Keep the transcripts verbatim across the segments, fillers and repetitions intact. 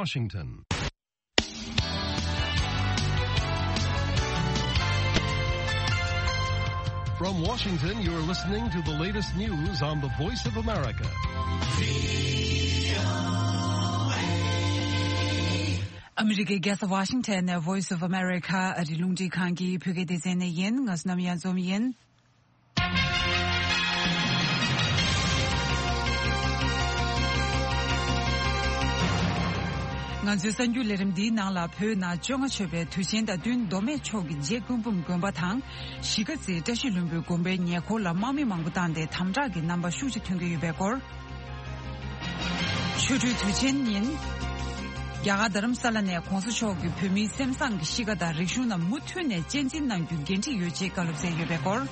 Washington. From Washington, you're listening to the latest news on the Voice of America. ཨ་མི་རི་ཀའི་རྒྱལ་ས་ཝ་ཤིང་ཊོན་ནས་Voice of America ཨ་རིའི་རླུང་འཕྲིན་ཁང་གི་བོད་སྐད་སྡེ་ཚན་ནས་ཡིན། ང་བསོད་ནམས་གཡང་འཛོམས་ཡིན། ང་ཚོའི་གསར་འགྱུར་ལས་རིམ་འདིའི་ནང་ལ། བོད་ནང་བཅོ་ལྔ་མཆོད་པའི་དུས་ཆེན་དང་བསྟུན། མདོ་སྨད་ཕྱོགས་ཀྱི་རྗེ་སྐུ་འབུམ་དགོན་པ་དང་གཞིས་ཀ་རྩེའི་བཀྲ་ཤིས་ལྷུན་པོའི་དགོན་པའི་ཉེ་འཁོར་ལ་དམག་མི་མང་པོ་བཏང་སྟེ་དམ་དྲག་གི་རྣམ་པ་ཤུགས་ཆེ་ཐོན་གྱི་ཡོད་པའི་སྐོར། ཆོ་འཕྲུལ་དུས་ཆེན་ཉིན། རྒྱ་གར་རྡ་རམ་ས་ལ་ནས་གོང་ས་མཆོག་གིས་བོད་མིའི་སེམས་བཟང་གི་གཤིས་ཀ་དང་རིག་གཞུང་རྣམས་མུ་མཐུད་ནས་གཅེས་འཛིན་གནང་རྒྱུའི་འགན་འཁྲི་ཡོད་ཅེས་བཀའ་སློབ་སྩལ་ཡོད་པའི་སྐོར།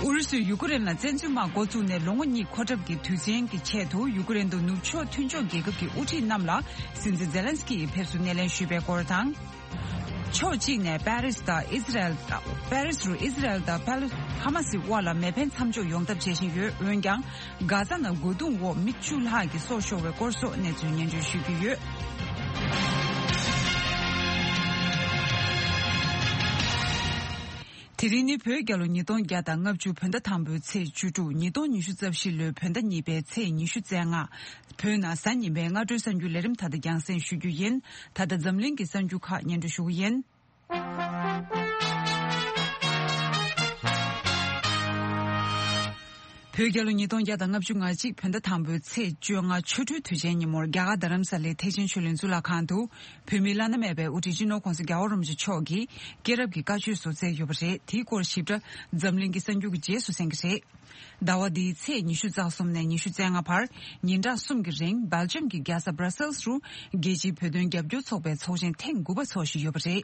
ཨུ་རུ་སུས་ཡུ་ཀེ་རེན་ལ་བཙན་འཛུལ་དམག་འགོ་བཙུགས་ནས་ལོ་ངོ་གཉིས་འཁོར་གྲབས་ཀྱི་དུས་ཆེན་གྱི་ཆེད་དུ། ཡུ་ཀེ་རེན་དུ་ནུབ་ཕྱོགས་མཐུན་ཕྱོགས་རྒྱལ་ཁབ་ཀྱི་དབུ་ཁྲིད་རྣམས་ལ་སྲིད་འཛིན་ཛེ་ལན་སི་ཀི་ཡིས་ཕེབས་བསུ་སྣེ་ལེན་ཞུས་པའི་སྐོར་དང་། ཕྱོགས་གཅིག་ནས་པེ་རིས་དང་ཨི་ཟི་རལ་དང་། པེ་རིས་རུ་ཨི་ཟི་རལ་དང་ཕ་ལི་ཧ་མ་སི་དབར་ལ་མེ་འཕེན་མཚམས་འཇོག་ཡོང་ཐབས་བྱེད་བཞིན་ཡོད། འོན་ཀྱང་། གྷ་ཛ་ནང་རྒོལ་རྡུང་འོག་མི་བཅུ་ལྷག་གི་སྲོག་ཤོར་བའི་སྐོར་སོགས་གནས་ཚུལ་སྙན་སྒྲོན་ཞུ་རྒྱུ་ཡོད། དེ་རིང་ནི་བོད་རྒྱལ་ལོ་ཉིས་སྟོང་བརྒྱ་དང་ལྔ་བཅུ་བོད་ཟླ་དང་པོའི་ཚེས་བཅུ་དྲུག་ཉིས་སྟོང་ཉི་ཤུ་རྩ་བཞི་ལོའི་བོད་ཟླ་གཉིས་པའི་ཚེས་ཉི་ཤུ་རྩ་ལྔ། བོད་ནང་གཟའ་ཉི་མའི་སྔ་དྲོའི་གསར་འགྱུར་ལས་རིམ་ད་ལྟ་རྒྱང་སྲིང་ཞུ་རྒྱུ་ཡིན། ད་ལྟ་འཛམ་གླིང་གི་གསར་འགྱུར་ཁག་སྙན་སྒྲོན་ཞུ་གི་ཡིན། བོད་རྒྱལ་ལོ་ཉིས་སྟོང་བརྒྱ་དང་ལྔ་བཅུ་ང་གཅིག་བོད་ཟླ་དང་པོའི་ཚེས་བཅོ་ལྔ་ཆོ་འཕྲུལ་དུས་ཆེན་ཉིན་མོར་རྒྱ་གར་རྡ་རམ་ས་ལའི་ཐེག་ཆེན་ཆོས་གླིང་གཙུག་ལག་ཁང་དུ་བོད་མིའི་བླ་ན་མེད་པའི་དབུ་ཁྲིད་སྤྱི་ནོར་༸གོང་ས་༸རྒྱལ་བ་རིན་པོ་ཆེ་མཆོག་གིས་སྐྱེས་རབས་ཀྱི་བཀའ་ཆོས་སོགས་སྩལ་ཡོད་པ་རེད། དེའི་སྐོར་ཞིབ་ཕྲ་འཛམ་གླིང་གི་གསར་འགྱུར་གྱི་རྗེས་སུ་གསན་གྱི་རེད། ཟླ་བ་འདིའི་ཚེས་ཉི་ཤུ་རྩ་གསུམ་ནས་ཉི་ཤུ་རྩ་ལྔ་བར་ཉིན་གྲངས་གསུམ་གྱི་རིང་སྦེལ་ཇམ་གྱི་རྒྱལ་ས་སྦྲ་སེལ་སི་རུ་རྒྱལ་སྤྱིའི་བོད་དོན་རྒྱབ་སྐྱོར་ཚོགས་པའི་ཚོགས་ཆེན་ཐེངས་དགུ་པ་འཚོགས་བཞིན་ཡོད་པ་རེད།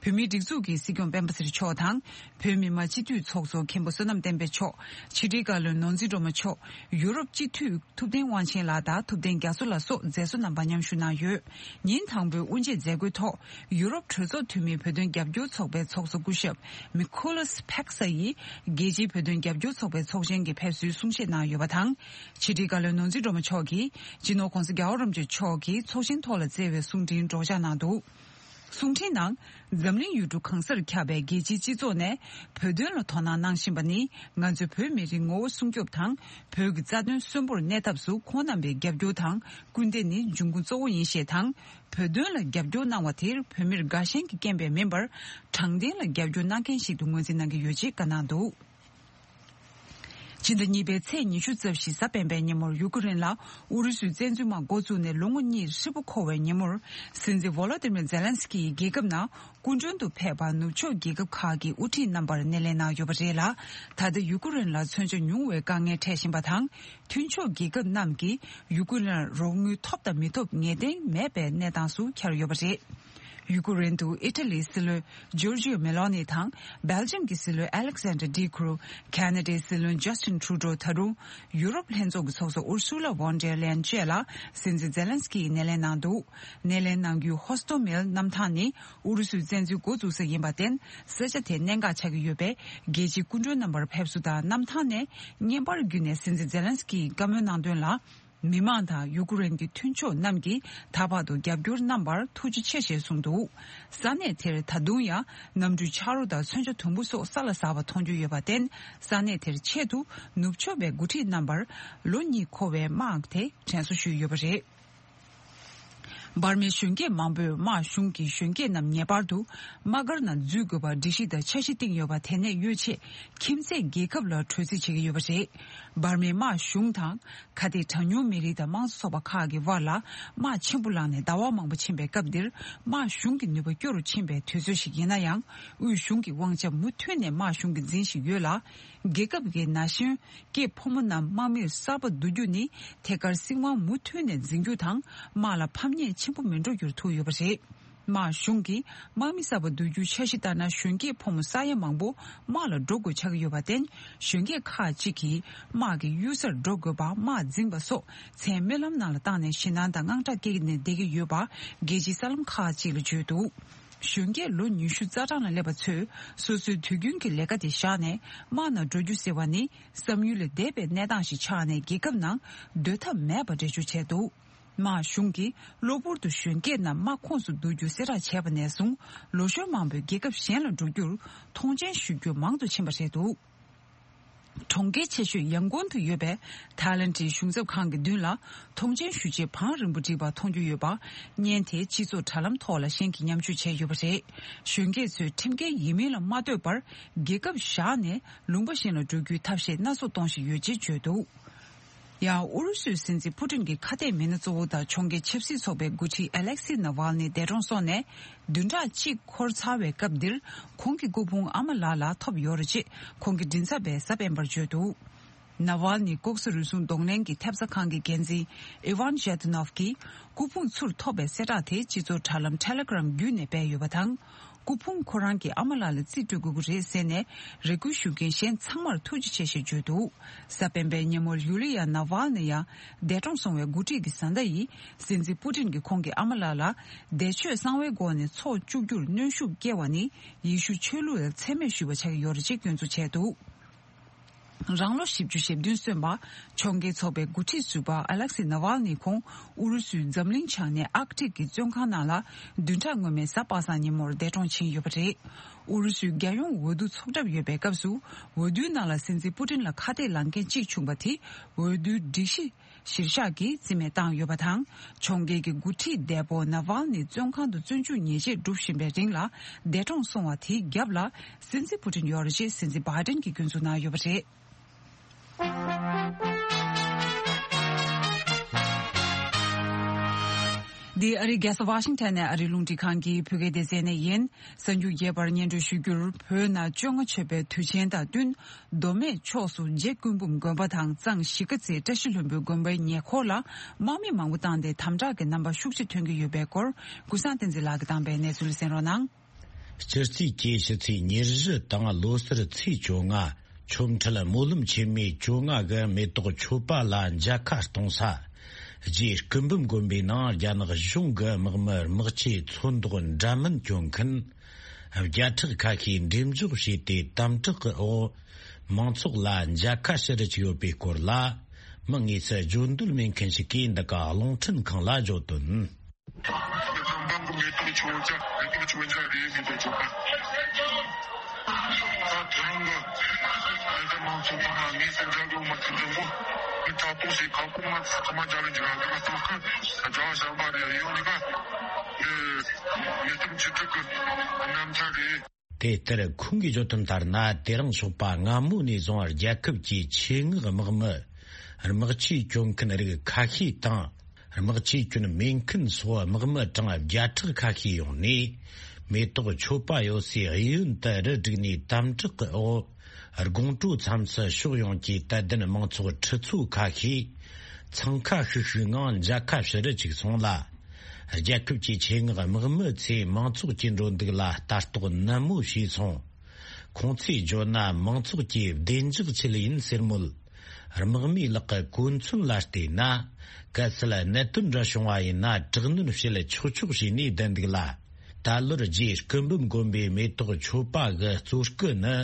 བོད་མིའི་སྒྲིག་འཛུགས་ཀྱི་སྲིད་སྐྱོང་སྤེན་པ་ཚེ་རིང་མཆོག་དང་། བོད་མི་མང་སྤྱི་འཐུས་ཚོགས་གཙོ་མཁན་པོ་བསོད་ནམས་བསྟན་འཕེལ་མཆོག་ཕྱི་དྲིལ་བཀའ་བློན་ནོར་འཛིན་སྒྲོལ་མ་མཆོག་ཡུ་རོབ་སྤྱི་འཐུས་ཐུབ་བསྟན་དབང་ཆེན་ལགས་དང་ཐུབ་བསྟན་རྒྱ་མཚོ་ལགས་སོགས་མཛད་གཙོ་རྣམ་པ་མཉམ་ཞུགས་གནང་ཡོད། ཉིན་དང་པོའི་དབུ་འབྱེད་མཛད་སྒོའི་ཐོག་ཡུ་རོབ་གྲོས་ཚོགས་འཐུས་མིའི་བོད་དོན་རྒྱབ་སྐྱོར་ཚོགས་པའི་ཚོགས་གཙོ་སྐུ་ཞབས་མི་ཁོ་ལོས་ཕེག་ས་ཡིས་རྒྱལ་སྤྱིའི་བོད་དོན་རྒྱབ་སྐྱོར་ཚོགས་པའི་ཚོགས་ཆེན་གྱི་ཕེབས་བསུའི་གསུང་བཤད་གནང་ཡོད་པ་དང་། ཕྱི་དྲིལ་བཀའ་བློན་ནོར་འཛིན་སྒྲོལ་མ་མཆོག་གིས་སྤྱི་ནོར་༸གོང་ས་༸རྒྱལ་བ་རིན་པོ་ཆེ་མཆོག་གིས་ཚོགས་ཆེན་ཐོག་ལ་བསྩལ་བའི་གསུང་འཕྲིན་སྒྲོག་སྦྱང་གནང་འདུག་གསུང་འཕྲིན་ནང་། འཛམ་གླིང་ཡུལ་གྲུ་གང་སར་ཁྱབ་པའི་རྒྱལ་སྤྱིའི་སྤྱི་ཚོགས་ནས་བོད་དོན་ལ་དོ་སྣང་གནང་བཞིན་པ་ནི་ང་ཚོའི་བོད་མི་རིགས་ངོ་བོ་སྲུང་སྐྱོབ་དང་། བོད་ཀྱི་རྩ་དོན་གསོན་པོར་གནས་ཐབས་སུ་ཁོང་རྣམ་པའི་རྒྱབ་སྐྱོར་དང་སྐུལ་འདེད་ནི་འབྱུང་ཁུངས་གཙོ་བོ་ཡིན་ཞེས་དང་། བོད་དོན་ལ་རྒྱབ་སྐྱོར་གནང་བ་དེར་བོད་མིར་དགའ་ཞེན་གྱི་རྐྱེན་པས་མིན་པར། དྲང་བདེན་ལ་རྒྱབ་སྐྱོར་གནང་མཁན་ཞིག་ཏུ་ངོས་འཛིན་གནང་གི་ཡོད་ཅེས་བཀའ་གནང་འདུག་ཕྱི་ཟླ་གཉིས་པའི་ཚེས་ཉི་ཤུ་རྩ་བཞི་གཟའ་སྤེན་པའི་ཉིན་མོར་ཡུ་ཀེ་རེན་ལ་ཨུ་རུ་སུས་བཙན་འཛུལ་དམག་འགོ་བཙུགས་ནས་ལོ་ངོ་གཉིས་ཧྲིལ་པོ་འཁོར་བའི་ཉིན་མོར། སྲིད་འཛིན་ཝོ་ལོ་ཏི་མིར་ཛེ་ལན་སི་ཀི་ཡིས་རྒྱལ་ཁབ་ནང་སྐུ་མགྲོན་དུ་ཕེབས་པར་ནུབ་ཕྱོགས་རྒྱལ་ཁབ་ཁག་གི་དབུ་ཁྲིད་རྣམ་པར་སྣེ་ལེན་གནང་ཡོད་པ་རེད་ལ། ད་ལྟ་ཡུ་ཀེ་རེན་ལ་མཚོན་ཆ་ཉུང་བའི་དཀའ་ངལ་འཕྲད་བཞིན་པ་དང་། མཐུན་ཕྱོགས་རྒྱལ་ཁབ་རྣམས་ཀྱིས་ཡུ་ཀེ་རེན་ལ་རོགས་དངུལ་ཐོབ་དང་མི་ཐོབ་ངེས་གཏན་མེད་པའི་གནས་སྟངས་སུ་གྱར་ཡོད་པ་རེད། ཡུ་ཀེ་རེན་དུ་ཨི་ཊ་ལིའི་སྲིད་བློན་ཇོར་ཇིའོ་མེ་ལོ་ནི་དང་། སྦེལ་ཇམ་གྱི་སྲིད་བློན་ཨ་ལེག་སན་ཌར་ཌི་ཁུ་རུ། ཁ་ན་ཌའི་སྲིད་བློན་ཇ་སྟིན་ཁྲུ་ཌོ། ད་རུང་ཡུ་རོབ་ལྷན་ཚོགས་ཀྱི་ཚོགས་གཙོ་ཨུར་སུ་ལ་ཝོན་ཌེར་ལེན་བཅས་ལ་སྲིད་འཛིན་ཛེ་ལན་སི་ཀི་ཡིས་སྣེ་ལེན་གནང་འདུག་སྣེ་ལེན་གནང་རྒྱུའི་ཧོ་སྟོ་མེལ་གནམ་ཐང་ནི་ཨུ་རུ་སུའི་བཙན་འཛུལ་འགོ་བཙུགས་ས་ཡིན་པར་བརྟེན། ས་ཆ་དེ་གནད་འགག་ཆགས་ཀྱི་ཡོད་པས། རྒྱལ་སྤྱིའི་སྐུ་མགྲོན་རྣམ་པར་ཕེབས་བསུ་དང་གནམ་ཐང་ནས་བརྙན་པར་བརྒྱུད་ནས་སྲིད་འཛིན་ཛེ་ལན་སི་ཀི་ཡིས་བཀའ་མོལ་གནང་དོན་ལ། མི་མང་དང་ཡུ་ཀེ་རེན་གྱི་མཐུན་ཕྱོགས་རྣམས་ཀྱིས་ད་བར་དུ་རྒྱབ་སྐྱོར་གནང་བར་ཐུགས་རྗེ་ཆེ་ཞེས་གསུངས་འདུག་ས་གནས་དེར་ད་དུང་ཡང་གནམ་གྲུའི་ཆ་རོགས་དང་མཚོན་ཆ་དུམ་བུ་སོགས་ས་ལ་ཟགས་པ་མཐོང་རྒྱུ་ཡོད་པར་བརྟེན། ས་གནས་དེར་ཆེད་དུ་ནུབ་ཕྱོགས་པའི་འགོ་ཁྲིད་རྣམ་པར་ལོ་གཉིས་འཁོར་བའི་དམག་དེ་དྲན་གསོ་ཞུས་ཡོད་པ་རེད། འབར་མའི་གཞོན་སྐྱེས་མང་པོས་དམག་གཞུང་གིས་གཞོན་སྐྱེས་རྣམས་ངེས་པར་དུ་དམག་སྒར་ནང་འཛུལ་དགོས་པར་སྒྲིག་གཞི་དང་འཆར་གཞི་བཏིང་ཡོད་པ། དེ་ནས་གཡོལ་ཆེད་ཁྱིམ་མཚེས་རྒྱལ་ཁབ་ལ་གྲོས་རྩིས་བྱེད་ཀྱི་ཡོད་པ་རེད། འབར་མའི་དམག་གཞུང་དང་། ཁ་གཏད་གྲངས་ཉུང་མི་རིགས་དང་དམངས་གཙོ་ཚོགས་པ་ཁག་གི་དབར་ལ་དམག་ཆེན་པོ་ལངས་ནས་ཟླ་བ་མང་པོ་ཕྱིན་པའི་སྐབས་འདིར། དམག་གཞུང་གི་ནུས་པ་སྐྱོ་རུ་ཕྱིན་པའི་དུས་ཚོད་ཞིག་ཡིན་ན་ཡང་། དབུས་གཞུང་གི་དབང་ཆ་མུ་མཐུད་ནས་དམག་གཞུང་གིས་འཛིན་བཞིན་ཡོད་ལ། རྒྱལ་ཁབ་ཀྱི་ན་གཞོན་སྐྱེས་ཕོ་མོ་རྣམས་དམག་མིར་གསར་པ་བསྡུ་རྒྱུ་ནི། ཐད་ཀར་སྲིད་དབང་མུ་མཐུད་ནས་འཛིན་རྒྱུ་དང་། དམག་ལ་ཕམ་ཉེས་ཆེན་པོ་མི་འགྲོ་རྒྱུར་ཐུག་ཡོད་པ་རེད། དམག་གཞུང་གིས་དམག་མི་གསར་པ་བསྡུ་རྒྱུའི་འཆར་གཞི་ལྟར་ན། གཞོན་སྐྱེས་ཕོ་མོ་ས་ཡ་མང་པོ་དམག་ལ་འགྲོ་དགོས་ཆགས་ཀྱི་ཡོད་པར་བརྟེན། གཞོན་སྐྱེས་ཁག་ཅིག་གིས་དམག་གི་གཡུལ་སར་འགྲོ་དགོས་པ། དམག་འཛིང་བ་སོགས་མཚན་སྨོན་ལམ་ནང་ལ་བཏང་ནས་ཞེད་སྣང་དང་དངངས་སྐྲག་སྐྱེས་ནས་བསྡད་ཀྱི་ཡོད་པ། རྒྱལ་སྤྱིའི་གསར་ལམ་ཁག་ཅིག་ལ་བརྗོད་འདུག་གཞོན་སྐྱེས་ལོ་ཉི་ཤུ་རྩ་གྲངས་ལ་སླེབས་པ་ཚོས་སོ་སོའི་དུས་རྒྱུན་གྱི་ལས་ཀ་དེ་བཞག་ནས་དམག་ནང་འགྲོ་རྒྱུ་ཟེར་བ་ནི། བསམ་ཡུལ་ལས་འདས་པའི་གནས་སྟངས་ཤིག་ཆགས་ནས། རྒྱལ་ཁབ་ནང་སྡོད་ཐབས་མེད་པ་འགྲེལ་བརྗོད་བྱས་འདུག་མར་གཞུང་གིས་གློ་བུར་དུ་གཞོན་སྐྱེས་རྣམས་དམག་ཁོངས་སུ་བསྡུ་རྒྱུ་གསལ་བསྒྲགས་བྱས་པ་ནས་བཟུང་། ལོ་གཞོན་མང་པོས་རྒྱལ་ཁབ་གཞན་ལ་འགྲོ་རྒྱུར་མཐོང་མཆན་ཞུ་རྒྱུ་མང་དུ་ཕྱིན་པ་རེད་འདུག་གྲོང་ཁྱེར་ཆེ་ཤོས་ཡང་ཀོང་དུ་ཡོད་པའི་ཐའི་ལན་གྱི་གཞུང་ཚབ་ཁང་གི་མདུན་ལ་མཐོང་མཆན་ཞུ་ཆེད་བང་རིམ་པོ་བསྒྲིགས་པ་མཐོང་རྒྱུ་ཡོད་པ། བརྙན་དེ་སྤྱི་ཚོགས་དྲ་ལམ་ཐོག་ལ་ཤན་གྱིས་མཉམ་སྤྱོད་བྱས་ཡོད་པ་རེད། གཞོན་སྐྱེས་ཚོས་ཁྲིམས་འགལ་ཡིན་མིན་ལ་མ་ལྟོས་པར་རྒྱལ་ཁབ་བཞག་ནས་ལུང་པ་གཞན་ལ་འགྲོ་རྒྱུའི་ཐབས་ཤེས་སྣ་ཚོགས་གཏོང་བཞིན་ཡོད་ཅེས་བརྗོད་འདུག་ཡང་ཨུ་རུ་སུའི་སྲིད་འཛིན་ཕུ་ཏིན་གྱི་ཁ་གཏད་མི་སྣ་གཙོ་བོ་དང་གྲོང་ཁྱེར་ཆབ་སྲིད་ཚོགས་པའི་འགོ་ཁྲིད་ཨ་ལེག་སི་ནཱ་ཝལ་ནི་འདས་གྲོངས་སོང་ནས་བདུན་ཕྲག་གཅིག་འཁོར་ཚར་བའི་སྐབས་འདིར། ཁོང་གི་སྐུ་ཕུང་ཨ་མ་ལགས་ལ་ཐོབ་ཡོད་རེད་ཅེས་ཁོང་གི་མགྲིན་ཚབ་པས་གཟའ་སྤེན་པར་བརྗོད་འདུག་ནཱ་ཝལ་ནི་ལྐོག་ཟ་རུལ་སུངས་གདོང་ལེན་གྱི་ཐེབས་རྩ་ཁང་གི་འགན་འཛིན་ཨི་ཝན་ཇེ་ཏུ་ནོབ་ཀྱིས། སྐུ་ཕུང་ཚུར་ཐོབ་པའི་གསལ་བསྒྲགས་དེ་སྤྱི་ཚོགས་དྲ་ལམ་ཊེ་ལེ་གྷི་རམ་བརྒྱུད་ནས་སྤེལ་ཡོད་པ་དང་། སྐུ་ཕུང་ཁོ་རང་གི་ཨ་མ་ལགས་ལ་རྩིས་སྤྲོད་དགོས་ཀྱི་རེད་ཟེར་ནས། རེ་སྐུལ་ཞུ་མཁན་གཞན་ཚང་མར་ཐུགས་རྗེ་ཆེ་ཞེས་བརྗོད་འདུག་གཟའ་སྤེན་པའི་ཉིན་མོར་ཡུ་ལི་ཡ་ནཱ་ཝལ་ནི་ཡང་འདས་གྲོངས་སོང་བའི་འགོ་ཁྲིད་ཀྱི་བཟའ་ཟླ་ཡིས་སྲིད་འཛིན་པུ་ཏིན་གྱིས་ཁོང་གི་ཨ་མ་ལགས་ལ་བདེ་མཆོད་གསང་བའི་སྒོ་ནས་ཚོགས་བཅུག་རྒྱུར་གནོན་ཤུགས་བསྐྱེད་པ་ནི་ཡེ་ཤུ་ཆོས་ལུགས་ལ་མཚན་སྨད་ཞུས་པ་ཆགས་ཀྱི་ཡོད་རེད་ཅེས་སྐྱོན་འཛུགས་བྱས་འདུག་རང་ལོ་བཞི་བཅུ་ཞེ་བདུན་སོན་པ། ཕྱོགས་འགལ་ཚོགས་པའི་འགོ་ཁྲིད་ཟུར་པ་ཨ་ལེག་སི་ནཱ་ཝལ་ནི་ཁོང་ཨུ་རུ་སུའི་འཛམ་གླིང་ཆ་ནས་ཨར་ཀི་ཊིག་གི་བཙོན་ཁང་ནང་ལ་བདུན་ཕྲག་སྔོན་མའི་གཟའ་པ་སངས་ཉིན་མོར་འདས་གྲོངས་ཕྱིན་ཡོད་པ་རེད། ཨུ་རུ་སུའི་རྒྱལ་ཡོངས་འོས་བསྡུ་ཚོགས་གྲབས་ཡོད་པའི་སྐབས་སུ་འོས་བསྡུའི་ནང་ལ་སྲིད་འཛིན་པུ་ཏིན་ལ་ཁ་གཏད་ལངས་མཁན་གཅིག་བྱུང་པ་དེ་འོས་བསྡུའི་སྒྲིག་གཞི་གཞིར་བཞག་གིས་རྩིས་མེད་བཏང་ཡོད་པ་དང་། ཕྱོགས་འགལ་གྱི་འགོ་ཁྲིད་འདས་པོ་ནཱ་ཝལ་ནི་བཙོན་ཁང་དུ་བཙོན་འཇུག་ཉེས་ཆད་སྒྲུབ་བཞིན་པའི་རིང་ལ་འདས་གྲོངས་སོང་བ་དེའི་རྒྱབ་ལ་སྲིད་འཛིན་པུ་ཏིན་ཡོད་རེད་ཅེས་སྲིད་འཛིན་བྷའི་ཏིན་གྱིས་སྐྱོན་འཛུགས་གནང་ཡོད་པ་རེད། འདི་ཨ་རིའི་རྒྱལ་ས་ཝ་ཤིང་ཊོན་ནས་ཨ་རིའི་རླུང་འཕྲིན་ཁང་གི་བོད་སྐད་སྡེ་ཚན་ནས་ཡིན། གསར་འགྱུར་རྒྱས་པར་སྙན་སྒྲོན་ཞུ་རྒྱུར། བོད་ནང་བཅོ་ལྔ་མཆོད་པའི་དུས་ཆེན་དང་བསྟུན། མདོ་སྨད་ཕྱོགས་སུ་རྗེ་སྐུ་འབུམ་དགོན་པ་དང་གཙང་གཞིས་ཀ་རྩེའི་བཀྲ་ཤིས་ལྷུན་པོའི་དགོན་པའི་ཉེ་འཁོར་ལ་དམག་མི་མང་པོ་བཏང་སྟེ་དམ་དྲག་གི་རྣམ་པ་ཤུགས་ཆེ་ཐོན་གྱི་ཡོད་པའི་སྐོར། ཀུན་བཟང་བསྟན་འཛིན་ལགས་ཀྱིས་བཏང་པའི་གནས་ཚུལ་གསན་རོགས་གནང་། སྤྱི་ཚེས་བཅུ་ཕྱི་ཚེས་ཉེར་བཞི་དང་ལོ་སར་ཚེས་བཅོ་ལྔ། ཆོ་འཕྲུལ་སྨོན་ལམ་ཆེན་མོའི་བཅོ་ལྔ་གི་མེ་ཏོག་མཆོད་པ་ལ་མཇལ་ཁ་གཏོང་ས། རྗེ་སྐུ་འབུམ་དགོན་པའི་ནང་རྒྱ་ནག་གཞུང་གི་དམག་མི་དམག་ཆས་ཚོན་མདོག་འདྲ་མིན་གྱོན་མཁན། བརྒྱ་ཕྲག་ཁ་ཤས་འགྲེམས་འཇོག་བྱས་ཏེ་དམ་དྲག་གི་འོག་མང་ཚོགས་ལ་མཇལ་ཁ་ཞུ་རུ་བཅུག་ཡོད་པའི་སྐོར་ལ། མི་དངོས་སུ་བརྗོད་འདོད་མེད་མཁན་ཞིག་གིས་འདི་ག་རླུང་འཕྲིན་ཁང་ལ་བརྗོད་དོན། མི་ཚང་མ་གི་མེ་ཏོག་མཆོད་ཆ། མེ་ཏོག་མཆོད་ཆ་རེད། མེ་ཏོག་མཆོད་པ། ད་དེ་རིང་གི་ཨ་ད་མང་ཚོགས་ཚང་མ་ངས་སེམས་ཅན་གྱི་མ་ཚིག་དང་པོ་མི་ཐ་གཏོགས་ཤིག་གང་གོ་མ་ཚང་མ་རྒྱ་ལ་འཇུག་ར་གི་མ་ཚོགས་ཀི་རྒྱ་བ་ཞང་པ་རེད། ཡོང་ནི་ག་ཨེ་མེ་ཏོག་མཆོད་ཁྲི་གི་གནམ་ས་རེད། དེ་ལྟར་ཁོང་གིས་བརྗོད་དོན་ལྟར་ན། དེ་རིང་ཞོགས་པ་སྔ་མོ་ནས་བཟུང་རྒྱལ་ཁབ་ཀྱི་ཆེད་མངགས་དམག་མི་དམག་ཆས་གྱོན་མཁན་རིགས་ཁ་ཤས་དང་། དམག་ཆས་གྱོན་མེད་མཁན་སོགས་དམག་མི་གྲངས་བརྒྱ་ཕྲག་ཁ་ཤས་ཡོང་ནས། མེ་ཏོག་མཆོད་པ་ཡོད་སའི་གཡས་གཡོན་དུ་རུ་བསྒྲིགས་ནས་དམ་དྲག་གི་འོག་དགོང་དྲོ་མཚམས་སུ་ཕྱོགས་ཡོངས་ཀྱི་དད་ལྡན་མང་ཚོགས་ཁྲི་ཚོ་ཁ་ཤས་འཚང་ཁ་ཤིག་ཤིག་ངང་མཇལ་ཁ་ཞུ་རུ་བཅུག་སོང་ལ། རྒྱལ་ཁབ་ཀྱི་ཆེད་མངགས་དམག་མི་ཚོས་མང་ཚོགས་ཀྱི་འགྲོ་འདུག་ལ་ལྟ་རྟོག་ནན་མོ་བྱས་སོང་། ཁོང་ཚོས་བརྗོད་ན། མང་ཚོགས་ཀྱིས་བདེ་འཇགས་ཆེད་ཡིན་ཟེར་མོད། དམག་མིའི་ལག་གི་གོ་མཚོན་ལ་བལྟས་ན། གལ་སྲིད་གནད་དོན་འདྲ་བྱུང་བ་ཡིན་ན། དྲག་གནོན་བྱེད་ཆོག་ཆོག་བྱས་ནས་བསྡད་འདུག་ལ། ད་ལོར་རྗེ་སྐུ་འབུམ་དགོན་པའི་མེ་ཏོག་མཆོད་པ་གི་གཙོ་སྐུ་ནི།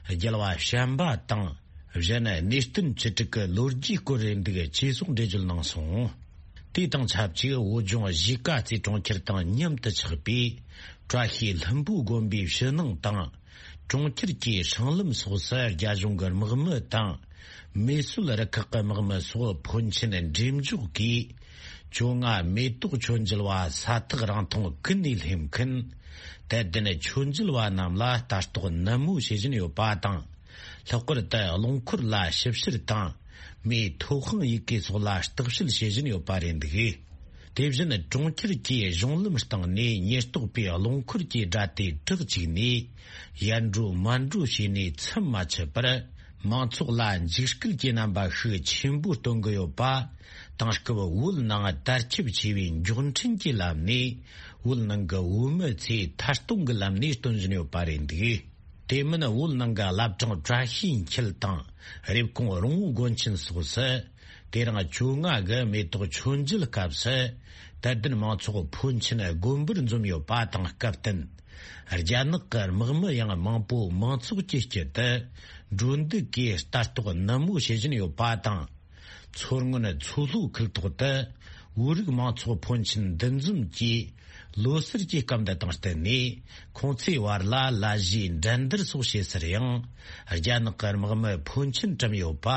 རྒྱལ་བ་བྱམས་པ་དང་། གཞན་གནས་བརྟན་ཆོས་དྲུག་གི་ལོ་རྒྱུས་སྐོར་རེད་འདུག་ཅེས་སོགས་འགྲེལ་བརྗོད་གནང་སོང་། དེ་དང་ཆབས་ཅིག་བོད་ལྗོངས་གཞིས་ཀ་རྩེ་གྲོང་ཁྱེར་དང་མཉམ་དུ་ཆགས་པའི་བཀྲ་ཤིས་ལྷུན་པོ་དགོན་པའི་ཕྱི་ནང་དང་། གྲོང་ཁྱེར་གྱི་སྲང་ལམ་སོགས་སུ་རྒྱ་གཞུང་གི་དམག་མི་དང་། མེ་གསོད་རུ་ཁག་གི་དམག་མི་སོགས་ཕོན་ཆེན་འགྲེམས་འཇོག་གིས། བཅོ་ལྔ་མེ་ཏོག་མཆོད་མཇལ་བ་ས་ཐག་རིང་ཐུང་ཀུན་ནས་སླེབས་མཁན། དད་ལྡན་མཆོད་མཇལ་བ་རྣམས་ལ་ལྟ་རྟོག་ནན་མོ་བྱེད་བཞིན་ཡོད་པ་དང་། ལྷག་པར་དུ་རླངས་འཁོར་ལ་ཞིབ་བཤེར་དང་། མིའི་ཐོབ་དབང་ཡི་གེ་སོགས་ལ་བརྟག་དཔྱད་བྱེད་བཞིན་ཡོད་པ་རེད་འདུག་དེ་བཞིན་གྲོང་ཁྱེར་གྱི་གཞུང་ལམ་སྟེང་ནས་ཉེན་རྟོག་པས་རླངས་འཁོར་གྱི་སྒྲ་དེ་བསྒྲགས་བཅུག་ནས། ཡར་འགྲོ་མར་འགྲོ་བྱས་ནས་མཚམས་མ་ཆད་པར། མང་ཚོགས་ལ་འཇིགས་སྐུལ་གྱི་རྣམ་པ་ཤུགས་ཆེན་པོ་སྟོན་གྱི་ཡོད་པ། དེང་སྐབས་བོད་ནང་དར་ཁྱབ་ཆེ་བའི་མགྱོགས་འཕྲིན་གྱི་ལམ་ནས། བོད་ནང་གི་བོད་མི་ཚོས་ཐད་གཏོང་གི་ལམ་ནས་སྟོན་བཞིན་ཡོད་པ་རེད་འདུག་དེ་མིན་བོད་ནང་གི་བླ་བྲང་བཀྲ་ཤིས་འཁྱིལ་དང་། རེབ་གོང་རོང་བོ་དགོན་ཆེན་སོགས་སུ། དེ་རིང་བཅོ་ལྔ་གི་མེ་ཏོག་མཆོད་མཇལ་སྐབས་སུ། དད་ལྡན་མང་ཚོགས་ཕོན་ཆེན་དགོན་པར་འཛོམས་ཡོད་པ་དང་སྐབས་བསྟུན། རྒྱ་ནག་གི་དམག་མི་ཡང་མང་པོ་མང་ཚོགས་ཀྱི་དཀྱིལ་དུ། འགྲོ་འདུག་གིས་ལྟ་རྟོག་ནན་མོ་བྱེད་བཞིན་ཡོད་པ་དང་། མཚོ་སྔོན་མཚོ་ལྷོ་ཁུལ་ཐོག་ཏུ། བོད་རིགས་མང་ཚོགས་ཕོན་ཆེན་འདུ་འཛོམས་ཀྱིས་ལོ་གསར་གྱི་སྐབས་འདི་དང་བསྟུན་ནས། ཁོང་ཚོའི་བར་ལ་ལ་གཞས་འགྲན་བསྡུར་སོགས་བྱེད་སར་ཡང་། རྒྱ་ནག་གི་དམག་མི་ཕོན་ཆེན་བཀྲམ་ཡོད་པ་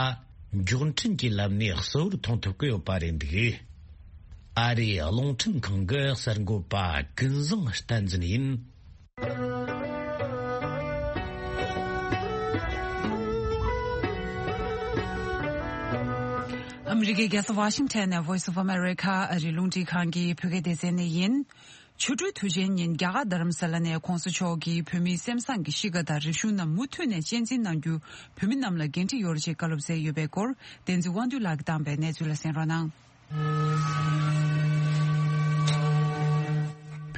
མགྱོགས་འཕྲིན་གྱི་ལམ་ནས་གསལ་བོར་མཐོང་ཐུབ་ཀྱི་ཡོད་པ་རེད་འདུག། ཨ་རིའི་རླུང་འཕྲིན་ཁང་གི་གསར་འགོད་པ་ཀུན་བཟང་བསྟན་འཛིན་ཡིན། ཨ་མི་རི་ཀའི་རྒྱལ་ས་ཝ་ཤིང་ཊོན་ནས་Voice of America ཨ་རིའི་རླུང་འཕྲིན་ཁང་གི་བོད་སྐད་སྡེ་ཚན་ནས་ཡིན། ཆུ་སྦྲུལ་དུས་ཆེན་ཉིན་རྒྱ་གར་རྡ་རམ་ས་ལ་ནས་༸གོང་ས་མཆོག་གིས་བོད་མིའི་སེམས་བཟང་གི་གཤིས་ཀ་དང་རིག་གཞུང་རྣམས་མུ་མཐུད་ནས་གཅེས་འཛིན་གནང་རྒྱུ་བོད་མི་རྣམས་ལ་འགན་འཁྲི་ཡོད་ཅེས་བཀའ་སློབ་སྩལ་ཡོད་པའི་སྐོར། བསྟན་འཛིན་དབང་འདུས་ལགས་ཀྱིས་བཏང་བའི་གནས་ཚུལ་ལ་གསན་རོགས་གནང་།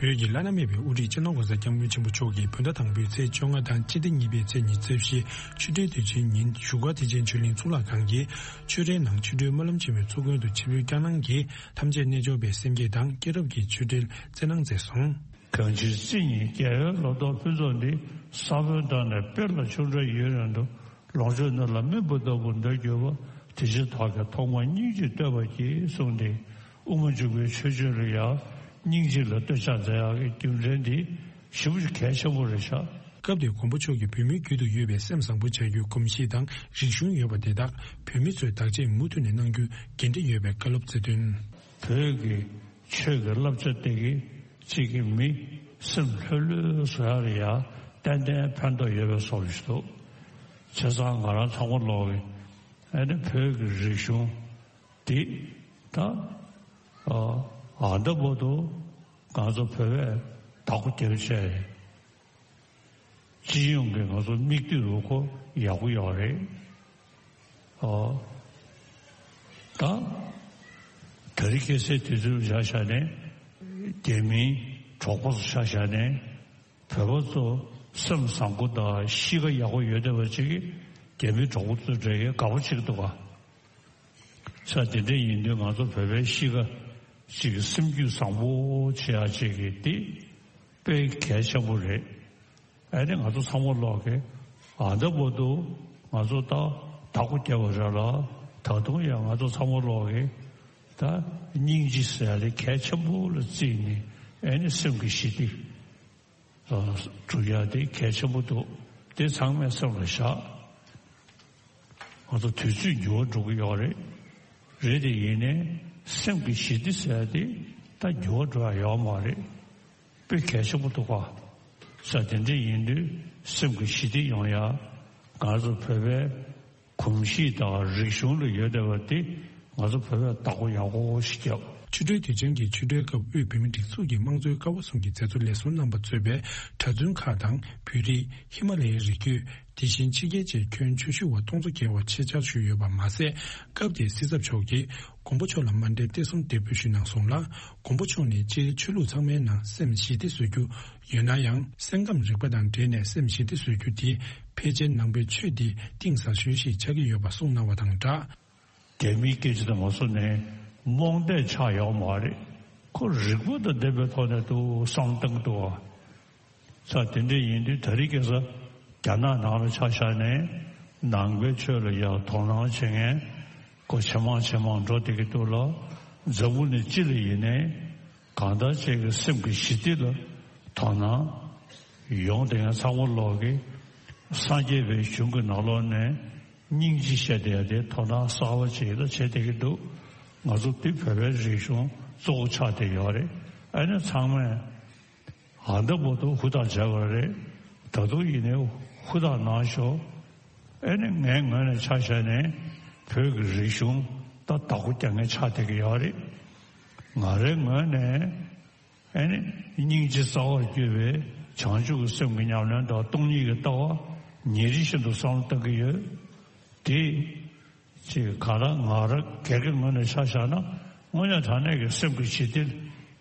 བོད་ཀྱི་བླ་ན་མེད་པའི་དབུ་ཁྲིད་སྤྱི་ནོར་༸གོང་ས་༸སྐྱབས་མགོན་ཆེན་པོ་མཆོག་གིས་བོད་ཟླ་དང་པོའི་ཚེས་བཅོ་ལྔ་དང་སྤྱི་ཟླ་གཉིས་པའི་ཚེས་ཉི་ཤུ་རྩ་བཞི་ཆུ་སྦྲུལ་དུས་ཆེན་ཉིན་བཞུགས་སྒར་བདེ་ཆེན་ཆོས་གླིང་གཙུག་ལག་ཁང་གི་ཆོས་རའི་ནང་ཆུ་སྦྲུལ་སྨོན་ལམ་ཆེན་མོའི་ཚོགས་མགོན་དུ་ཆིབས་བསྒྱུར་བསྐྱངས་གནང་གིས་ཐམས་ཅད་རྣལ་འབྱོར་པའི་སེམས་བསྐྱེད་དང་སྐྱེས་རབས་ཀྱི་ཆོས་འབྲེལ་སྩལ་གནང་མཛད་སོང་། གང་ཕྱིར་རྩེ་གཉིས་རྒྱལ་བའི་ལོ་ཏོག་ཕུན་ཚོགས་འདི། ས་བོན་དང་ནི་སྤེལ་ལ་ཆུ་འདྲ་ཡུན་རིང་དུ། ལོངས་སྤྱོད་ནོར་ལ་རྨིག་པ་ལྟ་བུར་འདོད་གྱུར་པ། དེ་ཕྱིར་བདག་གིས་ཐོག་མར་སྙིང་རྗེས་བསྟོད་པར་བགྱི་གསུངས་ཏེ། དབུ་མ་འཇུག་པའི་ཆོས་སྤྱོད་ལ་ཡང་སྙིང་རྗེ་ལ་བསྟོད་ཕྱག་མཛད་ཡག་གི་རྒྱུ་མཚན་འདི་ཞེ་པོ་ཅིག་གལ་ཆེན་པོ་རེད་ཤག། སྐབས་དེར་མགོན་པོ་མཆོག་གིས་བོད་མིའི་རྒྱུད་དུ་ཡོད་པའི་སེམས་བཟང་པོ་བྱ་རྒྱུའི་གོམས་གཤིས་དང་རིག་གཞུང་ཡོད་པ་དེ་དག་བོད་མི་ཚོས་བདག་གཅེས་མུ་མཐུད་ནས་གནང་རྒྱུ་འགན་འཁྲི་ཡོད་པའི་བཀའ་སློབ་སྩལ་དོན། བོད་ཀྱི་ཆོས་ཀྱི་བསླབ་བྱ་དེ་གིས་གཅིག་གི་མི་སེམས་ལྷོད་ལྷོད་བཟོ་ཡག་ལ་ཡང་ཏན་ཏན་ཕན་ཐོགས་ཡོད་པའི་བཟོ་འདྲ་ཞིག་འདུག། བྱས་ཙང་ང་རང་ཚང་མ་ལོག་གི་ཨ་ནི་བོད་ཀྱི་རིག་གཞུང་འདི་ད་ཨ་ད་བར་དུ་ང་ཚོ་བོད་པས་བདག་པོ་རྒྱབ་བྱས། སྤྱི་ཡོངས་ཀྱི་ང་ཚོ་མིག་ལྟོས་རུ་ཁོ་ཡག་པོ་ཡོད་རེད། ཨོ། ད་དེ་རིང་ཁ་སང་དུས་ཚོད་བཞག་བཞག་ནས་རྒྱ་མིའི་གྲོགས་པོ་ཚོ་ཆ་བཞག་ནས་བོད་པ་ཚོ་སེམས་བཟང་པོ་དང་གཤིས་ཀ་ཡག་པོ་ཡོད་བསྡད་པ་ཅིག་གིས་རྒྱ་མིའི་གྲོགས་པོ་ཚོའི་གྲས་ཀྱིས་དགའ་པོ་བྱེད་ཀྱི་འདུག་ག། ས་དེ་འདྲ་ཡིན་དུས་ང་ཚོ་བོད་པའི་གཤིས་ཀ་ཅིག་གི་སེམས་རྒྱུད་བཟང་པོ་བྱེད་ཡག་ཅིག་གི་འདི་དཔེ་གལ་ཆེན་པོ་རེད། ཨ་ནི་ང་ཚོ་ཚང་མ་ལོག་གི་ཨ་ད་བར་དུ་ང་ཚོ་ད་བདག་པོ་རྒྱབ་པ་རེད་ལ། ད་དུང་ཡང་ང་ཚོ་ཚང་མ་ལོག་གི་ད་སྙིང་རྗེ་ཟེར་ཡག་དེ་གལ་ཆེན་པོ་ལ་བརྩིས་ནས་ཨ་ནི་སེམས་ཀྱི་ཞི་བདེ་སྒྲུབ་ཡག་དེ་གལ་ཆེན་པོ་འདུག། དེ་ཚང་མས་སེམས་ལ་བཞག། ང་ཚོ་དུས་ཚོད་འགྱུར་བ་འགྲོ་གི་ཡོད་རེད། རེད་དེ་ཡིན་ནའི་སེམས་ཀྱི་ཞི་བདེ་ཟེར་ཡག་དེ་ད་འགྱུར་བ་འགྲོ་ཡག་ཡོད་མ་རེད། དཔེ་གལ་ཆེན་པོ་འདུག་ག། ས་དེ་འདྲ་ཡིན་དུས་སེམས་ཀྱི་ཞི་བདེ་ཡོང་ཡག་ང་ཚོ་བོད་པའི་གོམས་གཤིས་དང་རིག་གཞུང་ལ་ཡོད་བསྡད་པ་དེ་ང་ཚོ་བོད་པས་བདག་པོ་ཡག་པོ་ཞིག་བརྒྱབ། ཆུ་སྦྲུལ་དུས་ཆེན་གྱི་ཆུ་སྦྲུལ་སྐབས་དབུས་བོད་མིའི་སྒྲིག་འཛུགས་ཀྱི་དམངས་གཙོའི་ཀ་བ་གསུམ་གྱི་མཛད་གཙོ་ལས་ཟུར་རྣམ་པ་གཙོས་པའི་གྲྭ་བཙུན་ཁག་དང་བོད་རིགས། ཧི་མ་ལ་ཡའི་རི་རྒྱུད། དེ་བཞིན་ཕྱི་རྒྱལ་བཅས་ཁྱོན་ཆེ་ཤོས་པ་སྟོང་ཚོ་བརྒལ་བ་ཆེད་བཅར་ཞུས་ཡོད་པ་མ་ཟད། སྐབས་དེའི་སྲིད་ཚབ་མཆོག་གིས་མགོན་པོ་མཆོག་ལ་མཎྜལ་སྟེགས་གསུམ་འདེགས་འབུལ་ཞུས་གནང་སོང་ལ། མགོན་པོ་མཆོག་ནས་སྤྱིར་ཆོས་ལུགས་ཚང་མའི་ནང་སེམས་ཞི་བདེ་བཟོ་རྒྱུ་ཡོད་ན་ཡང་། སེམས་ཁམས་རིག་པ་དང་འབྲེལ་ནས་སེམས་ཞི་བདེ་བཟོ་རྒྱུ་དེ་ཕལ་ཆེར་ནང་པའི་ཆོས་འདི་གཏིང་ཟབ་ཤོས་ཤིག་ཆགས་ཀྱི་ཡོད་པ་གསུངས་གནང་བ་དང་སྦྲགས། རྒྱ་མིའི་སྐད་ཆ་དང་མ་སོང་ནས་རྨོངས་དད་ཆགས་ཡོད་མ་རེད། ཁོ་རིག་པ་དང་ལྡན་པའི་ཐོག་ནས་འདུག་བསམ་བློ་བཏང་གི་འདུག་བ། ས་དེ་འདྲ་ཡིན་དུས་ད་རེས་ཁ་སང་རྒྱ་ནག་ནང་ལ་ཆ་བཞག་ནས་ནང་པའི་ཆོས་ལ་ཡང་དོ་སྣང་བྱེད་མཁན་ཁོ་ཇེ་མང་ཇེ་མང་འགྲོ་བསྡད་ཀྱི་འདུག་ལ། འཛམ་བུ་གླིང་སྤྱི་ལ་ཡིན་ནའི་གང་ལྟར་ཅིག་གི་སེམས་ཀྱི་ཞི་བདེ་ལ་དོ་སྣང་ཡོང་བསྡད་མཁན་ཚང་མ་ལོག་གི་སངས་རྒྱས་པའི་གཞུང་གི་ནང་ལོགས་ནས་སྙིང་རྗེ་བཤད་བསྡད་ཡ་དེ་དོ་སྣང་གསར་པ་ཅིག་ལ་བྱེད་བསྡད་ཀྱི་འདུག། ང་ཚོ་འདི་བོད་པའི་རིག་གཞུང་གཙོ་བོ་ཆགས་བསྡད་ཡོད་རེད། ཨ་ནི་ཚང་མས་ཨ་ད་བར་དུ་ཧུར་ཐག་བྱས་པ་རེད། ད་དུང་ཡིན་ནའི་ཧུར་ཐག་གནང་ཤོག། ཨ་ནི་ངའི་ངོས་ནས་ཆ་བཞག་ནས་བོད་ཀྱི་རིག་གཞུང་ད་བདག་པོ་རྒྱག་མཁན་ཆགས་བསྡད་ཀྱི་ཡོད་རེད། ང་རའི་ངོས་ནས་ཨ་ནི་སྙིང་རྗེ་རྩ་བར་གྱུར་པའི་བྱང་ཆུབ་ཀྱི་སེམས་ཀྱི་ཉམས་ལེན་དང་སྟོང་ཉིད་ཀྱི་ལྟ་བ་ཉིན་རེ་བཞིན་དུ་བསམ་བློ་གཏོང་གི་ཡོད། དེ་ཅིག་ག་ལ་ང་རང་སྒེར་གྱི་ངོས་ནས་ཆ་བཞག་ན་དངོས་གནས་དྲང་གནས་ཀྱི་སེམས་ཀྱི་ཞི་བདེ་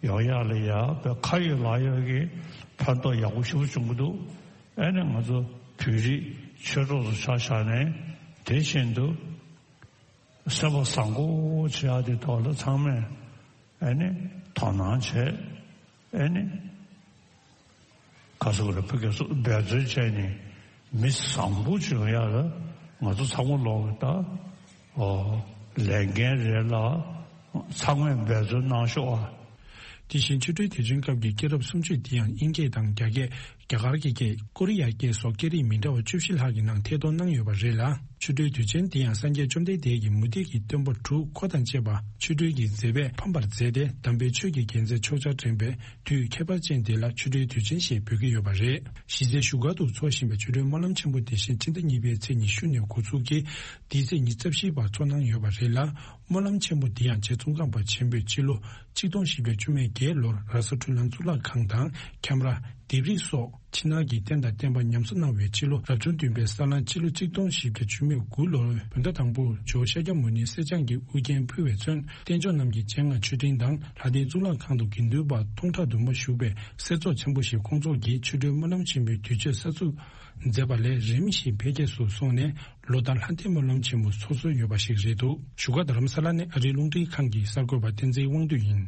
ཡོང་ཡག་ལ་ཡ་དཔེ་ཁ་ཡོད་ལག་ཡོད་ཀྱི་ཕན་ཐོགས་ཡག་པོ་ཞེ་པོ་བྱུང་གི་འདུག། ཨ་ནི་ང་ཚོ་བོད་རིགས་ཆོས་གྲོགས་ཚོ་ཆ་བཞག་ནས་དེ་བཞིན་དུ་སེམས་པ་བཟང་པོ་བྱེད་ཡག་དེ་ཐོག་ལ་ཚང་མས་ཨ་ནི་དོ་སྣང་བྱས། ཨ་ནི་ག་ཟེར་དགོས་རེད། ཕ་གི་སུ་འབད་བརྩོན་བྱས་ནས་མི་བཟང་པོ་བྱུང་ཡག་ལ་ང་ཚོ་ཚང་མ་ལོག་གི་ད་ཨོ་ལས་འགན་རེད་ལ། ཚང་མས་འབད་བརྩོན་གནང་ཤོག་ཨ། དེ་བཞིན་ཆུ་སྦྲུལ་དུས་ཆེན་སྐབས་ཀྱི་སྐྱེས་རབས་སུམ་ཅུ་དེ་ཡང་དབྱིན་སྐད་དང་རྒྱ་སྐད། རྒྱ་གར་གྱི་སྐད། ཀོ་རི་ཡ་སྐད་སོགས་སྐད་རིགས་མི་འདྲ་བ་བཅུ་བཞི་ལྷག་གི་ནང་ཐད་གཏོང་གནང་ཡོད་པ་རེད་ལ། ཆུ་སྦྲུལ་དུས་ཆེན་དེ་ཡང་སངས་རྒྱས་བཅོམ་ལྡན་འདས་ཀྱི་མུ་ཏིག་གི་སྟོན་པ་དྲུག་འཁོར་དང་བཅས་པ་ཆུ་སྦྲུལ་གྱི་མཛེས་པས་ཕམ་པར་མཛད་དེ། དམ་པའི་ཆོས་ཀྱི་རྒྱལ་མཚན་ཕྱོགས་བཅུར་འདྲེན་པའི་དུས་ཁྱད་པར་ཅན་དེ་ལ་ཆུ་སྦྲུལ་དུས་ཆེན་ཞེས་འབོད་ཀྱི་ཡོད་པ་རེད། གཞིས་རྩེ་བཞུགས་སྒར་དུ་འཚོགས་བཞིན་པའི་ཆུ་སྦྲུལ་སྨོན་ལམ་ཆེན་པོ་དེ་བཞིན་ཕྱི་ཟླ་གཉིས་པའི་ཚེས་ཉི་ཤུ་ནས་འགོ་འཛུགས་ཀྱིས་འདིའི་ཚེས་ཉི་ཤུ་རྩ་བཞི་བར་འཚོགས་གནང་ཡོད་པ་རེད་ལ། སྨོན་ལམ་ཆེན་མོ་འདི་ཡང་རྗེ་ཙོང་ཁ་པ་ཆེན་པོས་སྤྱི་ལོ་ཆིག་སྟོང་བཞི་བརྒྱ་བཅུ་མེད་བརྒྱད་ལོར་ར་ས་འཕྲུལ་སྣང་གཙུག་ལག་ཁང་དང་ཁྱམས་ར། ལྡེབས་རིས་སོགས་ཕྱི་ནང་གི་རྟེན་དང་བརྟེན་པ་ཉམས་གསོ་གནང་བའི་ཕྱི་ལོ་རབ་བྱུང་བདུན་པའི་ས་གླང་སྤྱི་ལོ་ཆིག་སྟོང་བཞི་བརྒྱ་བཅུ་མེད་དགུ་ལོར་བོད་ཟླ་དང་པོར་ཇོ་བོ་ཤཱཀྱ་མུ་ནེ་གསེར་སྦྱངས་ཀྱི་དབུ་རྒྱན་ཕུལ་བའི་ཚུན་བསྟན་མཆོག་རྣམས་ཀྱི་སྤྱན་སྔར་མཆོད་སྤྲིན་དང་ལྷ་ལྡན་གཙུག་ལག་ཁང་དུ་དགེ་འདུན་པ་སྟོང་ཕྲག་དུ་མ་བཞུགས་པའི་གསེར་ཚོགས་ཆེན་པོ་ཞིག་ཁོང་ཚོགས་ཀྱིས་ཆུ་སྦྲུལ་སྨོན་ལམ་ཆེན་མོའི་དུས་མཆོད་གསར་འཛུགས་མཛད་པ་ལས་རིམ་བཞིན་འཕེལ་རྒྱས་སུ་སོང་ནས། ལོ་ལྟར་ལྷ་ལྡན་སྨོན་ལམ་ཆེན་མོ་འཚོགས་སྲོལ་ཡོད་པ་ཞིག་རེད་འདུག་བཞུགས་སྒར་རྡ་རམ་ས་ལ་ནས་ཨ་རིའི་རླུང་འཕྲིན་ཁང་གི་གསར་འགོད་པ་བསྟན་འཛིན་དབང་འདུས་ཡིན།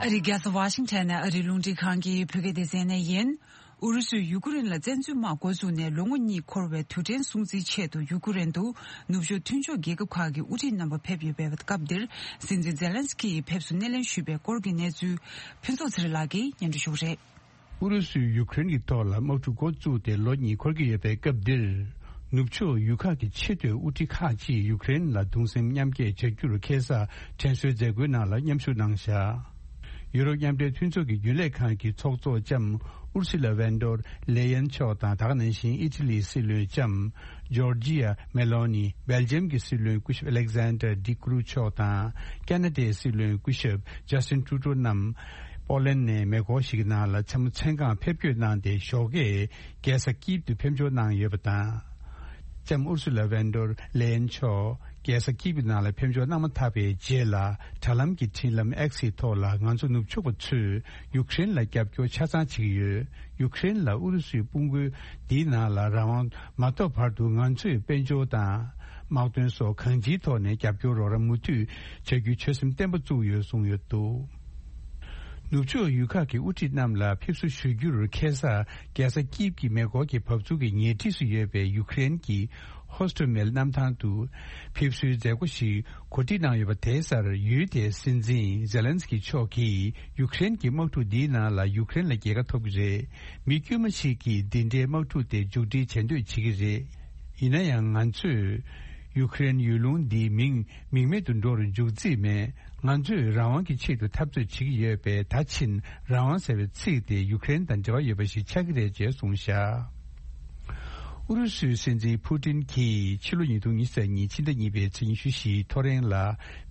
ཨ་རིའི་རྒྱལ་ས་ཝ་ཤིང་ཊོན་ནས་ཨ་རིའི་རླུང་འཕྲིན་ཁང་གི་བོད་སྐད་སྡེ་ཚན་ནས་ཡིན། ཨུ་རུ་སུས་ཡུ་ཀེ་རེན་ལ་བཙན་འཛུལ་དམག་འགོ་བཙུགས་ནས་ལོ་ངོ་གཉིས་འཁོར་བའི་དུས་དྲན་སྲུང་བརྩིའི་ཆེད་དུ་ཡུ་ཀེ་རེན་དུ་ནུབ་ཕྱོགས་མཐུན་ཕྱོགས་རྒྱལ་ཁབ་ཁག་གི་དབུ་ཁྲིད་རྣམ་པ་ཕེབས་ཡོད་པའི་སྐབས་འདིར། སྲིད་འཛིན་ཛེ་ལན་སི་ཀི་ཡིས་ཕེབས་བསུ་སྣེ་ལེན་ཞུས་པའི་སྐོར་གྱི་གནས་ཚུལ། ཕུན་ཚོགས་ཚེ་རིང་ལགས་ཀྱིས་སྙན་སྒྲོན་ཞུ་གི་རེད། ཨུ་རུ་སུས་ཡུ་ཀེ་རེན་གྱི་ཐོག་ལ་དམག་འཁྲུག་འགོ་བཙུགས་ཏེ་ལོ་གཉིས་འཁོར་གྱི་ཡོད་པའི་སྐབས་འདིར། ནུབ་ཕྱོགས་ཡུལ་ཁག་གི་ཆེས་མཐོའི་དབུ་ཁྲིད་ཁག་ཅིག་ཡུ་ཀེ་རེན་ལ་གདུང་སེམས་མཉམ་སྐྱེད་བྱ་རྒྱུར་ཁ་སང་དྲན་གསོའི་མཛད་སྒོའི་ནང་ལ་མཉམ་ཞུགས་གནང་བཞག་ཡུ་རོབ་མཉམ་འབྲེལ་མཐུན་ཚོགས་ཀྱི་རྒྱུན་ལས་ཁང་གི་ཚོགས་གཙོ་ལྕམ་ཨུར་སི་ལ་ཝན་ཌར་ལེ་ཡན་མཆོག་དང་། ད་ག་ནང་བཞིན་ཨི་ཊ་ལིའི་སྲིད་བློན་ལྕམ་ཇོར་ཇི་ཡ་མེ་ལོ་ནི། སྦེལ་ཇམ་གྱི་སྲིད་བློན་སྐུ་ཞབས་ཨ་ལེག་ཟན་ཌར་ཌི་ཀུ་རུ་མཆོག་དང་། ཁ་ན་ཌའི་སྲིད་བློན་སྐུ་ཞབས་ཇ་སི་ཊིན་ཊུ་རུ་ཌོ་རྣམས། པོ་ལན་ནས་མེ་འཁོར་ཞིག་གི་ནང་ལ་མཚན་མོ་མཚན་གང་ཕེབས་སྐྱོད་གནང་སྟེ། ཞོགས་ཀས་རྒྱལ་ས་ཀིབ་ཏུ་ཕེབས་འབྱོར་གནང་ཡོད་པ་དང་། ལྕམ་ཨུར་སུ་ལ་ཝན་ཌར་ལེ་ཡན་མཆོག་རྒྱལ་ས་ཀིབ་ཀྱི་ནང་ལ་ཕེབས་འབྱོར་གནང་མ་ཐག་པའི་རྗེས་ལ། དྲ་ལམ་གྱི་འཕྲིན་ལམ་ཨེག་སི་ཐོག་ལ། ང་ཚོ་ནུབ་ཕྱོགས་པ་ཚོས་ཡུ་ཀེ་རེན་ལ་རྒྱབ་སྐྱོར་ཆ་ཚང་བྱེད་ཀྱི་ཡོད། ཡུ་ཀེ་རེན་ལ་ཨུ་རུ་སུའི་དཔུང་རྒོལ་འདིའི་ནང་ལ་རང་དབང་མ་ཐོབ་བར་དུ། ང་ཚོས་དཔལ་འབྱོར་དང་། དམག་དོན་སོགས་གང་ཅིའི་ཐོག་ནས་རྒྱབ་སྐྱོར་རོགས་རམ་མུ་མཐུད་བྱ་རྒྱུའི་ཆོད་སེམས་བརྟན་པོ་བཙུགས་ཡོད་གསུངས་ཡོད་འདུག་ནུབ་ཕྱོགས་ཡུལ་ཁག་གི་དབུ་ཁྲིད་རྣམས་ལ་ཕེབས་བསུ་ཞུ་རྒྱུར་ཁ་སང་རྒྱལ་ས་ཀིབ་ཀྱི་མེ་འཁོར་གྱི་བབས་ཚུགས་ཀྱི་ཉེ་འཁྲིས་སུ་ཡོད་པའི་ཡུ་ཀེ་རེན་གྱི་ཧོ་སི་ཏེ་མེལ་གནམ་ཐང་དུ་ཕེབས་བསུའི་མཛད་སྒོ་ཞིག་གོ་སྒྲིག་གནང་ཡོད་པ་དེའི་སར། ཡུལ་དེའི་སྲིད་འཛིན་ཛེ་ལན་སི་ཀི་མཆོག་གིས། ཡུ་ཀེ་རེན་གྱི་དམག་འཁྲུག་འདིའི་ནང་ལ་ཡུ་ཀེ་རེན་ལ་རྒྱལ་ཁ་ཐོབ་ཀྱི་རེད། མི་དཀྱུས་མ་ཞིག་གིས་འདི་འདྲའི་དམག་འཁྲུག་དེ་མཇུག་སྒྲིལ་བྱེད་འདོད་བྱེད་ཀྱི་རེད། ཡིན་ན་ཡང་། ང་ཚོས་ཡུ་ཀེ་རེན་ཡུལ་ལུང་འདིའི་མིང་མིང་མེད་དུ་འགྲོ་རུ་འཇུག་རྩིས་མེད། ང་ཚོས་རང་དབང་གི་ཆེད་དུ་འཐབ་རྩོད་བྱེད་ཀྱི་ཡོད་པས། ད་ཕྱིན་རང་དབང་ཟེར་བའི་ཚིག་དེ་ཡུ་ཀེ་རེན་དང་འབྲེལ་བ་ཡོད་པ་ཞིག་ཆགས་ཀྱི་རེད་ཅེས་གསུངས་བཞག་ཨུ་རུ་སུའི་སྲིད་འཛིན་ཕུ་ཏིན་གྱིས་ཕྱི་ལོ་ཉིས་སྟོང་ཉི་ཤུ་རྩ་གཉིས་ཕྱི་ཟླ་གཉིས་པའི་ཚེས་ཉི་ཤུ་བཞིའི་ཐོ་རེངས་ལ།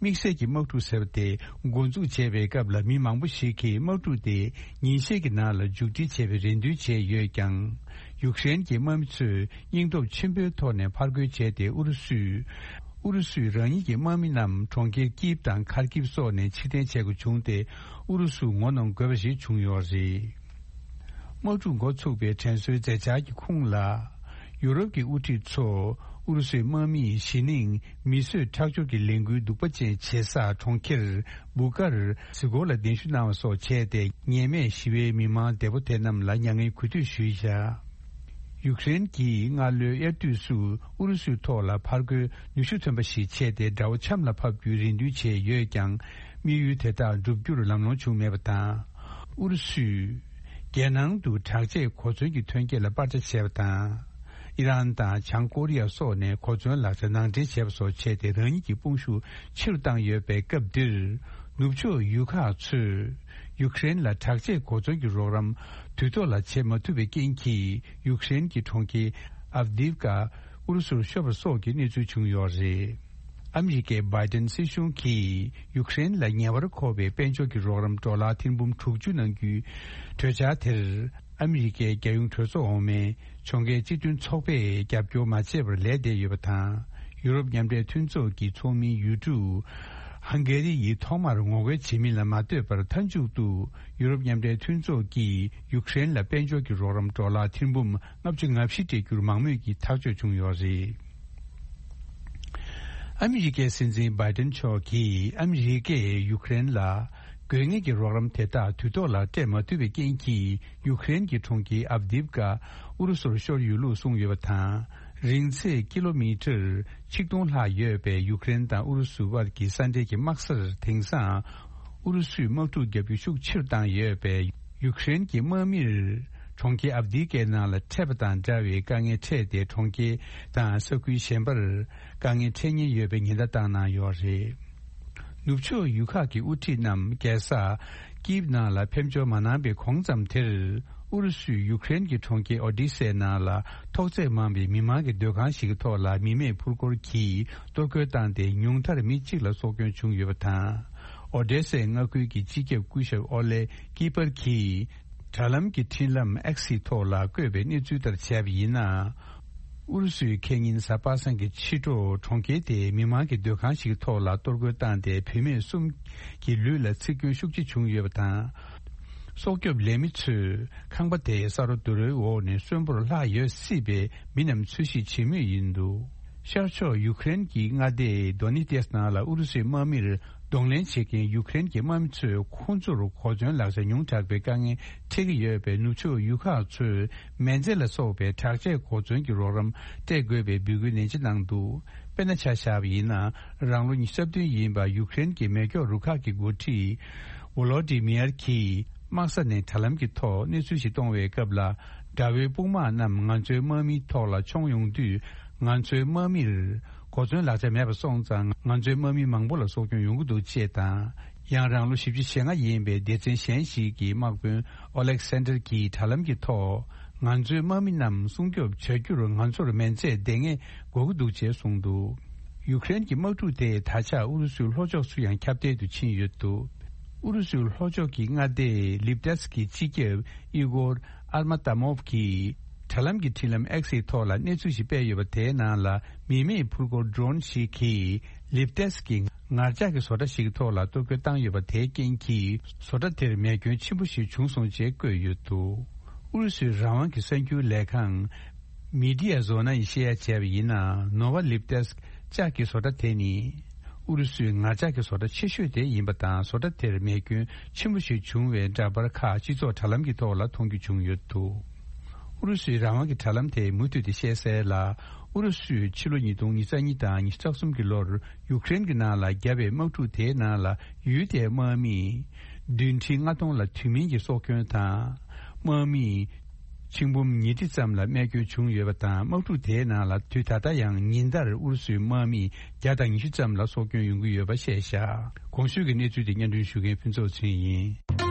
དམིགས་བསལ་གྱི་དམག་འཁྲུག་ཟེར་བ་དེ་འགོ་འཛུགས་བྱས་པའི་སྐབས་ལ། མི་མང་པོ་ཞིག་གིས་དམག་འཁྲུག་དེ་ཉིན་ཤས་ཀྱི་ནང་ལ་མཇུག་སྒྲིལ་བྱེད་པའི་རེ་འདུན་བྱས་ཡོད་ཀྱང་། ཡུཀ་རེན་གྱི་དམག་མི་ཚོས་སྙིང་སྟོབས་ཆེན་པོའི་ཐོག་ནས་ཕར་རྒོལ་བྱས་ཏེ། ཨུ་རུ་སུས། ཨུ་རུ་སུས་རང་ཉིད་ཀྱི་དམག་མི་རྣམས་གྲོང་ཁྱེར་ཀིབ་དང་ཁར་ཀིབ་སོགས་ནས་ཕྱིར་འཐེན་བྱེད་དགོས་བྱུང་སྟེ། ཨུ་རུ་སུ་ངོ་གནོང་དགོས་པ་ཞིག་བྱུང་ཡོད་རེད། དམག་འཁྲུག་འགོ་ཚུགས་པའི་དྲན་གསོའི་མཛད་འཆར་གྱི་ཁུངས་ལ། ཡུ་རོབ་ཀྱི་དབུ་ཁྲིད་ཚོ་ཨུ་རུ་སུའི་དམག་མིས་གཞི་ནས་མིས་བཟོས་ཁྲག་སྦྱོར་གྱི་ལས་འགུལ་སྡུག་པ་ཅན་བྱེད་ས་གྲོང་ཁྱེར་བུ་ཀར་སི་ཀོ་ལ་གདན་ཞུ་གནང་བ་སོགས་བྱས་ཏེ། ཉེས་མེད་ཞི་བའི་མི་མང་བདེ་པོ་དེ་རྣམས་ལ་མྱ་ངན་གུས་འདུད་ཞུས་བཞག་ཡུཀ་རེན་གྱིས་སྔ་ལོའི་དབྱར་དུས་སུ་ཨུ་རུ་སུའི་ཐོག་ལ་ཕར་རྒོལ་ནུས་ཤུགས་ཐོན་པ་ཞིག་བྱས་ཏེ། དགྲ་བོ་ཆམ་ལ་ཕབ་རྒྱུའི་རེ་འདུན་བྱས་ཡོད་ཀྱང་། དམིགས་ཡུལ་དེ་དག་འགྲུབ་རྒྱུར་ལམ་ལྷོང་བྱུང་མེད་པ་དང་། ཨུ་རུ་སུས་རྒྱལ་ནང་དུ་དྲག་ཆས་གོ་མཚོན་གྱི་ཐོན་སྐྱེད་ལ་པར་ཆ་བྱས་པ་དང་། ཨི་རན་དང་བྱང་ཀོ་རི་ཡ་སོགས་ནས་གོ་མཚོན་ལག་ཆ་ནང་འདྲེན་བྱས་པ་སོགས་བྱས་ཏེ། རང་ཉིད་ཀྱི་དཔུང་ཤུགས་ཆེ་རུ་བཏང་ཡོད་པའི་སྐབས་འདིར། ནུབ་ཕྱོགས་ཡུལ་ཁག་ཚོས་ཡུཀ་རེན་ལ་དྲག་ཆས་གོ་མཚོན་གྱི་རོགས་རམ་དུས་ཐོག་ལ་བྱེད་མ་ཐུབ་པའི་རྐྱེན་གྱིས། ཡུཀ་རེན་གྱི་གྲོང་ཁྱེར་ཨབ་དིབ་ཀ་ཨུ་རུ་སུར་ཤོར་བ་སོགས་ཀྱི་གནས་ཚུལ་བྱུང་ཡོད་རེད། ཨ་མི་རི་ཀའི་བྷའི་ཏན་སྲིད་གཞུང་གིས་ཡུཀ་རེན་ལ་ཉེ་བར་མཁོ་བའི་དཔལ་འབྱོར་གྱི་རོགས་རམ་ཌོ་ལར་ཐེར་འབུམ་དྲུག་ཅུ་གནང་རྒྱུའི་གྲོས་འཆར་དེར། ཨ་མི་རི་ཀའི་རྒྱལ་ཡོངས་གྲོས་ཚོགས་འོག་མའི་ཕྱོགས་འགལ་སྤྱི་མཐུན་ཚོགས་པས་རྒྱབ་སྐྱོར་མ་བྱས་པར་ལས་བསྡད་ཡོད་པ་དང་། ཡུ་རོབ་མཉམ་འབྲེལ་མཐུན་ཚོགས་ཀྱི་ཚོགས་མི་ཡུལ་གྲུ་ཧང་གེ་རི་ཡིས་ཐོག་མར་ངོ་རྒོལ་བྱེད་མིན་ལ་མ་ལྟོས་པར། མཐའ་མཇུག་ཏུ་ཡུ་རོབ་མཉམ་འབྲེལ་མཐུན་ཚོགས་ཀྱིས་ཡུཀ་རེན་ལ་དཔལ་འབྱོར་གྱི་རོགས་རམ་ཌོ་ལར་ཐེར་འབུམ་ལྔ་བཅུ་ང་བཞི་སྤྲད་རྒྱུར་མང་མོས་ཀྱིས་ཐག་གཅོད་བྱུང་ཡོད་རེད། ཨ་མི་རི་ཀའི་སྲིད་འཛིན་བྷའི་ཏན་མཆོག་གིས་ཨ་མི་རི་ཀས་ཡུཀ་རེན་ལ། དགོས་ངེས་ཀྱི་རོགས་རམ་དེ་དག་དུས་ཐོག་ལ་སྤྲད་མ་ཐུབ་པའི་རྐྱེན་གྱིས། ཡུཀ་རེན་གྱི་གྲོང་ཁྱེར་ཨབ་དིབ་ཀ་ཨུ་རུ་སུར་ཤོར་ཡོད་ལུགས་གསུངས་ཡོད་པ་དང་། རིང་ཚད་ཀི་ལོ་མི་ཊར་ཆིག་སྟོང་ལྷག་ཡོད་པའི་ཡུཀ་རེན་དང་ཨུ་རུ་སུ་བར་གྱི་ས་འབྲེལ་གྱི་དམག་སར། དེང་སང་ཨུ་རུ་སུས་དམག་འཁྲུག་བརྒྱབ་རྒྱུ་ཤུགས་ཆེ་རུ་བཏང་ཡོད་པས། ཡུཀ་རེན་གྱི་དམག་མིར་གྲོང་ཁྱེར་ཨབ་དི་ཀའི་ནང་ལ་འཕྲད་པ་དང་འདྲ་བའི་དཀའ་ངལ་འཕྲད་དེ། གྲོང་ཁྱེར་དང་ས་ཁུལ་གཞན་པར་དཀའ་ངལ་འཕྲད་ཉེན་ཡོད་པའི་ཉེན་བརྡ་བཏང་གནང་ཡོད་རེད། ནུབ་ཕྱོགས་ཡུལ་ཁག་གི་དབུ་ཁྲིད་རྣམས་རྒྱལ་ས་ཀིབ་ནང་ལ་ཕེབས་འབྱོར་མ་གནང་པའི་གོང་ཙམ་དེར། ཨུ་རུ་སུས་ཡུཀ་རེན་གྱི་གྲོང་ཁྱེར་ཨོ་ཌི་སའི་ནང་ལ་ཐོག་བརྩེགས་མང་བའི་མི་མང་གི་སྡོད་ཁང་ཞིག་གི་ཐོག་ལ་མི་མེད་འཕུར་འཁོར་གྱིས་གཏོར་རྒོལ་བཏང་སྟེ། ཉུང་མཐར་མི་གཅིག་ལ་སྲོག་སྐྱོན་བྱུང་ཡོད་པ་དང་། ཨོ་ཌེ་སའི་མངའ་ཁུལ་གྱི་སྤྱི་ཁྱབ་སྐུ་ཞབས་ཨོ་ལེ་ཀི་པར་གྱིས། དྲ་ལམ་གྱི་འཕྲིན་ལམ་ཨེག་སི་ཐོག་ལ་བཀོད་པའི་གནས་ཚུལ་ལྟར་བྱས་པ་ཡིན་ན། ཨུ་རུ་སུས་ཁེ་ཉིན་གཟའ་པ་སངས་ཀྱི་ཕྱི་དྲོ་གྲོང་ཁྱེར་དེའི་མི་མང་གི་སྡོད་ཁང་ཞིག་ཐོག་ལ་གཏོར་རྒོལ་བཏང་སྟེ། བུད་མེད་གསུམ་གྱི་ལུས་ལ་འཚིག་སྐྱོན་ཤུགས་ཆེ་བྱུང་ཡོད་པ་དང་། སྲོག་སྐྱོབ་ལས་མི་ཚོས་ཁང་པ་དེའི་ས་རོ་རྡོ་རོའི་འོག་ནས་གསོན་པོར་ལྷག་ཡོད་སྲིད་པའི་མི་རྣམས་འཚོལ་ཞིབ་བྱེད་མུས་ཡིན་འདུག། ཤར་ཕྱོགས་ཡུཀ་རེན་གྱི་མངའ་སྡེ་དོ་ནེ་ཏེས་ནང་ལ་ཨུ་རུ་སུའི་དམག་མིར་གདོང་ལེན་བྱེད་མཁན་ཡུཀ་རེན་གྱི་དམག་མི་ཚོས་ཁོང་ཚོར་གོ་མཚོན་ལག་ཆ་ཉུང་དྲགས་པའི་དཀའ་ངལ་འཕྲད་ཀྱི་ཡོད་པས། ནུབ་ཕྱོགས་ཡུལ་ཁག་ཚོས་མེ་མཛད་ལ་སོགས་པའི་དྲག་ཆས་གོ་མཚོན་གྱི་རོགས་རམ་སྤྲད་དགོས་པའི་འབོད་སྐུལ་ནན་ཆེ་གནང་འདུག། དཔེར་ན་ཆ་བཞག་པ་ཡིན་ན། རང་ལོ་ཉི་ཤུ་རྩ་བདུན་ཡིན་པ་ཡུཀ་རེན་གྱི་མེ་སྒྱོགས་རུ་ཁག་གི་འགོ་ཁྲིད་ཝོ་ལོ་ཏི་མིར་གྱིས་དམག་ས་ནས་དྲ་ལམ་གྱི་ཐོག་གནས་ཚུལ་ཞིག་གཏོང་བའི་སྐབས་ལ། དགྲ་བོའི་དཔུང་དམག་རྣམས་ང་ཚོའི་དམག་མིའི་ཐོག་ལ་མཆོང་ཡོང་དུས། ང་ཚོའི་དམག་མིར་གོ་མཚོན་ལག་ཆ་མེད་པ་སོང་ཙང་། ང་ཚོའི་དམག་མི་མང་པོ་ལ་སྲོག་སྐྱོན་ཡོང་གི་འདུག་ཅེས་དང་། ཡང་རང་ལོ་བཞི་བཅུ་ཞེ་ལྔ་ཡིན་པའི་སྡེ་ཚན་གཞན་ཞིག་གི་དམག་དཔོན་ཨོ་ལེག་སན་ཌར་གྱིས་དྲ་ལམ་གྱི་ཐོག་ང་ཚོའི་དམག་མི་རྣམས་སྲུང་སྐྱོབ་བྱ་རྒྱུར་ང་ཚོར་མེ་མཛད་ལྡང་ངེས་དགོས་ཀྱི་འདུག་ཅེས་གསུངས་འདུག། ཡུཀ་རེན་གྱི་དམག་འཁྲུག་དེས་ད་ཆ་ཨུ་རུ་སུའི་ལྷོ་ཕྱོགས་སུ་ཡང་ཁྱབ་གདལ་དུ་ཕྱིན་ཡོད་འདུག། ཨུ་རུ་སུའི་ལྷོ་ཕྱོགས་ཀྱི་མངའ་སྡེ་ལིབ་ཏེས་ཀྱི་སྤྱི་ཁྱབ་ཨི་གོར་ཨར་མ་ཏཱ་མོབ་ཀྱིས་དྲ་ལམ་གྱི་འཕྲིན་ལམ་ཨེག་སི་ཐོག་ལ་གནས་ཚུལ་ཞིག་སྤེལ་ཡོད་པ། དེའི་ནང་ལ་མི་མེད་འཕུར་འཁོར་ཌོ་རོན་ཞིག་གིས་ལིབ་ཏེས་ཀྱི་ངར་ལྕགས་ཀྱི་བཟོ་གྲྭ་ཞིག་གི་ཐོག་ལ་གཏོར་རྒོལ་བཏང་ཡོད་པ། དེའི་རྐྱེན་གྱིས་བཟོ་གྲྭ་དེར་མེ་སྐྱོན་ཆེན་པོ་ཞིག་བྱུང་སོང་ཅེས་བཀོད་ཡོད་འདུག། ཨུ་རུ་སུའི་རང་དབང་གི་གསར་འགྱུར་ལས་ཁང་མི་ཌི་ཡ་ཟོ་ན་ཡིས་བཤད་ཡ་བྱས་པ་ཡིན་ན། ནོ་ཝ་ལིབ་ཏེས་ལྕགས་ཀྱི་བཟོ་གྲྭ་དེ་ནི་ཨུ་རུ་སུའི་ངར་ལྕགས་ཀྱི་བཟོ་གྲྭ་ཆེ་ཤོས་དེ་ཡིན་པ་དང་། བཟོ་གྲྭ་དེར་མེ་སྐྱོན་ཆེན་པོ་ཞིག་བྱུང་བའི་འདྲ་པར་ཁག་སྤྱི་ཚོགས་དྲ་ལམ་གྱི་ཐོག་ལ་མཐོང་རྒྱུ་བྱུང་ཡོད་འདུག། ཨུ་རུ་སུའི་རང་དབང་གི་དྲ་ལམ་དེས་མུ་མཐུད་དེ་བཤད་གསལ་ལ། ཨུ་རུ་སུས་ཕྱི་ལོ་ཉིས་སྟོང་ཉི་ཤུ་རྩ་གཉིས་དང་ཉི་ཤུ་རྩ་གསུམ་གྱི་ལོར་ཡུཀ་རེན་གྱི་ནང་ལ་བརྒྱབ་པའི་དམག་འཁྲུག་དེའི་ནང་ལ། ཡུལ་དེའི་དམག་མི་བདུན་ཁྲི་ལྔ་སྟོང་ལ་དུས་མིན་གྱི་སྲོག་སྐྱོན་དང་། དམག་མི་ཆིག་འབུམ་ཉིས་ཁྲི་ཙམ་ལ་རྨས་སྐྱོན་བྱུང་ཡོད་པ་དང་། དམག་འཁྲུག་དེའི་ནང་ལ་དུས་ད་ལྟ་ཡང་ཉིན་ལྟར་ཨུ་རུ་སུའི་དམག་མི་བརྒྱ་དང་ཉི་ཤུ་ཙམ་ལ་སྲོག་སྐྱོན་ཡོང་གི་ཡོད་པ་བཤད་བཞག། གོང་ཞུས་ཀྱི་གནས་ཚུལ་དེ་སྙན་སྒྲོན་ཞུ་མཁན་ཕུན་ཚོགས་ཚེ་རིང་ཡིན།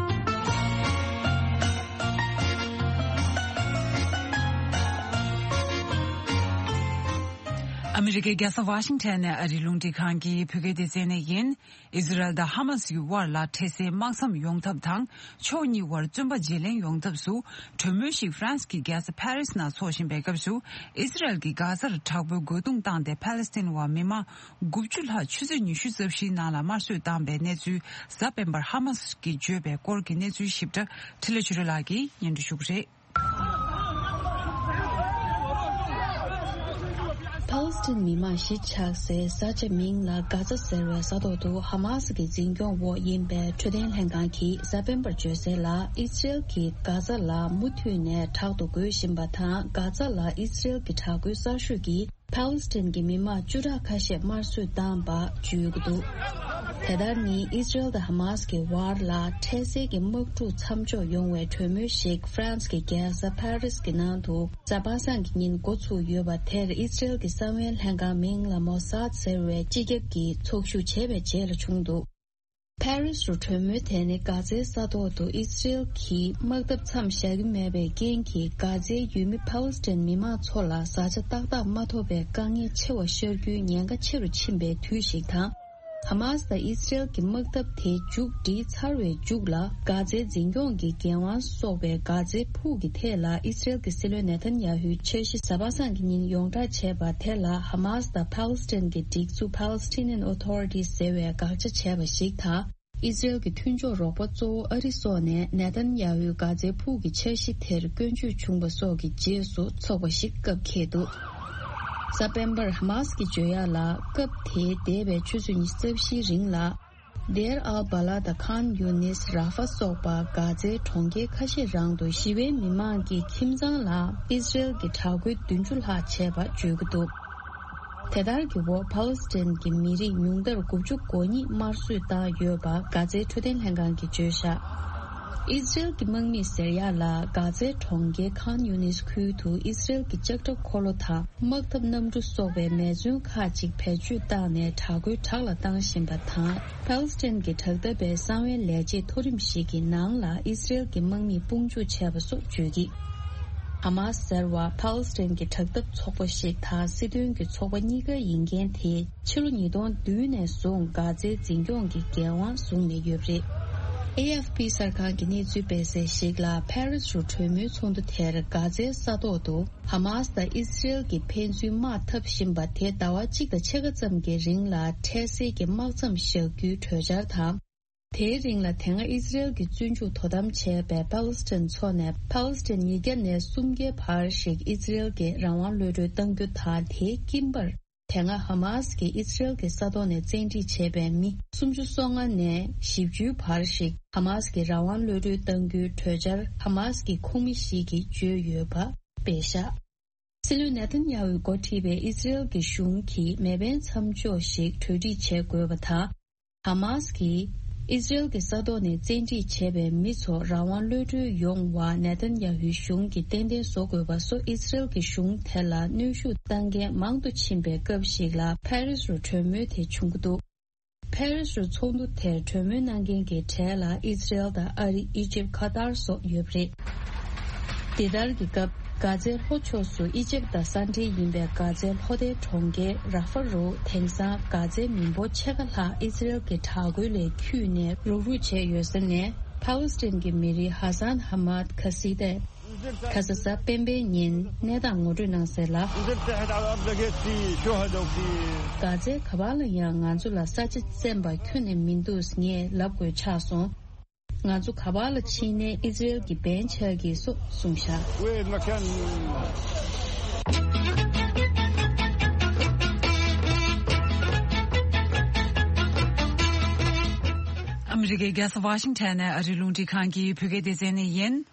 ཨ་མི་རི་ཀའི་རྒྱལ་ས་ཝ་ཤིང་ཊོན་ནས་ཨ་རིའི་རླུང་འཕྲིན་ཁང་གི་བོད་སྐད་སྡེ་ཚན་ནས་ཡིན། ཨི་ཟི་རལ་དང་ཧ་མ་སི་ཡི་དབར་ལ་འཕྲལ་སེལ་དམག་མཚམས་ཡོང་ཐབས་དང་། ཕྱོགས་གཉིས་དབར་བཙོན་པ་བརྗེ་ལེན་ཡོང་ཐབས་སུ་གྲོས་མོལ་ཞིག་ཧྥ་རན་སི་གི་རྒྱལ་ས་ཕ་རི་སི་ནང་འཚོགས་བཞིན་པའི་སྐབས་སུ། ཨི་ཟི་རལ་གྱིས་གྷ་ཛར་དྲག་པོའི་རྒོལ་རྡུང་བཏང་སྟེ། ཕ་ལེ་སི་ཐན་བ་མི་མང་དགུ་བཅུ་ལྷག་ཆུ་ཚོད་ཉི་ཤུ་རྩ་བཞིའི་ནང་ལ་དམར་གསོད་བཏང་པའི་གནས་ཚུལ་གཟའ་སྤེན་པར་ཧ་མ་སི་གིས་བརྗོད་པའི་སྐོར་གྱི་གནས་ཚུལ་ཞིབ་ཕྲ་འཕྲིན་ལས་ཆོས་སྒྲོན་ལགས་ཀྱིས་སྙན་སྒྲོན་ཞུ་གི་རེད། ཕཱ་ལེ་སི་ཐན་མི་མང་གཞིས་ཆགས་སའི་ས་ཆ་མིང་ལ་གྷ་ཛ་ཟེར་བའི་ས་ཐོག་ཏུ་ཧ་མ་སི་གི་འཛིན་སྐྱོང་འོག་ཡིན་པའི་འཕྲོད་བསྟེན་ལྷན་ཁང་གིས་གཟའ་སྤེན་པར་བརྗོད་གསལ་ལ། ཨི་སི་རེལ་གྱིས་གྷ་ཛ་ལ་མུ་མཐུད་ནས་དྲག་ཏུ་རྒོལ་བཞིན་པ་དང་། གྷ་ཛ་ལ་ཨི་སི་རེལ་གྱི་དྲག་རྒོལ་གསར་ཤོས་ཀྱིས་ཕཱ་ལེ་སི་ཐན་གྱི་མི་མང་བཅུ་ཕྲག་ཁ་ཤས་དམར་གསོད་བཏང་པ་བརྗོད་ཀྱི་འདུག། དེ་ལྟར་ནི་ཨི་སི་རེལ་དང་ཧ་མ་སི་གི་དབར་ལ་འཕྲལ་སེལ་གྱི་དམག་འཁྲུག་མཚམས་འཇོག་ཡོང་བའི་གྲོས་མོལ་ཞིག་ཧྥ་རན་སི་གི་རྒྱལ་ས་ཕ་རི་སི་གི་ནང་དུ་གཟའ་པ་སངས་ཀྱི་ཉིན་འགོ་ཚུགས་ཡོད་པ་དེར། ཨི་སི་རེལ་གྱི་གསང་བའི་ལྷན་ཁང་མིང་ལ་མོ་སཱད་ཟེར་བའི་སྤྱི་ཁྱབ་ཀྱིས་ཚོགས་ཞུགས་བྱས་པའི་རྗེས་ལ་བྱུང་འདུག། ཕ་རི་སི་རུ་གྲོས་མོལ་དེ་ནི་གྷ་ཛའི་ས་ཐོག་ཏུ་ཨི་སི་རེལ་གྱིས་དམག་འཐབ་མཚམས་བཞག་གི་མེད་པའི་རྐྱེན་གྱིས། གྷ་ཛའི་ཡུལ་མི་ཕཱ་ལེ་སི་ཐན་མི་མང་ཚོ་ལ་བཟའ་བཅའ་ཏག་ཏག་མ་ཐོབ་པའི་དཀའ་ངལ་ཆེ་བ་ཤར་རྒྱུའི་ཉེན་ཁ་ཆེ་རུ་ཕྱིན་པའི་དུས་ཤིག་དང་། ཧ་མ་སི་དང་ཨི་སི་རེལ་གྱི་དམག་འཐབ་དེ་མཇུག་སྒྲིལ་ཚར་བའི་མཇུག་ལ། གྷ་ཛའི་འཛིན་སྐྱོང་གི་འགན་དབང་སོགས་པའི་གྷ་ཛའི་ཕུག་གི་ཐད་ལ་ཨི་སི་རེལ་གྱི་སྲིད་བློན་ནེ་ཐན་ཡ་ཧུའི་འཆར་གཞི་གཟའ་པ་སངས་ཀྱི་ཉིན་ཡོངས་བསྒྲགས་བྱས་པ་དེ་ལ། ཧ་མ་སི་དང་ཕཱ་ལེ་སི་ཐན་གྱི་སྒྲིག་འཛུགས་Palestinian Authority ཟེར་བས་དགག་བྱ་བྱས་པ་ཞིག་དང་། ཨི་སི་རེལ་གྱི་མཐུན་ཕྱོགས་རོགས་པ་གཙོ་བོ་ཨ་རི་སོགས་ནས་ནེ་ཐན་ཡ་ཧུའི་གྷ་ཛའི་ཕུག་གི་འཆར་གཞི་དེར་སྐྱོན་བརྗོད་བྱུང་བ་སོགས་ཀྱི་རྗེས་སུ་ཚོགས་པ་ཞིག་སྐབས་འཁེལ་འདུག། གཟའ་སྤེན་པར་ཧ་མ་སི་གིས་བརྗོད་ཡག་ལ། སྐབས་དེའི་འདས་པའི་ཆུ་ཚོད་ཉི་ཤུ་རྩ་བཞིའི་རིང་ལ། དེར་ཨལ་བ་ལ་དང་ཁཱན་ཡུ་ནིས་ར་ཧྥ་སོགས་པ་གྷ་ཛའི་གྲོང་ཁྱེར་ཁ་ཤས་རང་དུ་ཞི་བའི་མི་མང་གི་ཁྱིམ་ཚང་ལ་ཨི་སི་རེལ་གྱི་དྲག་རྒོལ་བདུན་ཅུ་ལྷག་བྱས་པ་བརྗོད་ཀྱི་འདུག་དེ་ལྟར་གྱི་འོག་ཕཱ་ལེ་སི་ཐན་གྱི་མི་རིགས་ཉུང་མཐར་དགུ་བཅུ་གོ་གཉིས་དམར་གསོད་བཏང་ཡོད་པ་གྷ་ཛའི་འཕྲོད་བསྟེན་ལྷན་ཁང་གིས་བརྗོད་བཞག་ཨི་སི་རེལ་གྱི་དམག་མིས་ཟེར་ཡག་ལ་གྷ་ཛའི་གྲོང་ཁྱེར་ཁཱན་ཡུ་ནིས་ཁུལ་དུ་ཨི་སི་རེལ་གྱི་ལྕགས་ཁྲབ་འཁོར་ལོ་དང་དམག་འཐབ་གནམ་གྲུ་སོགས་པའི་མེ་མཚོན་ཁག་ཅིག་བེད་སྤྱོད་བཏང་ནས་དྲག་རྒོལ་དྲག་ལ་བཏང་བཞིན་པ་དང་། ཕཱ་ལེ་སི་ཐན་གྱི་དྲག་འཐབ་པའི་གསང་བའི་ལས་བྱེད་མཐོ་རིམ་ཞིག་གི་ནང་ལ་ཨི་སི་རེལ་གྱི་དམག་མིས་དཔུང་འཇུག་བྱས་པ་སོགས་བརྗོད་ཀྱིས། ཧ་མཱ་སི་ཟེར་བ་ཕཱ་ལེ་སི་ཐན་གྱི་དྲག་འཐབ་ཚོགས་པ་ཞིག་དང་སྲིད་དོན་གྱི་ཚོགས་པ་གཉིས་ཀ་ཡིན་མཁན་དེས་ཕྱི་ལོ་ཉིས་སྟོང་བདུན་ནས་བཟུང་གྷ་ཛའི་འཛིན་སྐྱོང་གི་འགན་དབང་བཟུང་ནས་ཡོད་པ་རེད། ཨེ་ཨེཕ་པི་གསར་ཁང་གིས་གནས་ཚུལ་སྤེལ་གསལ་ཞིག་ལ་ཕ་རི་སི་རུ་གྲོས་མོལ་ཚོགས་འདུ་དེར་གྷ་ཛའི་ས་ཐོག་ཏུ་ཧ་མཱ་སི་དང་ཨི་སི་རེལ་གྱིས་ཕན་ཚུན་དམག་འཐབ་བཞིན་པ་དེ་ཟླ་བ་གཅིག་དང་ཕྱེད་ཀ་ཙམ་གྱི་རིང་ལ་འཕྲལ་སེལ་གྱི་དམག་མཚམས་བཞག་རྒྱུའི་གྲོས་འཆར་དང་། དེའི་རིང་ལ་དེ་སྔ་ཨི་སི་རེལ་གྱི་བཙོན་འཇུག་དོ་དམ་བྱས་པའི་ཕཱ་ལེ་སི་ཐན་ཚོ་ནས་ཕཱ་ལེ་སི་ཐན་ཉིས་བརྒྱ་ནས་སུམ་བརྒྱའི་བར་ཞིག་ཨི་སི་རེལ་གྱིས་རང་དབང་གློད་གྲོལ་གཏང་རྒྱུ་དང་། དེའི་དཀྱིལ་འབར། དེ་སྔ་ཧ་མཱ་སི་གིས་ཨི་སི་རེལ་གྱི་ས་ཐོག་ནས་བཙན་ཁྲིད་བྱས་པའི་མི་སུམ་ཅུ་སོ་ལྔ་ནས་བཞི་བཅུའི་བར་ཞིག་ཧ་མཱ་སི་གིས་རང་དབང་གློད་གྲོལ་གཏང་རྒྱུའི་གྲོས་འཆར་ཧ་མཱ་སི་གི་ཁོངས་མི་ཞིག་གིས་བརྗོད་ཡོད་པ་སྤེལ་བཞག་སྲིད་བློན་ནེ་ཐན་ཡ་ཧུས་འགོ་ཁྲིད་པའི་ཨི་སི་རེལ་གྱི་གཞུང་གིས་མེ་འཕེན་མཚམས་འཇོག་ཞིག་གྲོས་སྒྲིག་བྱེད་དགོས་པ་དང་། ཧ་མཱ་སི་གིས་ཨི་སི་རེལ་གྱི་ས་ཐོག་ནས་བཙན་ཁྲིད་བྱས་པའི་མི་ཚོ་རང་དབང་གློད་གྲོལ་ཡོང་བར་ནེ་ཐན་ཡ་ཧུའི་གཞུང་གིས་ཏན་ཏན་བཟོ་དགོས་པ་སོགས་ཨི་སི་རེལ་གྱི་གཞུང་དེ་ལ་གནོན་ཤུགས་བཏང་མཁན་མང་དུ་ཕྱིན་པའི་སྐབས་ཤིག་ལ་ཕ་རི་སི་རུ་གྲོས་མོལ་དེ་བྱུང་གི་འདུག་ཕ་རི་སི་རུ་ཚོགས་འདུ་དེར་གྲོས་མོལ་གནང་མཁན་གྱི་གྲས་ལ་ཨི་སི་རེལ་དང་ཨ་རི། ཨི་ཇིབ། ཁ་ཏར་སོགས་ཡོད་པ་རེད། འདི་ལྟར་གྱི་སྐབས། གྷ་ཛའི་ལྷོ་ཕྱོགས་སུ་ཨི་ཇིབ་དང་ས་འབྲེལ་ཡིན་པའི་གྷ་ཛའི་ལྷོ་མཐའི་གྲོང་ཁྱེར་ར་ཧྥ་རུ་དེང་སང་གྷ་ཛའི་མི་འབོར་ཕྱེད་ཀ་ལྷག་ཨི་སི་རེལ་གྱི་དྲག་རྒོལ་ལས་འཁྱུད་ནས་རུག་རུག་བྱས་ཡོད་ས་ནས། ཕཱ་ལེ་སི་ཐན་གྱི་མི་རིགས་ཧ་སན་ཧ་མད་ཁ་སི་ཏས་ཁ་ས་གཟའ་སྤེན་པའི་ཉིན་གནས་སྟངས་ངོ་སྤྲོད་གནང་གསལ་ལ། གྷ་ཛའི་ག་པར་ལ་ཡང་ང་ཚོ་ལ་ས་ཆ་བཙན་པ་ཁྱོན་ནས་མི་འདུག་ངས་ལབ་དགོས་ཆགས་སོང་། ང་ཚོ་ག་པར་ལ་ཕྱིན་ནའི་ཨི་སི་རེལ་གྱི་འབེན་ཆགས་ཀྱི་སོགས་གསུངས་བཞག་ཨ་མི་རི་ཀའི་རྒྱལ་ས་ཝ་ཤིང་ཊོན་ནས་ཨ་རིའི་རླུང་འཕྲིན་ཁང་གི་བོད་སྐད་སྡེ་ཚན་ནས་ཡིན།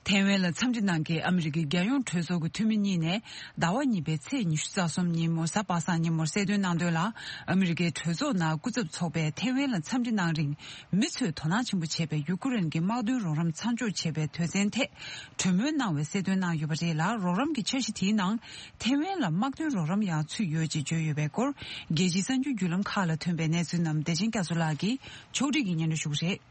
ཐའེ་ཝན་ལ་འཚམས་འདྲི་གནང་མཁན་ཨ་མི་རི་ཀའི་རྒྱལ་ཡོངས་གྲོས་ཚོགས་ཀྱི་འཐུས་མི་གཉིས་ནས་ཟླ་བ་གཉིས་པའི་ཚེས་ཉི་ཤུ་རྩ་གསུམ་ཉིན་མོ་གཟའ་པ་སངས་ཉིན་མོར་གསལ་སྟོན་གནང་དོན་ལ། ཨ་མི་རི་ཀའི་གྲོས་ཚོགས་ནང་སྐུ་ཚབ་ཚོགས་པས་ཐའེ་ཝན་ལ་འཚམས་འདྲི་གནང་རིང་། མི་ཚོས་དོ་སྣང་ཆེན་པོ་བྱས་པའི་ཡུ་ཀེ་རེན་གྱི་དམག་དོན་རོགས་རམ་མཚམས་འཇོག་བྱས་པའི་དོན་ཚན་ཐད་གྲོས་མོལ་གནང་བའི་གསལ་སྟོན་གནང་ཡོད་པ་རེད་ལ། རོགས་རམ་གྱི་འཆར་གཞི་དེའི་ནང་ཐའེ་ཝན་ལ་དམག་དོན་རོགས་རམ་ཡང་ཚུད་ཡོད་ཅེས་བརྗོད་ཡོད་པའི་སྐོར། རྒྱལ་སྤྱིའི་གསར་འགྱུར་བརྒྱུད་ལམ་ཁག་ལ་ཐོན་པའི་གནས་ཚུལ་རྣམས་བདེ་ཆེན་སྐྱབས་སུ་ལགས་ཀྱིས་ཕྱོགས་སྒྲིག་གིས་སྙན་སྒྲོན་ཞུ་གི་རེད།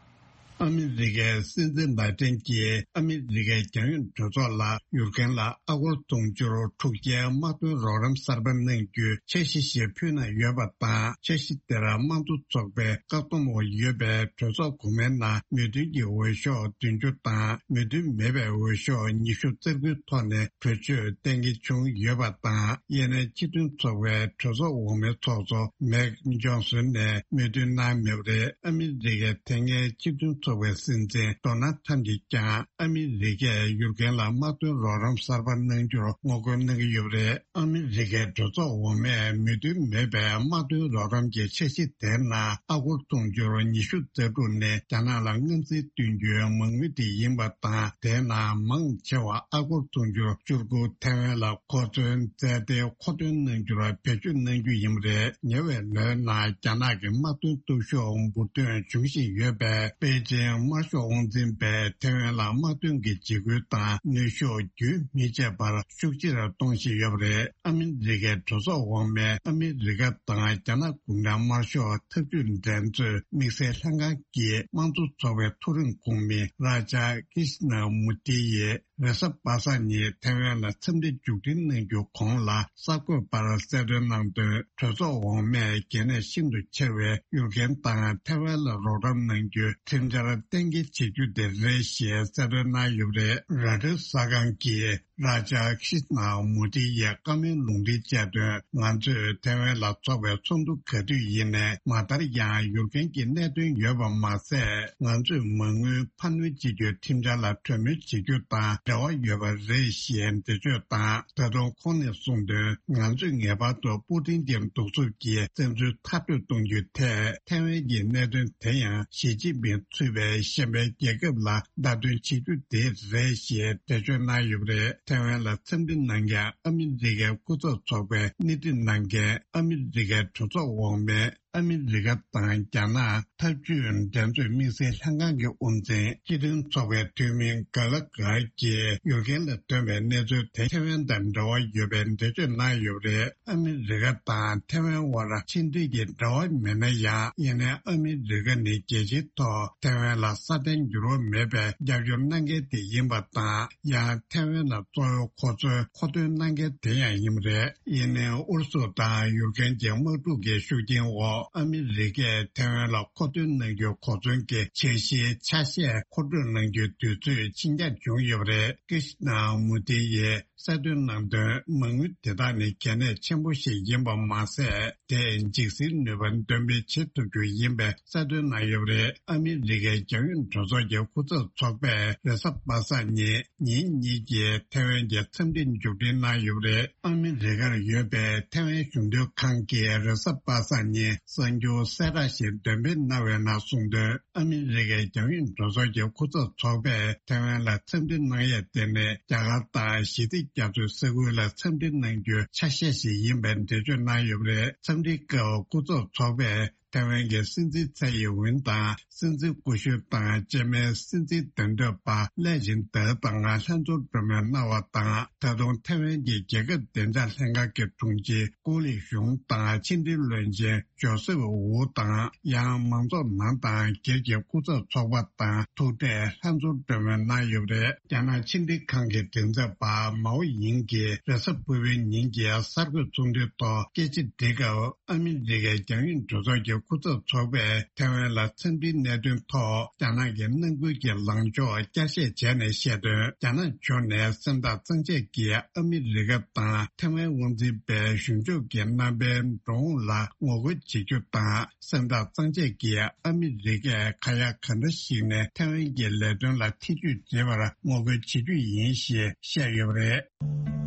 ཨ་མི་རི་ཀའི་སྲིད་འཛིན་བྷའི་ཏན་གྱིས་ཨ་མི་རི་ཀའི་རྒྱལ་ཡོངས་གྲོས་ཚོགས་ལ་ཡུཀ་རེན་ལ་ཨ་སྒོར་དུང་ཕྱུར་དྲུག་བརྒྱའི་དམག་དོན་རོགས་རམ་གསར་པ་གནང་རྒྱུའི་འཆར་གཞི་ཞིག་ཕུལ་གནང་ཡོད་པ་དང་། འཆར་གཞི་དེར་དམངས་གཙོ་ཚོགས་པའི་བཀག་སྡོམ་འོག་ཡོད་པའི་གྲོས་ཚོགས་གོང་མའི་ནང་མོས་མཐུན་གྱི་འོས་ཤོག་བདུན་ཅུ་དང་མོས་མཐུན་མེད་པའི་འོས་ཤོག་ཉི་ཤུ་རྩ་དགུའི་ཐོག་ནས་གྲོས་ཆོད་གཏན་འཁེལ་བྱུང་ཡོད་པ་དང་། ཡེ་ནས་སྤྱི་མཐུན་ཚོགས་པའི་གྲོས་ཚོགས་འོག་མའི་ཚོགས་གཙོ་མེག་ཇོན་སོན་ནས་མོས་མཐུན་གནང་མེད་པ་རེད། ཨ་མི་རི་ཀའི་དེ་སྔའི་སྤྱི་མཐུན་ཚོགས་པའི་སྲིད་འཛིན་ཌོ་ནལ་ཁྲམ་གྱིས་ཀྱང་ཨ་མི་རི་ཀས་ཡུཀ་རེན་ལ་དམག་དོན་རོགས་རམ་གསར་པ་གནང་རྒྱུར་ངོ་རྒོལ་གནང་གི་ཡོད་པ་རེད། ཨ་མི་རི་ཀའི་གྲོས་ཚོགས་འོག་མས་མོས་མཐུན་མེད་པའི་དམག་དོན་རོགས་རམ་གྱི་འཆར་གཞི་དེའི་ནང་ཨ་སྒོར་དུང་ཕྱུར་ཉི་ཤུ་རྩ་དྲུག་ནས་རྒྱ་ནག་ལ་མངའ་མཛད་བསྐྲུན་རྒྱུའི་མ་དངུལ་དེ་ཡིན་པ་དང་། དེའི་ནང་མང་ཆེ་བ་ཨ་སྒོར་དུང་ཕྱུར་བཅུ་དགུ་ཐའེ་ཝན་ལ་གོ་མཚོན་རྩལ་དེ་མཁོ་འདོན་གནང་རྒྱུར་བེད་སྤྱོད་གནང་རྒྱུ་ཡིན་པ་རེད། ཉེ་བའི་ལོའི་ནང་རྒྱ་ནག་གི་དམག་དོན་སྟོབས་ཤུགས་འབུར་ཐོན་འབྱུང་བཞིན་ཡོད་པས། པེ་ཅིང་དམར་ཤོག་དབང་འཛིན་པས་ཐའེ་ཝན་ལ་དམག་དོན་གྱི་འཇིགས་སྐུལ་དང་ནུས་ཤུགས་རྒྱུན་མི་ཆད་པར་ཤུགས་ཆེར་གཏོང་བཞིན་ཡོད་པ་རེད། ཨ་མི་རི་ཀའི་གྲོས་ཚོགས་འོག་མའི་ཨ་མི་རི་ཀ་དང་རྒྱ་ནག་གུང་ཁྲན་དམར་ཤོག་འཐབ་ཇུས་འགྲན་རྩོད་དམིགས་བསལ་ལྷན་ཁང་གི་དམངས་གཙོ་ཚོགས་པའི་མཐོ་རིམ་ཁོངས་མི་རཱ་ཇཱ་ཀི་ཤི་ན་མུ་ཏི་ཡིས་རེས་གཟའ་པ་སངས་ཉིན་ཐའེ་ཝན་ལ་འཚམས་འདྲི་མཇུག་སྒྲིལ་གནང་རྒྱུ་གོང་ལ་གསར་འགོད་པར་གསལ་སྟོན་གནང་དོན། གྲོས་ཚོགས་འོག་མས་གལ་གནད་ཤིན་ཏུ་ཆེ་བའི་ཡུཀ་རེན་དང་ཐའེ་ཝན་ལ་རོགས་རམ་གནང་རྒྱུའི་ཁྲིམས་འཆར་གཏན་འཁེལ་བྱེད་རྒྱུ་དེ་རེད་ཞེས་གསལ་སྟོན་གནང་ཡོད་པ་རེད། རོའི་ཊར་གསར་ཁང་གིས་ རཱ་ཇཱ་ཁི་ཤི་ན་མུ་ཏི་ཡིས་བཀའ་མོལ་ལུང་འདྲེན་བྱས་དོན། ང་ཚོས་ཐེ་ཝན་ལ་ཚོགས་པའི་ཚོགས་འདུ་ག་དུས་ཡིན་ནའི་མ་མཐར་ཡང་ཡུར་རྒན་གྱི་གནད་དོན་ཡོད་པ་མ་ཟད། ང་ཚོས་མ་དངུལ་འཕར་སྣོན་བྱེད་རྒྱུའི་ཁྲིམས་འཆར་ལ་གྲོས་མོལ་བྱེད་རྒྱུ་དང་འབྲེལ་བ་ཡོད་པ་རེད་ཞེས་འགྲེལ་བརྗོད་དང་། ད་དུང་ཁོང་ནས་གསུངས་དོན། ང་ཚོས་ངེས་པར་དུ་པུ་ཏིན་གྱི་གདུག་རྩུབ་ཀྱི་བཙན་འཛུལ་མཐར་སྐྲོད་གཏོང་རྒྱུའི་ཐད། ཐེ་ཝན་གྱི་གནད་དོན་དེ་ཡང་ཞི་ཅིན་ཕིང་ཚུད་པའི་གཞན་པའི་རྒྱལ་ཁབ་ལ་བརྡ་སྟོན་བྱེད་རྒྱུ་དེ་རེད་ཞེས་འགྲེལ་བརྗོད་གནང་ཡོད་པ་རེད། ཐེ་ཝན་ལ་འཚམས་འདྲི་གནང་མཁན་ཨ་མི་རི་ཀའི་སྐུ་ཚབ་ཚོགས་པའི་སྣེ་ཁྲིད་གནང་མཁན་ཨ་མི་རི་ཀའི་གྲོས་ཚོགས་འོག་མའི་ཨ་མི་རི་ཀ་དང་རྒྱ་ནག་འཐབ་ཇུས་འགྲན་རྩོད་དམིགས་བསལ་ལྷན་ཁང་གི་དབུ་འཛིན་སྤྱི་མཐུན་ཚོགས་པའི་འཐུས་མི་གྷ་ལ་གྷར་གྱིས་ཡུར་རྒན་ལ་བཏོན་པའི་གནས་ཚུལ་དེ་ཐེ་ཝན་དང་འབྲེལ་བ་ཡོད་པའི་འགྲེལ་བརྗོད་གནང་ཡོད་པ་རེད། ཨ་མི་རི་ཀ་དང་ཐེ་ཝན་དབར་ཕྱི་འབྲེལ་གྱི་འབྲེལ་བ་མེད་ན་ཡང་། ཡིན་ནའི་ཨ་མི་རི་ཀ་ནི་རྒྱལ་སྤྱིའི་ཐོག་ཐེ་ཝན་ལ་སྲ་བརྟན་འགྱུར་བ་མེད་པའི་རྒྱབ་སྐྱོར་གནང་མཁན་དེ་ཡིན་པ་དང་། ཡང་ཐེ་ཝན་ལ་གཙོ་བོའི་གོ་མཚོན་མཁོ་འདོན་གནང་མཁན་དེ་ཡང་ཡིན་པ་རེད། ཡིན་ནའི་ཨུ་རུ་སུ་དང་ཡུཀ་རེན་གྱི་དམག་འཁྲུག་གི་ཤུགས་རྐྱེན་འོག་ཨ་མི་རི་ཀས་ཐེ་ཝན་ལ་མཁོ་འདོན་གནང་རྒྱུའི་གོ་མཚོན་གྱི་འཆར་གཞིའི་ཆ་ཤས་མཁོ་སྤྲོད་གནང་རྒྱུའི་དུས་ཚོད་ཕྱིན་འགྱངས་བྱུང་ཡོད་པ་རེད། ཀི་ཤི་ན་མུ་ཏི་ཡིས་གསལ་སྟོན་གནང་དོན། མ་དངུལ་དེ་དག་ནི་གལ་གནད་ཆེན་པོ་ཞིག་ཡིན་པ་མ་ཟད། དེས་འཇིགས་སེལ་ནུས་པ་འདོན་སྤེལ་བྱེད་ཐུབ་རྒྱུ་ཡིན་པའི་གསལ་སྟོན་གནང་ཡོད་པ་རེད། ཨ་མི་རི་ཀའི་རྒྱང་ཡོད་གྲོས་ཚོགས་ཀྱི་སྐུ་ཚབ་ཚོགས་པས་རེས་གཟའ་པ་སངས་ཉིན་ཉིན་གཉིས་ཀྱི་ཐེ་ཝན་གྱི་འཚམས་འདྲི་མཇུག་སྒྲིལ་གནང་ཡོད་པ་རེད། ཨ་མི་རི་ཀར་ཡོད་པའི་ཐེ་ཝན་གཞུང་དོན་ཁང་གིས་རེས་གཟའ་པ་སངས་ཉིན་གསར་འགྱུར་གསལ་བསྒྲགས་ཤིག་འདོན་སྤེལ་གནང་བའི་ནང་གསུངས་དོན། ཨ་མི་རི་ཀའི་རྒྱང་ཡོད་གྲོས་ཚོགས་ཀྱི་སྐུ་ཚབ་ཚོགས་པས་ཐེ་ཝན་ལ་འཚམས་འདྲི་གནང་ཡས་དེ་ནི་རྒྱ་གར་དང་ཞི་བདེ་རྒྱ་མཚོའི་ས་ཁུལ་ལ་འཚམས་འདྲི་གནང་རྒྱུའི་ཆ་ཤས་ཤིག་ཡིན་པའི་འགྲེལ་བརྗོད་གནང་ཡོད་པ་རེད། འཚམས་འདྲིའི་སྐབས་སྐུ་ཚབ་ཚོགས་པས་ཐེ་ཝན་གྱི་སྲིད་འཛིན་ཚའེ་ཡིན་ཝུན་དང་སྲིད་འཛིན་སྐུ་ཞབས་དང་སྤྱི་མིའི་སྲིད་འཛིན་འདེམས་ཐོན་པ་ལའེ་ཆིང་ཏེ་དང་ལྷན་ཚོགས་གྲོས་མོལ་གནང་བ་དང་། ད་དུང་ཐེ་ཝན་གྱི་རྒྱལ་ཁབ་བདེ་འཇགས་ལྷན་ཁང་གི་དྲུང་ཆེ་ཀུའུ་ལི་ཞུང་དང་ཕྱི་འབྲེལ་བློན་ཆེན་ཇོ་སེབ་ཝུ་དང་། ཡང་མང་ཚོགས་ནང་དང་སྒེར་གྱི་སྐུ་ཚབ་ཚོགས་པ་དང་ཐུག་འཕྲད་ལྷན་ཚོགས་གྲོས་མོལ་གནང་ཡོད་པ་རེད། རྒྱ་ནག་ཕྱི་འབྲེལ་ཁང་གི་མགྲིན་ཚབ་པ་མའོ་ཡིང་གིས་རེས་གཟའ་ཕུར་བུའི་ཉིན་གྱི་གསར་འགོད་ཚོགས་འདུའི་ཐོག་སྐད་ཆ་དྲིས་སྐབས། ཨ་མི་རི་ཀའི་རྒྱང་ཡོད་གྲོས་ཚོགས་ཀྱི་སྐུ་ཚབ་ཚོགས་པས་ཐེ་ཝན་ལ་འཚམས་འདྲིའི་གནད་དོན་ཐོག་རྒྱ་ནག་གི་ནང་ཁུལ་གྱི་ལངས་ཕྱོགས་བསྐྱར་བཤད་བྱས་ནས་བཤད་དོན། རྒྱ་ནག་ཕྱོགས་ནས་སེམས་ཐག་གཙང་བཅད་ཀྱིས་ཨ་མི་རི་ཀ་དང་ཐེ་ཝན་དབང་འཛིན་པའི་གཞུང་ཕྱོགས་ཀྱི་རྣམ་པའི་འགྲོ་འོང་ལ་ངོ་རྒོལ་བྱེད་རྒྱུ་དང་། སེམས་ཐག་གཙང་བཅད་ཀྱིས་ཨ་མི་རི་ཀས་ཁ་ཡ་ག་འདྲ་ཞིག་ནས་ཐེ་ཝན་གྱི་ལས་དོན་ལ་ཐེ་ཇུས་བྱེད་པར་ངོ་རྒོལ་བྱེད་རྒྱུ་ཡིན་ཞེས་བཤད་ཡོད་པ་རེད།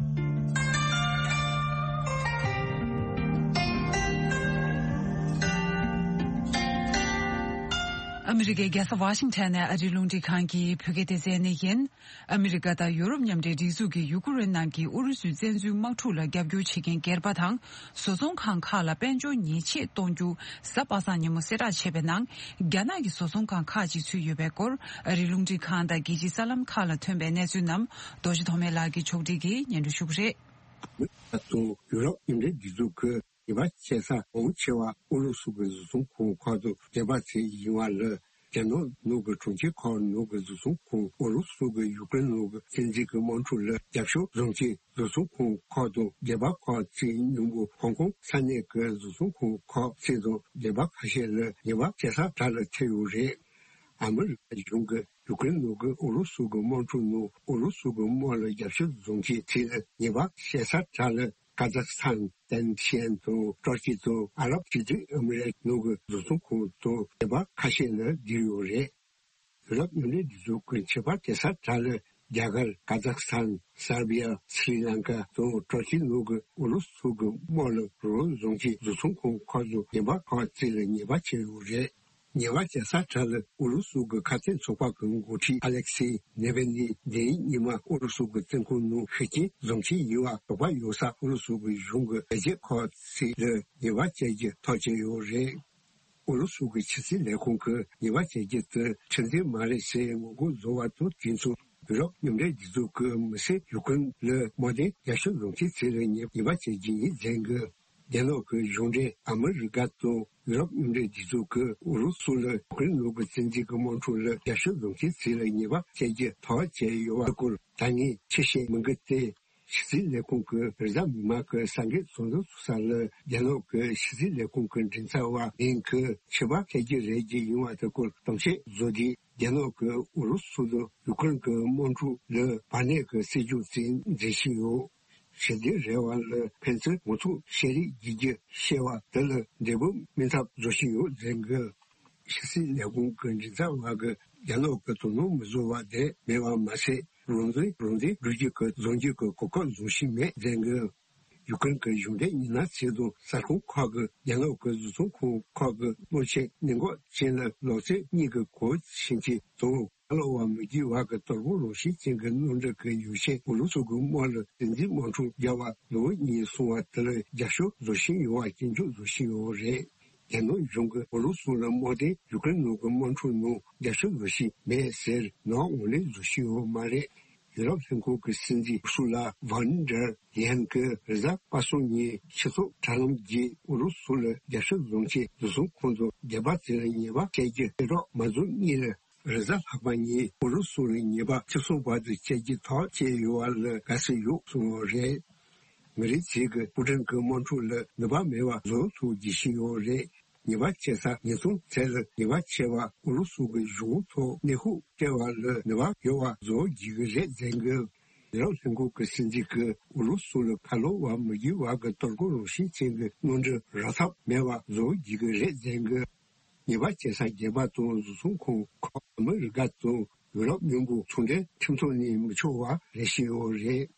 ཨ་མི་རི་ཀའི་རྒྱལ་ས་ཝ་ཤིང་ཊོན་ནས་ཨ་རིའི་རླུང་འཕྲིན་ཁང་གི་བོད་སྐད་སྡེ་ཚན་ནས་ཡིན། ཨ་མི་རི་ཀ་དང་ཡོ་རོབ་མཉམ་འབྲེལ་སྒྲིག་འཛུགས་ཀྱིས་ཡུ་ཀེ་རེན་ནང་གི་ཨུ་རུ་སུའི་བཙན་འཛུལ་དམག་འཁྲུག་ལ་རྒྱབ་སྐྱོར་བྱེད་མཁན་སྒེར་པ་དང་བཟོ་ཚོང་ཁང་ཁག་ལ་དཔལ་འབྱོར་ཉེས་ཆད་གཏོང་རྒྱུ་གཟའ་པ་སངས་ཉིན་མོ་གསལ་བསྒྲགས་བྱས་པའི་ནང་། རྒྱ་ནག་གི་བཟོ་ཚོང་ཁང་ཁག་ཅིག་ཚུད་ཡོད་པའི་སྐོར། ཨ་རིའི་རླུང་འཕྲིན་ཁང་དང་རྒྱལ་སྤྱིའི་གསར་ལམ་ཁག་ལ་ཐོན་པའི་གནས་ཚུལ་རྣམས་རྡོ་རྗེ་ཐོགས་མེད་ལགས་ཀྱིས་ཕྱོགས་སྒྲིག་གིས་སྙན་སྒྲོན་ཞུ་གི་རེད། ཨ་ཏོ་ཡུ་རོབ་མཉམ་འབྲེལ་སྒྲིག་འཛུགས་ཀྱི་ཉེས་པ་ཆེ་ས་མང་ཆེ་བ་ཨུ་རུ་སུ་གི་བཟོ་ཚོང་ཁང་ཁག་ཏུ་སྡོད་པ་ཚོ་ཡིན་པ་ལས། རྒྱ་ནག་ནང་གི་གྲོང་ཁྱེར་ཁག་ནང་གི་བཟོ་ཚོང་ཁང་ཨུ་རུ་སུ་གི་ཡུཀ་རེན་ནང་གི་བཙན་འཛུལ་གྱི་དམག་འཁྲུག་ལ་རྒྱབ་སྐྱོར་བཟོ་མཁན་བཟོ་ཚོང་ཁང་ཁག་དང་སྡེ་པ་ཁག་ཅིག་མཉམ་པོ་ཧོང་ཀོང་ས་གནས་ཀྱི་བཟོ་ཚོང་ཁང་ཁག་ཅིག་དང་སྡེ་པ་ཁ་ཤས་ལ་ཉེས་པ་ཆེ་ས་གྲས་ལ་ཐེ་ཡོད་རེད། ཨ་མི་རི་ཀ་གཞུང་གིས་ཡུཀ་རེན་ནང་གི་ཨུ་རུ་སུ་གི་དམག་འཁྲུག་ནང་ཨུ་རུ་སུ་གི་དམག་ལ་རྒྱབ་སྐྱོར་བཟོ་མཁན་ཚོ་ལ་ཉེས་པ་ཆེ་ས་གྲས་ལ། ཀ་ཛག་སི་ཐན། ཏན་ཤན་དང་ཀྲོ་ཀི་དང་ཨ་རབ་སྤྱི་མཐུན་ཨ་མི་རེ་ནང་གི་བཟོ་ཚོང་ཁང་དང་སྡེ་པ་ཁ་ཤས་ལ་བསྡུས་ཡོད་རེད། ཡུ་རོབ་མཉམ་འབྲེལ་སྒྲིག་འཛུགས་ཀྱི་ཆད་པ་གཏོང་ས་གྲས་ལ་རྒྱ་གར། ཀ་ཛག་སི་ཐན། སར་བི་ཡ། སི་རི་ལང་ཀ་དང་ཀྲོ་ཀི་ནང་གི་ཨུ་རུ་སུ་གི་དམག་ལ་རོགས་རམ་བཟོ་མཁན་བཟོ་ཚོང་ཁང་ཁག་དང་སྡེ་པ་ཁག་ཅིག་ལ་ཉེས་པ་ཆེ་ཡོད་རེད། ཉེས་པ་ཆེ་ས་གྲས་ལ་ཨུ་རུ་སུ་གི་ཁ་གཏད་ཚོགས་པ་གི་འགོ་ཁྲིད་ཨ་ལེག་སི་ནེ་ཝལ་ནི་འདི་ཉིན་མ་ཨུ་རུ་སུ་གི་བཙོན་ཁང་ནང་ཤི་རྐྱེན་བཟོ་མཁན་ཡིན་པ་དོགས་པ་ཡོད་ས་ཨུ་རུ་སུ་གི་གཞུང་གི་ལས་བྱེད་ཁག་ཅིག་ལ་ཉེས་པ་བཅད་རྒྱུ་ཐག་བཅད་ཡོད་རེད། ཨུ་རུ་སུ་གི་ཕྱི་སྲིད་ལས་ཁུངས་ཀྱིས་ཉེས་པ་བཅད་རྒྱུ་དེ་ཁྲིམས་མཐུན་མ་རེད་ཟེར་ངོ་རྒོལ་བཟོ་བ་དང་དུས་མཚུངས་ཡུ་རོབ་མཉམ་འབྲེལ་སྒྲིག་འཛུགས་ཀྱིས་མི་སེར་ཡུཀ་རེན་ལ་དམག་དོན་རྒྱབ་སྐྱོར་བཟོ་མཁན་ཚོ་ལ་ཉེས་ཉེས་པ་བཅད་རྒྱུ་ཡིན་ཟེར་གི། རྒྱ་ནག་གི་གཞུང་འབྲེལ་ཨ་མི་རི་ཀ་དང་ཡུ་རོབ་མཉམ་འབྲེལ་སྒྲིག་འཛུགས་ཀྱིས་ཨུ་རུ་སུ་ལ་ཡུཀ་རེན་ནང་གི་བཙན་འཛུལ་གྱི་དམག་འཁྲུག་ལ་རྒྱབ་སྐྱོར་བཟོ་མཁན་ཚོ་ལ་ཉེས་པ་བཅད་རྒྱུ་ཐག་བཅད་ཡོད་པའི་སྐོར་ད་ངས་ཆེ་བཤད་མི་འགི་སྟེ། ཕྱི་སྲིད་ལས་ཁུངས་ཀྱི་རེས་གཟའ་མིག་དམར་གྱི་གསར་འགོད་ཚོགས་འདུ་ཚོགས་ས་ལ་རྒྱ་ནག་གི་ཕྱི་སྲིད་ལས་ཁུངས་ཀྱི་མགྲིན་ཚབ་པ་ལིན་གྱིས་ཆད་པ་བཅད་རྒྱུ་རེད་ཀྱི་ཡིན་པ་དེ་སྐོར་གཏམ་བཤད་བཟོ་དུས། རྒྱ་ནག་གིས་ཨུ་རུ་སུ་དང་ཡུ་ཀེ་རེན་གྱི་དམག་འཁྲུག་ལ་བར་གནས་ཀྱི་སྲིད་ཇུས་ཅིག་འཛིན་བཞིན་ཡོད། ཞི་བདེ་རེ་བ་ལ་ཕན་ཚུན་ངོ་ཐུག་བཤད་རེས་བགྱིད་རྒྱུ་བཤད་པ་དེ་ལ་འབྲས་བུ་སྨིན་ཐབས་བཟོ་བཞིན་ཡོད་ཟེར་གི། ཕྱི་སྲིད་ལས་ཁུངས་ཀྱི་མགྲིན་ཚབ་པ་གིས་རྒྱ་ནག་གི་དོ་སྣང་མི་བཟོ་བ་དེ་མེད་པ་མ་ཟད། རང་དོན་རང་དོན་སྒྲུབ་རྒྱུ་གི་རྫོང་རྒྱུ་གི་གོ་སྐབས་བཟུང་བཞིན་མེད་ཟེར་གི། ཡུ་ཀེ་རེན་གྱི་གཞུང་འབྲེལ་ཉི་ན་ཚེ་དང་གསར་ཁང་ཁག་གི་རྒྱ་ནག་གི་བཟོ་ཚོང་ཁང་ཁག་གི་གློག་ཆས་གནས་འགོག་ཅན་ལ་ལོ་ཚད་གཉིས་ཀྱི་གོ་ཆེན་གྱི་དང་། ཁ་ལོ་བ་མི་རྒྱུ་བ་གི་དོལ་པོ་རང་བཞིན་ཅན་གྱི་གནམ་གྲུ་གི་ཡོ་བྱད་ཨུ་རུ་སུ་གི་དམག་ལ་རྩེད་འཛིན་དམག་འཁྲུག་བརྒྱབ་པ་ལོ་གཉིས་སོང་བ་དེ་ལ་རྒྱབ་སྐྱོར་བཟོ་བཞིན་ཡོད་པ་སྐྱོན་བརྗོད་བཟོ་བཞིན་ཡོད་རེད། རྒྱ་ནག་གཞུང་གིས་ཨུ་རུ་སུ་ལ་དམག་དོན་ཡུ་ཀེ་རེན་ནང་གི་དམག་འཁྲུག་ནང་རྒྱབ་སྐྱོར་བཟོ་བཞིན་མེད་ཟེར་ནག་འོག་ལས་བཟོ་བཞིན་ཡོད་མ་རེད། ཡུ་རོབ་ལྷན་ཁང་གི་སྲིད་འཛིན་ཨུར་སུ་ལ་ཝོན་ཌར་ལེ་ཡན་གྱིས་རེས་གཟའ་པ་སངས་ཉིན་སྤྱི་ཚོགས་དྲ་ལམ་བརྒྱུད་ཨུ་རུ་སུ་ལ་རྒྱབ་སྐྱོར་བཟུང་ཆེད་བཟོ་ཚོང་ཁང་དུ་རྒྱལ་བ་དེ་ལ་ཉེས་པ་བཅད་རྒྱུ་སྤེལ་རོགས་མ་བཟོ་གཉིས་ལ་རེས་གཟའ་ལྷག་པ་ཉིན་ཨུ་རུ་སུ་ལ་ཉེས་པ་ཆེ་སོང་བར་དུ་བཅད་རྒྱུ་ཐག་བཅད་ཡོད་པ་ལ་དགའ་བསུ་ཡོད་གསུངས་ཡོད་རེད། མི་རིགས་གཅིག་གིས་པུ་ཏིན་གྱི་དམག་འཁྲུག་ལ་ནུས་པ་མེད་པ་བཟོ་ཐུབ་བགྱིད་བཞིན་ཡོད་རེད། ཉེས་པ་བཅད་ས་ཉེས་རྡུང་བྱས་ལ་ཉེས་པ་ཆེ་བ་ཨུ་རུ་སུ་གི་གཞུང་ཐོག་གནས་ཤུགས་སྤྲད་པ་ལ་ནུས་པ་ཡོད་པ་བཟོ་བགྱིད་ཀྱི་རེད་ཟེར་གི། ཡུ་རོབ་ལྷན་ཁང་གི་སྲིད་འཛིན་གྱིས་ཨུ་རུ་སུ་ལ་ཁ་ལོ་བ་མི་རྒྱུ་བ་གི་དོལ་པོ་རང་བཞིན་ཅན་གྱི་གནམ་གྲུ་རག་ཐབས་མེད་པ་བཟོ་བགྱིད་ཀྱི་རེད་ཟེར་གི། ཉེས་པ་བཅད་ས་རྒྱལ་པ་དང་བཟོ་ཚོང་ཁང་ཁག་ཨ་མི་རི་ཀ་དང་ཡུ་རོབ་མཉམ་པོ་ཚོང་འབྲེལ་ཁྲིམས་ཐོག་ནས་མི་ཆོག་པ་རེ་བཞིན་ཡོད་རེད།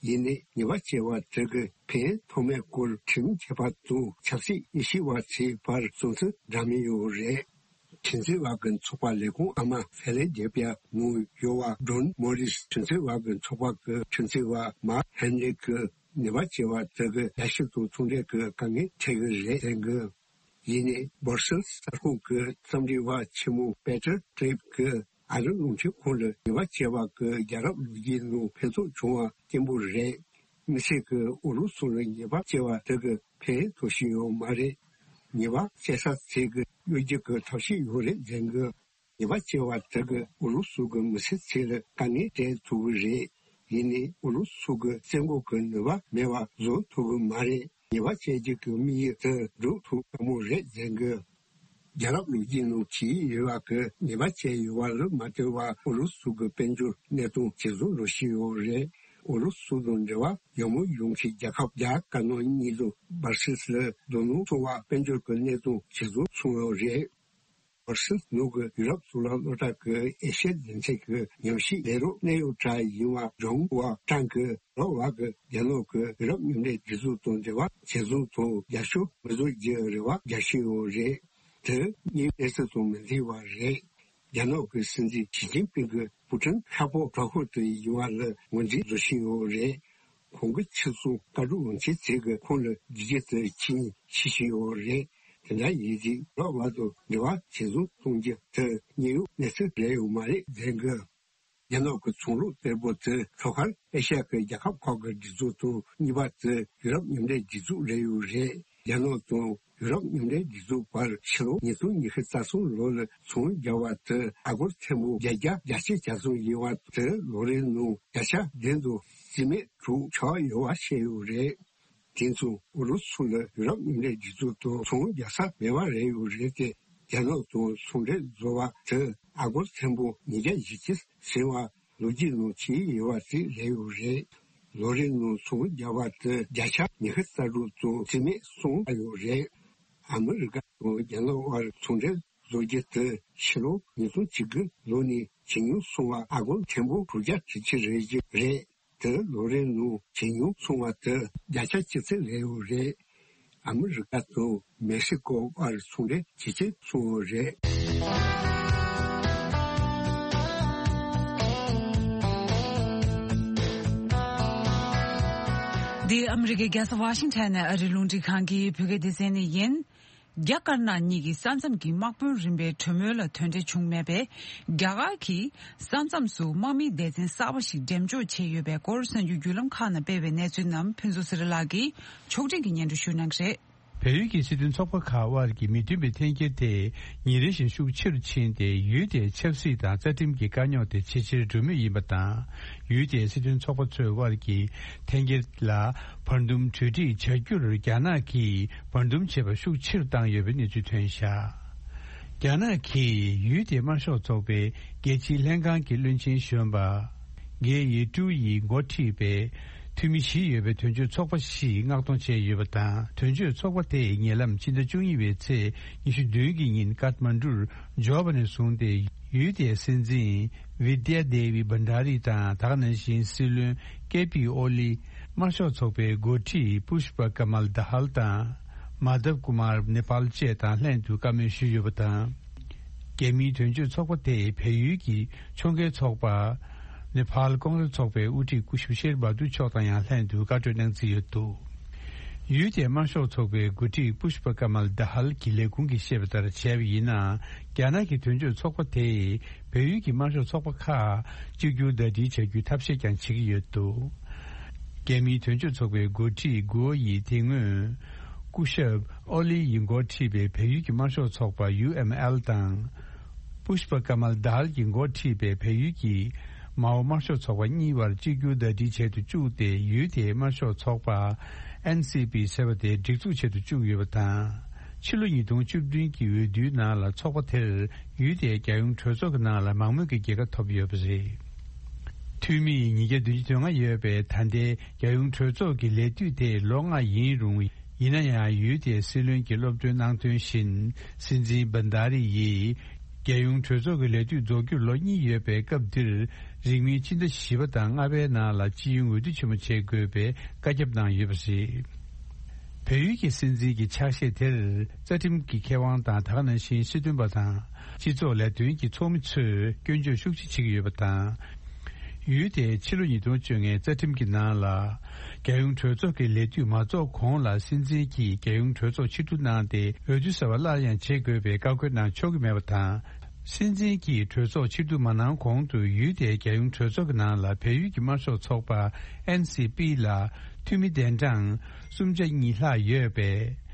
ཡིན་ནའི་ཉེས་པ་བཅད་པ་དེ་གི་ཕན་ཐོགས་མེད་སྐོར་ཁྲིམས་མཁས་པ་དང་ཆབ་སྲིད་དབྱེ་ཞིབ་པ་ཚོའི་བར་བསམ་ཚུལ་འདྲ་མིན་ཡོད་རེད། ཁྲིམས་རྩོད་པ་གི་ཚོགས་པ་ལས་ཁུངས་ཨ་མ་ཧྥེ་ལེ་ཌེ་ཕི་ཡ་ནང་ཡོད་པ་ཌོན་མོ་རིས་ཁྲིམས་རྩོད་པ་གི་ཚོགས་པ་གི་ཁྲིམས་རྩོད་པ་མཱ་ཧན་རི་གིས་ཉེས་པ་བཅད་པ་དེ་གི་རྒྱལ་སྤྱི་དང་ཚོང་འབྲེལ་གི་དཀའ་ངལ་འཕྲད་གི་རེད་ཟེར་གི། ཡིན་ནའི་སྦར་སེལ་གསར་ཁང་གི་འཚམས་འདྲི་བ་ཆེན་མོ་པེ་ཏྲ་ཀྲིབ་ཀྱིས་ཨ་རི་རླུང་འཕྲིན་ཁང་ལ་ཉེས་པ་བཅད་པ་གི་རྒྱལ་རབས་ལོ་རྒྱུས་ནང་ཕན་ཐོགས་བྱུང་བ་སྐྱེན་པོ་རེད། དམིགས་བསལ་གྱི་ཨུ་རུ་སུ་ལ་ཉེས་པ་བཅད་པ་དེ་གི་ཕན་ཐོགས་བཞིན་ཡོད་མ་རེད། ཉེས་པ་བཅད་ས་ཚིག་གི་གཡོ་སྒྱུ་གི་ཐབས་ཤེས་ཡོད་རེད་ཟེར་གི། ཉེས་པ་བཅད་པ་དེ་གི་ཨུ་རུ་སུ་གི་མི་སེར་ཚོ་ལ་དཀའ་ངལ་སྤྲད་ཐུབ་གི་རེད། ཡིན་ནའི་ཨུ་རུ་སུ་གི་བཙན་འགོག་གི་ནུས་པ་མེད་པ་བཟོ་ཐུབ་གི་མ་རེད། ཉེས་པ་བཅད་རྒྱུ་གི་དམིགས་ཡུལ་དེ་འགྲུབ་ཐུབ་དཀའ་མོ་རེད་ཟེར་གི། རྒྱལ་རབས་ལོ་རྒྱུས་ནང་གི་ཡོད་པ་གི་ཉེས་པ་བཅད་ཡོད་པ་ལ་མ་ལྟོས་པར་ཨུ་རུ་སུ་གི་དཔལ་འབྱོར་གནས་སྟངས་ཇེ་བཟང་འགྲོ་བཞིན་ཡོད་རེད། ཨུ་རུ་སུ་དང་འབྲེལ་བ་ཡག་མོ་ཡོང་མཁན་རྒྱལ་ཁབ་རྒྱ་དཀར་ནག་གཉིས་དང་སྦར་སིལ་ལ་རྡོ་སྣུམ་འཚོ་བ་དཔལ་འབྱོར་གྱི་གནས་སྟངས་ཇེ་བཟང་སོང་ཡོད་རེད། སྦར་སིལ་ནང་གི་ཡུ་རོབ་གཙུག་ལག་སློབ་གྲྭ་གི་ཨེ་ཤེ་ཡ་སྡེ་ཚན་གྱི་ཉམས་ཞིབ་ལས་རོགས་གནད་ཡོད་གྲས་ཡིན་པ་ཇོང་ཝ་ཀྲང་གིས་རོགས་བར་གྱི་རྒྱ་ནག་གི་ཡུ་རོབ་མཉམ་འབྲེལ་སྒྲིག་འཛུགས་དང་འབྲེལ་བ་ཇེ་བཟང་དང་རྒྱབ་སྐྱོར་མི་བཟོ་རྒྱུའི་རེ་བ་རྒྱག་བཞིན་ཡོད་རེད། དེ་དངོས་ཡོད་གནས་ཚུལ་དང་མི་མཐུན་པ་རེད། རྒྱ་ནག་གི་སྲིད་འཛིན་ཞི་ཅིན་ཕིང་གིས་པུ་ཀྲིན་ཤ་ཕོ་བྲག་ཁུག་ཏུ་ཡིན་པ་ལ་ངོས་འཛིན་བཟོ་བཞིན་ཡོད་རེད། ཁོང་གི་ཕྱི་སྲུང་བཀའ་སྒྲུབ་དབང་ཆེན་ཚོས་ཀྱི་ཁོང་ལ་རྒྱུག་རྒྱུ་དེ་ཁྱེད་ཉིད་ཤེས་བཞིན་ཡོད་རེད། དེ་འདྲ་ཡིན་དུས་རོགས་བར་དུ་འབྲེལ་བ་ཇེ་བཟང་གཏོང་རྒྱུ་དེ་དངོས་ཡོད་གནས་ཚུལ་རེད་ཡོད་མ་རེད་ཟེར་གི། རྒྱ་ནག་གི་ཚོང་ལུགས་གཏེར་པོ་དེ་ལྷོ་ཤར་ཨེ་ཤ་ཡ་གི་རྒྱལ་ཁབ་ཁག་གི་སྒྲིག་འཛུགས་དང་གཉིས་པ་དེ་ཡུ་རོབ་མཉམ་འབྲེལ་སྒྲིག་འཛུགས་རེད་ཡོད་རེད། རྒྱ་ནག་དང་ཡུ་རོབ་མཉམ་འབྲེལ་སྒྲིག་འཛུགས་བར་ཕྱི་ལོ་ཉིས་སྟོང་ཉི་ཤུ་རྩ་གསུམ་ལོ་ལ་ཚོང་བརྒྱབ་པ་དེ་ཨ་སྒོར་ཐེར་འབུམ་བརྒྱད་བརྒྱ་གྱ་གཅིག་གྱ་གསུམ་ཡིན་པ་དེ་ལོ་རེའི་ནང་བརྒྱ་ཆ་བདུན་དང་རྩིས་མེད་དྲུག་ཆག་ཡོད་པ་བཤད་ཡོད་རེད། དེ་མཚུངས་ཨུ་རུ་སུ་ལ་ཡུ་རོབ་མཉམ་འབྲེལ་སྒྲིག་འཛུགས་དང་ཚོང་རྒྱག་ས་མེད་པ་རེད་ཡོད་རེད་དེ། རྒྱ་ནག་དང་ཚོང་འབྲེལ་བཟོ་བ་དེ་ཨ་སྒོར་ཐེར་འབུམ་ཉིས་བརྒྱ་བཞི་བཅུ་ཟིན་པ་ལོ་རྒྱུས་ནང་ཆེས་ཡོད་པ་ཞིག་རེད་ཡོད་རེད། ལོ་རེའི་ནང་ཚོང་བརྒྱབ་པ་དེ་བརྒྱ་ཆ་ཉི་ཤུ་རྩ་དྲུག་དང་རྩིས་མེད་གསུམ་ཡོད་རེད། ཨ་མི་རི་ཀ་དང་རྒྱ་ནག་དབར་ཚོང་འབྲེལ་བཟོ་རྒྱུ་དེ་ཕྱི་ལོ་ཉིས་སྟོང་བཅུ་དགུ་ལོ་ནས་ཇེ་ཉུང་སོང་བ་ཨ་སྒོར་ཐེར་འབུམ་དྲུག་བརྒྱ་དྲུག་ཅུ་རེ་བཞི་རེད། དེ་ལོ་རེའི་ནང་ཇེ་ཉུང་སོང་བ་དེ་བརྒྱ་ཆ་གཅིག་ཙམ་རེད་ཡོད་རེད། ཨ་མི་རི་ཀ་དང་མེག་སི་ཀོ་བར་ཚོང་འབྲེལ་ཇེ་ཆེར་སོང་ཡོད་རེད། འདི་ཨ་མི་རི་ཀའི་རྒྱལ་ས་ཝ་ཤིང་ཊོན་ནས་ཨ་རིའི་རླུང་འཕྲིན་ཁང་གི་བོད་སྐད་སྡེ་ཚན་ནས་ཡིན། རྒྱ་དཀར་ནག་གཉིས་ཀྱི་ས་མཚམས་ཀྱི་དམག་དཔོན་རིམ་པའི་གྲོས་མོལ་ལ་དོན་འབྲས་བྱུང་མེད་པས། རྒྱ་གར་གྱིས་ས་མཚམས་སུ་དམག་མིའི་སྡེ་ཚན་གསར་པ་ཞིག་འགྲེམས་འཇོག་བྱས་ཡོད་པའི་སྐོར་གསར་འགྱུར་བརྒྱུད་ལམ་ཁག་ནང་སྤེལ་བའི་གནས་ཚུལ་རྣམས་ཕུན་ཚོགས་ཚེ་རིང་ལགས་ཀྱིས་ཕྱོགས་སྒྲིག་གིས་སྙན་སྒྲོན་ཞུ་གནང་གི་རེད། བལ་ཡུལ་གྱི་སྲིད་དོན་ཚོགས་པ་ཁག་དབར་གྱི་མི་མཐུན་པའི་འཐེན་འཁྱེར་དེ་ཉིན་རེ་བཞིན་ཤུགས་ཆེ་རུ་ཕྱིན་ཏེ། ཡུལ་དེའི་ཆབ་སྲིད་དང་རྩ་ཁྲིམས་ཀྱི་དཀའ་རྙོག་དེ་ཇེ་ཆེར་འགྲོ་མུས་ཡིན་པ་དང་། ཡུལ་དེའི་སྲིད་དོན་ཚོགས་པ་ཚོའི་དབར་གྱི་འཐེན་འཁྱེར་ལ་བར་འདུམ་གྲོས་འགྲིག་བྱ་རྒྱུར་རྒྱ་ནག་གིས་བར་འདུམ་བྱེད་པ་ཤུགས་ཆེ་རུ་བཏང་ཡོད་པའི་གནས་ཚུལ་ཐོན་བཞག་རྒྱ་ནག་གིས་ཡུལ་དེའི་དམར་ཤོག་ཚོགས་པའི་རྒྱལ་སྤྱིའི་ལྷན་ཁང་གི་བློན་ཆེན་གཞོན་པ། གེ་ཡི་ཀྲུའུ་ཡིས་འགོ་ཁྲིད་པའི་འཐུས་མི་བཞི་ཡོད་པའི་དོན་གཅོད་ཚོགས་པ་ཞིག་མངགས་གཏོང་བྱས་ཡོད་པ་དང་། དོན་གཅོད་ཚོགས་པ་དེས་ཉེ་ལམ་ཕྱི་ཟླ་བཅུ་གཉིས་པའི་ཚེས་ཉི་ཤུ་བདུན་གྱི་ཉིན་ཀཏ་མན་ཌུར་འབྱོར་བ་ནས་བཟུང་སྟེ། ཡུལ་དེའི་སྲིད་འཛིན་བི་དྷྱ་དེ་བི་བྷན་ཌ་རི་དང་། ད་ག་ནང་བཞིན་སྲིད་བློན་ཀེ་པི་ཨོ་ལི། དམར་ཤོག་ཚོགས་པའི་འགོ་ཁྲིད་པུཤ་པ་ཀ་མལ་དྷ་ཧལ་དང་། མཱ་དབ་ཀུ་མར་ནེ་པཱལ་བཅས་དང་ལྷན་དུ་བཀའ་མོལ་ཞུས་ཡོད་པ་དང་། རྒྱ་མིའི་དོན་གཅོད་ཚོགས་པ་དེས་བལ་ཡུལ་གྱི་ཕྱོགས་འགལ་ཚོགས་པ་ནེ་པཱལ་ཀོང་རེས་ཚོགས་པའི་དབུ་ཁྲིད་སྐུ་ཞབས་ཤེར་བྷ་དུ་མཆོག་དང་ཡང་ལྷན་དུ་བཀའ་གྲོས་གནང་རྩིས་ཡོད་འདུག་ཡུལ་དེའི་དམར་ཤོག་ཚོགས་པའི་འགོ་ཁྲིད་པུཤ་པ་ཀ་མལ་དྷ་ཧལ་གྱི་ལས་ཁུངས་ཀྱིས་བཤད་པ་ལྟར་བྱས་པ་ཡིན་ན། རྒྱ་ནག་གི་དོན་གཅོད་ཚོགས་པ་དེས་བལ་ཡུལ་གྱི་དམར་ཤོག་ཚོགས་པ་ཁག་གཅིག་གྱུར་ཟླ་སྒྲིལ་བྱ་རྒྱུའི་ཐབས་ཤེས་ཀྱང་བྱེད་ཀྱི་ཡོད་འདུག་རྒྱ་མིའི་དོན་གཅོད་ཚོགས་པའི་འགོ་ཁྲིད་གུའོ་ཡིས་དེ་སྔོན་སྐུ་ཞབས་ཨོ་ལི་ཡིས་འགོ་ཁྲིད་པའི་བལ་ཡུལ་གྱི་དམར་ཤོག་ཚོགས་པ་ཡུ་ཨེམ་ཨེལ་དང་། པུཤ་པ་ཀ་མལ་དྷ་ཧལ་གྱིས་འགོ་ཁྲིད་པའི་བལ་ཡུལ་གྱི་མའོ་དམར་ཤོག་ཚོགས་པ་གཉིས་བར་གཅིག་གྱུར་ཟླ་སྒྲིལ་བྱེད་དུ་བཅུག་སྟེ། ཡུལ་དེའི་དམར་ཤོག་ཚོགས་པ་ཨེན་སི་པི་ཟེར་བ་དེ་སྒྲིག་འཛུགས་བྱེད་དུ་བཅུག་ཡོད་པ་དང་། ཕྱི་ལོ་ཉིས་སྟོང་བཅུ་བདུན་གྱི་འོས་བསྡུའི་ནང་ལ་ཚོགས་པ་དེར་ཡུལ་དེའི་རྒྱལ་ཡོངས་གྲོས་ཚོགས་ཀྱི་ནང་ལ་མང་མོས་ཀྱི་རྒྱལ་ཁ་ཐོབ་ཡོད་པ་རེད། འཐུས་མི་ཉིས་བརྒྱ་བདུན་ཅུ་དོན་ལྔ་ཡོད་པའི་ད་ལྟའི་རྒྱལ་ཡོངས་གྲོས་ཚོགས་ཀྱི་ལས་དུས་དེ་ལོ་ལྔ་ཡིན་རུང་། ཡིན་ན་ཡང་ཡུལ་དེའི་སྲིད་བློན་གྱི་སློབ་སྟོན་གནང་དོན་བཞིན། སྲིད་འཛིན་བྷན་དྷ་རི་ཡིས་རྒྱལ་ཡོངས་གྲོས་ཚོགས་ཀྱི་ལས་དུས་རྫོགས་རྒྱུར་ལོ་གཉིས་ཡོད་པའི་སྐབས་འདིར། རིང་མིན་ཕྱི་ཟླ་བཞི་པ་དང་ལྔ་པའི་ནང་ལ་སྤྱི་ཡོངས་འོས་བསྡུ་ཆེན་མོ་བྱེད་དགོས་པའི་བཀའ་ཁྱབ་གནང་ཡོད་པ་རེད། བལ་ཡུལ་གྱི་སྲིད་འཛིན་གྱི་ཕྱག་བཞེས་དེར་རྩ་ཁྲིམས་ཀྱི་མཁས་དབང་དང་། ད་ག་ནང་བཞིན་སྲིད་དོན་པ་དང་། སྤྱི་ཚོགས་ལས་དོན་གྱི་ཚོགས་མི་ཚོས་སྐྱོན་བརྗོད་ཤུགས་ཆེ་བྱེད་ཀྱི་ཡོད་པ་དང་། ཡུལ་དེའི་ཕྱི་ལོ་ཉིས་སྟོང་བཅོ་ལྔའི་རྩ་ཁྲིམས་ཀྱི་ནང་ལ། རྒྱལ་ཡོངས་གྲོས་ཚོགས་ཀྱི་ལས་དུས་མ་རྫོགས་གོང་ལ་སྲིད་འཛིན་གྱིས་རྒྱལ་ཡོངས་གྲོས་ཚོགས་ཕྱིར་བསྡུ་གནང་སྟེ། འོས་བསྡུ་གསར་པ་སླར་ཡང་བྱེད་དགོས་པའི་བཀའ་བཀོད་གནང་ཆོག་གི་མེད་པ་དང་། སྲིད་འཛིན་གྱིས་གྲོས་ཚོགས་ཕྱིར་བསྡུ་མ་གནང་གོང་དུ། ཡུལ་དེའི་རྒྱལ་ཡོངས་གྲོས་ཚོགས་ཀྱི་ནང་ལ་བལ་ཡུལ་གྱི་དམར་ཤོག་ཚོགས་པ་ཨེན་སི་པི་ལ་འཐུས་མི་གདན་གྲངས་སུམ་བརྒྱ་གཉིས་ལྷག་ཡོད་པས།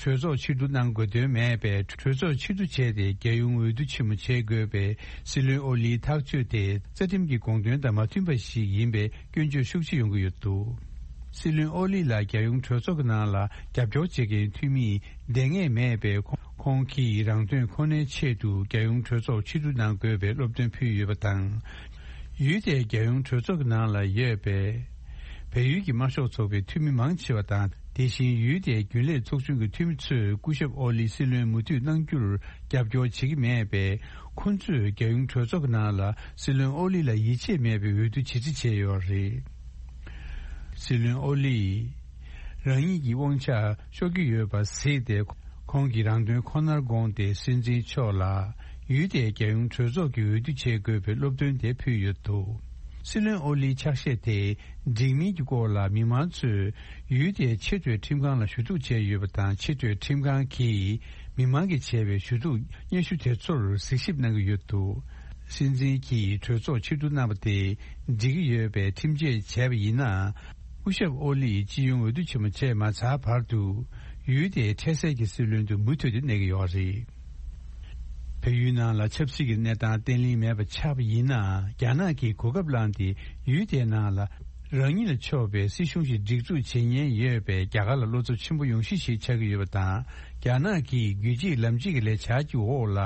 གྲོས་ཚོགས་ཕྱིར་བསྡུ་གནང་དགོས་དོན་མེད་པས། གྲོས་ཚོགས་ཕྱིར་བསྡུ་བྱས་ཏེ། རྒྱལ་ཡོངས་འོས་བསྡུ་ཆེན་མོ་བྱེད་དགོས་པའི་སྲིད་བློན་ཨོ་ལིའི་ཐག་གཅོད་དེ། རྩ་ཁྲིམས་ཀྱི་དགོངས་དོན་དང་མ་མཐུན་པ་ཞིག་ཡིན་པའི་སྐྱོན་བརྗོད་ཤུགས་ཆེ་ཡོང་གི་ཡོད་འདུག་སྲིད་བློན་ཨོ་ལི་ལ་རྒྱལ་ཡོངས་གྲོས་ཚོགས་ཀྱི་ནང་ལ་རྒྱབ་སྐྱོར་བྱེད་མཁན་འཐུས་མིས་འདེང་ངེས་མེད་པས། ཁོང་གིས་རང་དོན་ཁོ་ནའི་ཆེད་དུ་རྒྱལ་ཡོངས་གྲོས་ཚོགས་ཕྱིར་བསྡུ་གནང་དགོས་པའི་སློབ་སྟོན་ཕུལ་ཡོད་པ་དང་། ཡུལ་དེའི་རྒྱལ་ཡོངས་གྲོས་ཚོགས་ཀྱི་ནང་ལ་ཡོད་པའི་བལ་ཡུལ་གྱི་དམར་ཤོག་ཚོགས་པའི་འཐུས་མི་མང་ཆེ་བ་དང་། དེ་བཞིན་ཡུལ་དེའི་རྒྱུན་ལས་ཚོགས་ཆུང་གི་འཐུས་མི་ཚོས་སྐུ་ཞབས་ཨོ་ལི་སྲིད་བློན་མུ་མཐུད་གནང་རྒྱུར་རྒྱབ་སྐྱོར་བྱེད་ཀྱི་མེད་པས། ཁོ་ཚོས་རྒྱལ་ཡོངས་གྲོས་ཚོགས་ཀྱི་ནང་ལ་སྲིད་བློན་ཨོ་ལི་ལ་ཡིད་ཆེས་མེད་པའི་འོས་བསྡུ་བྱེད་རྩིས་བྱས་ཡོད་རེད། སྲིད་བློན་ཨོ་ལིས་རང་ཉིད་ཀྱི་དབང་ཆ་ཤོར་གྱི་ཡོད་པ་གཟིགས་ཏེ། ཁོང་གིས་རང་དོན་ཁོ་ནར་དགོངས་ཏེ། སྲིད་འཛིན་མཆོག་ལ་ཡུལ་དེའི་རྒྱལ་ཡོངས་གྲོས་ཚོགས་ཀྱི་འོས་བསྡུ་བྱེད་དགོས་པའི་སློབ་སྟོན་དེ་ཕུལ་ཡོད་འདུག་སྲིད་བློན་ཨོ་ལིའི་ཕྱག་བཞེས་དེ་འགྲིག་མིན་གྱི་སྐོར་ལ། མི་མང་ཚོས་ཡུལ་དེའི་ཆེས་མཐོའི་ཁྲིམས་ཁང་ལ་ཞུ་གཏུག་བྱས་ཡོད་པ་དང་། ཆེས་མཐོའི་ཁྲིམས་ཁང་གིས་མི་མང་གིས་བྱས་པའི་ཞུ་གཏུག་སྙན་ཞུ་དེ་ཚོར་གཟིགས་ཞིབ་གནང་གི་ཡོད་འདུག་སྲིད་འཛིན་གྱིས་གྲོས་ཚོགས་ཕྱིར་བསྡུ་གནང་བ་དེ་འགྲིག་གི་ཡོད་པའི་ཁྲིམས་ཆད་བྱས་པ་ཡིན་ན། སྐུ་ཞབས་ཨོ་ལིས་སྤྱི་ཡོངས་འོས་བསྡུ་ཆེན་མོ་བྱས་མ་ཚར་བར་དུ། ཡུལ་དེའི་འཕྲལ་སེལ་གྱི་སྲིད་བློན་དུ་མུ་མཐུད་དུ་གནས་ཀྱི་ཡོད་རེད། བལ་ཡུལ་ནང་ལ་ཆབ་སྲིད་ཀྱི་གནས་སྟངས་བརྟན་ལྷིང་མེད་པ་ཆགས་པ་ཡིན་ན། རྒྱ་ནག་གིས་གོ་སྐབས་བླངས་ཏེ། ཡུལ་དེའི་ནང་ལ་རང་ཉིད་ལ་ཕྱོགས་པའི་སྲིད་གཞུང་ཞིག་སྒྲིག་འཛུགས་བྱེད་ཉེན་ཡོད་པས། རྒྱ་གར་ལ་བློ་འཚབ་ཆེན་པོ་ཡོང་གཞི་ཞིག་ཆགས་ཀྱི་ཡོད་པ་དང་། རྒྱ་ནག་གིས་རྒྱུད་གཅིག་ལམ་གཅིག་གི་ལས་འཆར་གྱི་འོག་ལ།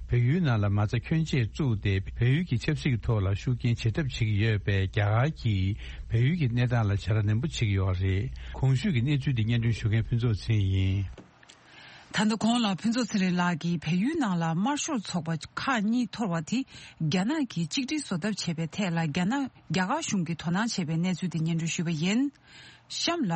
བལ་ཡུལ་ནང་ལ་མ་རྩ་ཁྱོན་ཆེ་བཙུགས་ཏེ། བལ་ཡུལ་གྱི་ཆབ་སྲིད་ཀྱི་ཐོག་ལ་ཤུགས་རྐྱེན་ཇེ་ཚབས་བྱེད་ཀྱི་ཡོད་པས། རྒྱ་གར་གྱིས་བལ་ཡུལ་གྱི་གནས་སྟངས་ལ་བྱ་དགའ་ནན་པོ་བྱེད་ཀྱི་ཡོད་རེད། གོང་ཞུས་ཀྱི་གནས་ཚུལ་འདི་སྙན་སྒྲོན་ཞུ་མཁན་ཕུན་ཚོགས་ཚེ་རིང་ཡིན། ད་ལྟ་གོང་ལ་ཕུན་ཚོགས་ཚེ་རིང་ལགས་ཀྱིས་བལ་ཡུལ་ནང་ལ་དམར་ཤོག་ཚོགས་པ་ཁག་གཉིས་འཐོར་བ་དེ་རྒྱ་ནག་གིས་གཅིག་སྒྲིལ་བཟོ་ཐབས་བྱས་པའི་ཐད་ལ། རྒྱ་ནག་རྒྱ་གར་གཞུང་གིས་དོ་སྣང་བྱས་པའི་གནས་ཚུལ་དེ་སྙན་སྒྲོན་ཞུས་པ་ཡིན། གཤམ་ལ།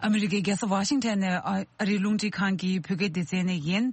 ཨ་མི་རི་ཀའི་རྒྱལ་ས་ཝ་ཤིང་ཊོན་ནས་ཨ་རིའི་རླུང་འཕྲིན་ཁང་གི་བོད་སྐད་སྡེ་ཚན་ནས་ཡིན།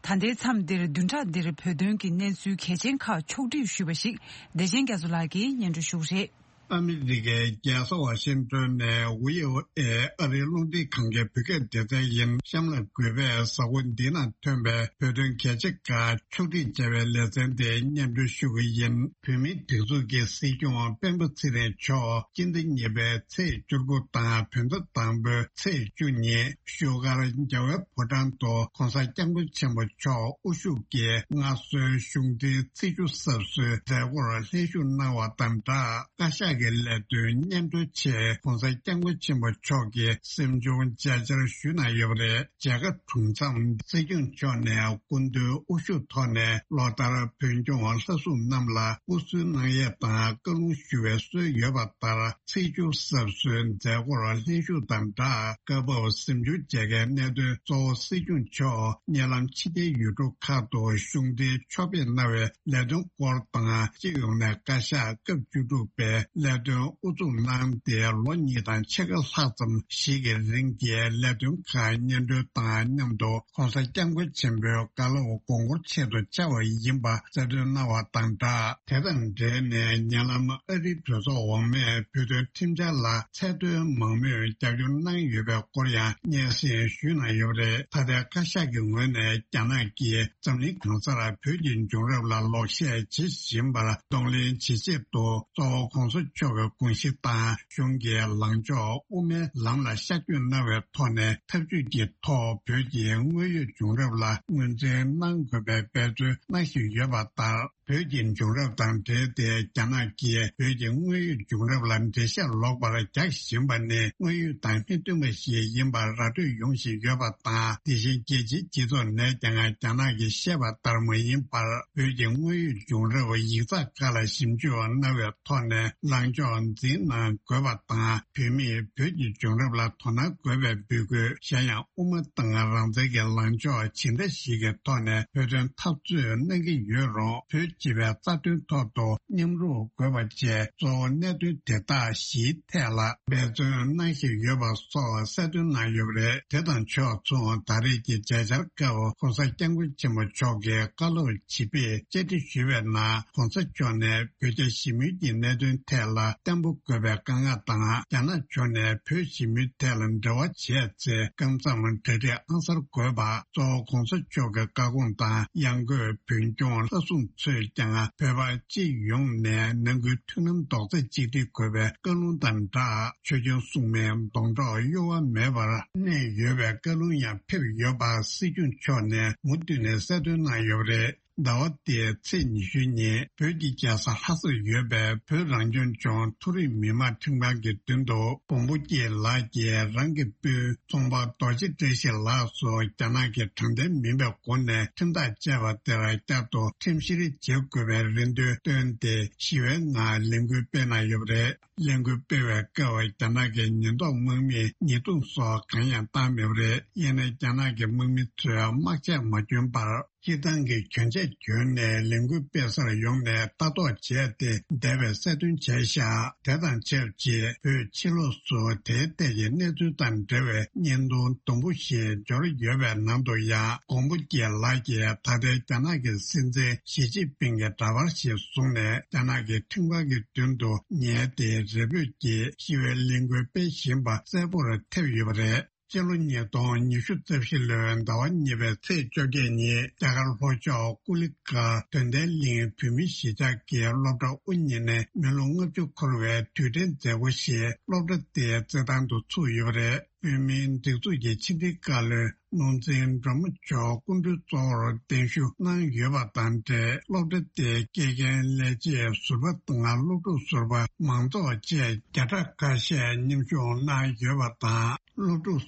ད་ལྟའི་མཚམས་འདིར་བདུན་ཕྲག་འདིར་བོད་དོན་གྱི་གནས་ཚུལ་གལ་ཆེན་ཁག་ཕྱོགས་བསྒྲིགས་ཞུས་པ་ཞིག་བདེ་ཆེན་རྒྱ་མཚོ་ལགས་ཀྱིས་སྙན་སྒྲོན་ཞུ་གི་རེད། ཨ་མི་རི་ཀའི་རྒྱལ་ས་ཝ་ཤིང་ཏོན་ནས་ཝི་ཨོ་ཨེ་ཨ་རིའི་རླུང་འཕྲིན་ཁང་གི་བོད་སྐད་སྡེ་ཚན་ཡིན། གཤམ་ལ་གུས་པས་གཟའ་འཁོར་འདི་ན་ཐོན་པའི་བོད་དོན་གལ་ཆེ་ཁག་ཕྱོགས་སྒྲིག་བྱ་བའི་ལེ་ཚན་དེ་སྙན་སྒྲོན་ཞུ་གི་ཡིན། བོད་མིའི་སྒྲིག་འཛུགས་ཀྱི་སྲིད་སྐྱོང་སྤེན་པ་ཚེ་རིང་མཆོག་སྤྱི་ཟླ་གཉིས་པའི་ཚེས་བཅུ་དགུ་དང་བོད་ཟླ་དང་པོའི་ཚེས་བཅུ་ཉིན་བཞུགས་སྒར་རྒྱལ་བའི་ཕོ་བྲང་དུ་༸གོང་ས་༸སྐྱབས་མགོན་ཆེན་པོ་མཆོག་དབུ་བཞུགས་ཀྱིས་མངའ་གསོལ་གཞུང་འབྲེལ་ཚེས་བཅུ་གསར་བཟོའི་མཛད་སྒོར་ལྷན་ཞུགས་གནང་བ་དང་སྦྲགས། བཀའ་ཤག་གི་ལས་དོན་སྙན་སྒྲོན་ཆེད་༸གོང་ས་༸སྐྱབས་མགོན་ཆེན་པོ་མཆོག་གིས་གཟིམ་ཆུང་མཇལ་བཅར་ཞུས་གནང་ཡོད་པ་རེད། མཇལ་ཁ་གྲུབ་མཚམས་སྲིད་སྐྱོང་མཆོག་ནས་སྐུ་མདུན་དབུ་བཞུགས་ཐོག་ནས་ལོ་ལྟར་བོད་སྐྱོང་ལྷ་སྲུང་རྣམས་ལ་དབུ་གསོལ་གནང་ཡས་དང་བཀའ་ལུང་ཞུ་བའི་སྲོལ་ཡོད་པ་ལྟར། ཚེས་བཅུ་གསར་བཟོའི་མཛད་སྒོར་ལྷན་ཞུགས་དང་སྦྲགས། སྐབས་བབ་གཟིམ་ཆུང་མཇལ་ཁའི་གནད་དོན་གཙོ་བོ་སྲིད་སྐྱོང་མཆོག་ཉེ་ལམ་ཕྱི་རྒྱལ་ཡུལ་གྲུ་ཁག་ཏུ་གཞུང་འབྲེལ་ཕྱོགས་ཕེབས་གནང་བའི་ལས་དོན་སྐོར་དང་། སྤྱི་ཡོངས་ནས་བཀའ་ཤག་སྐབས་བཅུ་དྲུག་པའི་ལས་དོན་དབུ་འཛུགས་གནང་སྟེ། ལོ་གཉིས་དང་ཕྱེད་ཀ་ལྷག་ཙམ་ཞིག་གི་རིང་གི་ལས་དོན་ཁག་སྙན་སྒྲོན་དང་མཉམ་དུ། ༸གོང་ས་༸སྐྱབས་མགོན་ཆེན་པོའི་བཀའ་སློབ་དགོངས་སྐོར་ཆེད་དུ་བཅར་བ་ཡིན་པ་གསལ་སྟོན་གནང་བ་དང་སྦྲགས། དེ་དང་འབྲེལ་ནས་ཉེ་ལམ་ཨ་རིའི་གྲོས་ཚོགས་འོག་མས་བོད་དོན་ཁྲིམས་འཆར་ལ་ཚད་མཐོའི་མང་མོས་རྒྱབ་སྐྱོར་གནང་ཡོད་པའི་སྐོར་ཡང་སྙན་སེང་ཞུས་གནང་ཡོད་པ་རེད། ད་ལྟའི་བཀའ་ཤག་གི་ངོས་ནས་རྒྱ་ནག་གིས་འཛམ་གླིང་གང་སར་བོད་ཀྱི་བྱུང་རབས་ལ་ལོག་བཤད་བྱེད་བཞིན་པར་གདོང་ལེན་བྱེད་ཆེད་དུ། གཙོ་བོ་༸གོང་ས་མཆོག་གི་དགོངས་གཞི་དང་གཞུང་གི་ལངས་ཕྱོགས་དབུ་མའི་ལམ་ལ་ཤར་བསྐྱོད་གནང་བའི་ཐོག་ནས། འཐབ་ཇུས་ཀྱི་ཐོག་བོད་ཀྱི་དངོས་ཡོད་བྱུང་རབས་ལ་ངོས་འཛིན་གནང་དགོས་པའི་འབད་བརྩོན་གནང་བཞིན་ཡོད་པ་ལྟར། བོད་ཀྱི་བྱུང་རབས་དང་འབྲེལ་ཏེ་རྒྱ་ནག་གིས་བོད་ཀྱི་དངོས་ཡོད་བྱུང་རབས་ལ་འགྲེལ་བཤད་ལོག་པར་རྒྱག་བཞིན་པ་ནི་དངོས་ཡོད་དང་མི་མཐུན་པ་ཞིག་ཡིན་པར་ར་སྤྲོད་ཡོང་བཞིན་ཡོད་པ་དང་། དེ་བཞིན་རྒྱལ་སྤྱིའི་སྤྱི་ཚོགས་ནས་ཀྱང་རྒྱ་ནག་གིས་བཤད་པ་ལྟར་མ་ཡིན་པར། བོད་ཀྱི་དངོས་ཡོད་བྱུང་རབས་ཡིག་ཚགས་ཁག་ལ་ཞིབ་འཇུག་གནང་བའི་ཐོག་ནས་ལངས་ཕྱོགས་འཛིན་གནང་དགོས་པ་དང་། བོད་མིས་བོད་ཀྱི་བྱུང་རབས་ལ་དོ་སྣང་དགོས་པའི་འབོད་སྐུལ། གཞན་ཡང་དབུ་མ་དང་རང་བཙན་གྱི་ལངས་ཕྱོགས་ཇི་འདྲ་ཞིག་གི་ཐོག་ནས་བོད་དོན་འཐབ་རྩོད་གནང་གི་ཡོད་རུང་། བོད་སྤྱི་པའི་རྩ་དོན་ཐོག་ཏུ་མཉམ་རུབ་དགོས་པ་བཅས་གཙོ་བོ་གནད་དོན་དེ་དག་བཞིའི་ཐད་ལ་འབད་བརྩོན་གནང་བཞིན་ཡོད་པ་སོགས་གསལ་སྟོན་གནང་ཡོད་པ་རེད། དེ་དང་ཕྱོགས་མཚུངས། ད་རེས་ཀྱི་མཇལ་བཅར་སྐབས་༸གོང་ས་༸སྐྱབས་མགོན་ཆེན་པོ་མཆོག་གིས་བཀའ་སློབ་ཇི་ཕེབས་བཅར་འདྲི་ཞུས་པའི་ནང་། ༸གོང་ས་མཆོག་ནས་བོད་རྒྱ་ཞི་མོལ་གྱི་གནད་དོན་ཐད་ལ་བརྟན་པོ་དགོས་པའི་བཀའ་མངགས་དང་། རྒྱ་ནག་ཕྱོགས་ནས་བོད་ཞི་མོལ་ཐད་ལ་འབྲེལ་བ་བྱས་ཚེ། སྐབས་མཚམས་གྲ་སྒྲིག་ཨང་གསར་དགོས་པ། གཙོ་བོ་༸གོང་ས་མཆོག་གི་བཀའ་དགོངས་དང་། ཡང་སྒོས་བོད་སྐྱོང་ལྷ་སྲུང་ཚོས་ཀྱང་བོད་པ་སྤྱི་ཡོངས་ནས་ནང་ཁུལ་མཐུན་ལམ་རྡོག་རྩ་གཅིག་སྒྲིལ་དགོས་པའི་བཀའ་ལུང་དང་སྦྲགས། ཆོས་སྐྱོང་སྲུང་མའི་སྡོང་གྲོགས་གཡོ་བ་མེད་པར་གནས་ཡོད་པའི་བཀའ་ལུང་ཡང་ཕེབས་ཡོད་པ་སྲིད་སྐྱོང་མཆོག་ནས་མུ་མཐུད་ནས་གསལ་སྟོན་གནང་ཡོད་པ་རེད། ཟླ་བ་འདིའི་ཚེས་ཉི་ཤུ་ཉིན་བོད་ཀྱི་རྒྱལ་ས་ལྷ་སར་ཡོད་པའི་བོད་རང་སྐྱོང་ལྗོངས་མཐོ་རིམ་མི་མང་ཁྲིམས་ཁང་གི་མདུན་དུ་འབུམ་པོ་སྐྱིད་ལགས་ཀྱིས་རང་གི་སྤུན་ཚོང་པ་རྡོ་རྗེ་བཀྲ་ཤིས་ལགས་སུ་རྒྱ་ནག་གི་དྲང་བདེན་མིན་པའི་སྒོ་ནས་ཁྲིམས་ཐག་བཅད་པ་དེར་བསྐྱར་དུ་ཁྲིམས་བཤེར་བྱེད་དགོས་པའི་རེ་འདུན་བཏོན་ཏེ་ཞི་བའི་ངང་ལས་འགུལ་སྤེལ་གནང་ཡོད་པ་རེད། ལས་འགུལ་སྤེལ་བའི་སྐབས་རྒྱ་ནག་གི་ཉེན་རྟོག་དམག་མིས་ཉེས་རྡུང་སོགས་གང་ཡང་བཏང་མེད་པ་རེད། ཡིན་ནའི་རྒྱ་ནག་གི་དམག་མི་ཚོས་དམག་ཆས་མ་གྱོན་པར། སྤྱིར་བཏང་གི་གྱོན་ཆས་གྱོན་ནས་ལས་འགུལ་སྤེལ་སར་ཡོང་ནས་ལྟ་རྟོག་བྱས་ཏེ་བསྡད་པའི་གསལ་སྟོན་བྱས་ཤག་དེ་དང་ཆབས་ཅིག་བོད་ཕྱི་ལོགས་སུ་དེའི་ཐད་ཀྱི་གནས་ཚུལ་དང་འབྲེལ་བའི་བརྙན་ཐུང་དུམ་བུ་ཞིག་འབྱོར་ཡོད་པའི་ནང་དུ་ཡང་། འབུམ་པོ་སྐྱིད་ལགས་ཀྱིས་ད་ལྟའི་རྒྱ་ནག་གི་སྲིད་འཛིན་ཞི་ཅིན་ཕིང་གི་འདྲ་པར་ཞིག་བཟུང་ནས་རྒྱ་ནག་གི་ཁྲིམས་ཁང་གི་མདུན་དུ་ཉལ་ཏེ་རེ་འབོད་ཀྱིས་ཞི་བའི་ལས་འགུལ་སྤེལ་བཞིན་པ་གསལ་པོར་ཐེབས་ཡོད་པ་རེད། སྤྱི་ལོ་ཉིས་སྟོང་ཉི་ཤུ་རྩ་བཞི་ལོའི་ཟླ་བ་གཉིས་པའི་ཚེས་བཅོ་བརྒྱད་ཉིན་རྒྱ་གར་ལྷོ་ཕྱོགས་ཀུ་ལི་ཀ་དོན་ལྡན་གླིང་བོད་མིའི་གཞིས་ཆགས་ཀྱི་སློབ་གྲྭ་དབུ་བརྙེས་ནས་མི་ལོ་ལྔ་བཅུ་འཁོར་བའི་དུས་དྲན་མཛད་སྒོ་ཞིག་སློབ་གྲྭ་དེའི་རྩེད་ཐང་དུ་ཚུགས་ཡོད་པ་རེད། བོད་མིའི་སྒྲིག་འཛུགས་ཀྱི་ཕྱི་དྲིལ་བཀའ་བློན་ནོར་འཛིན་སྒྲོལ་མ་མཆོག་སྐུ་མགྲོན་གཙོ་བོར་གདན་ཞུ་གནང་ཡོད་པ་དང་འབྲེལ། སློབ་གྲྭ་དེའི་དགེ་རྒན་ལས་བྱེད་ཟུར་པ་དང་སློབ་ཕྲུག་ཟུར་པ་མང་ཚོགས་བཅས་བརྒྱ་ཕྲག་ཁ་ཤས་མཉམ་ཞུགས་གནང་ཡོད་པ་དང་། སློབ་ཕྲུག་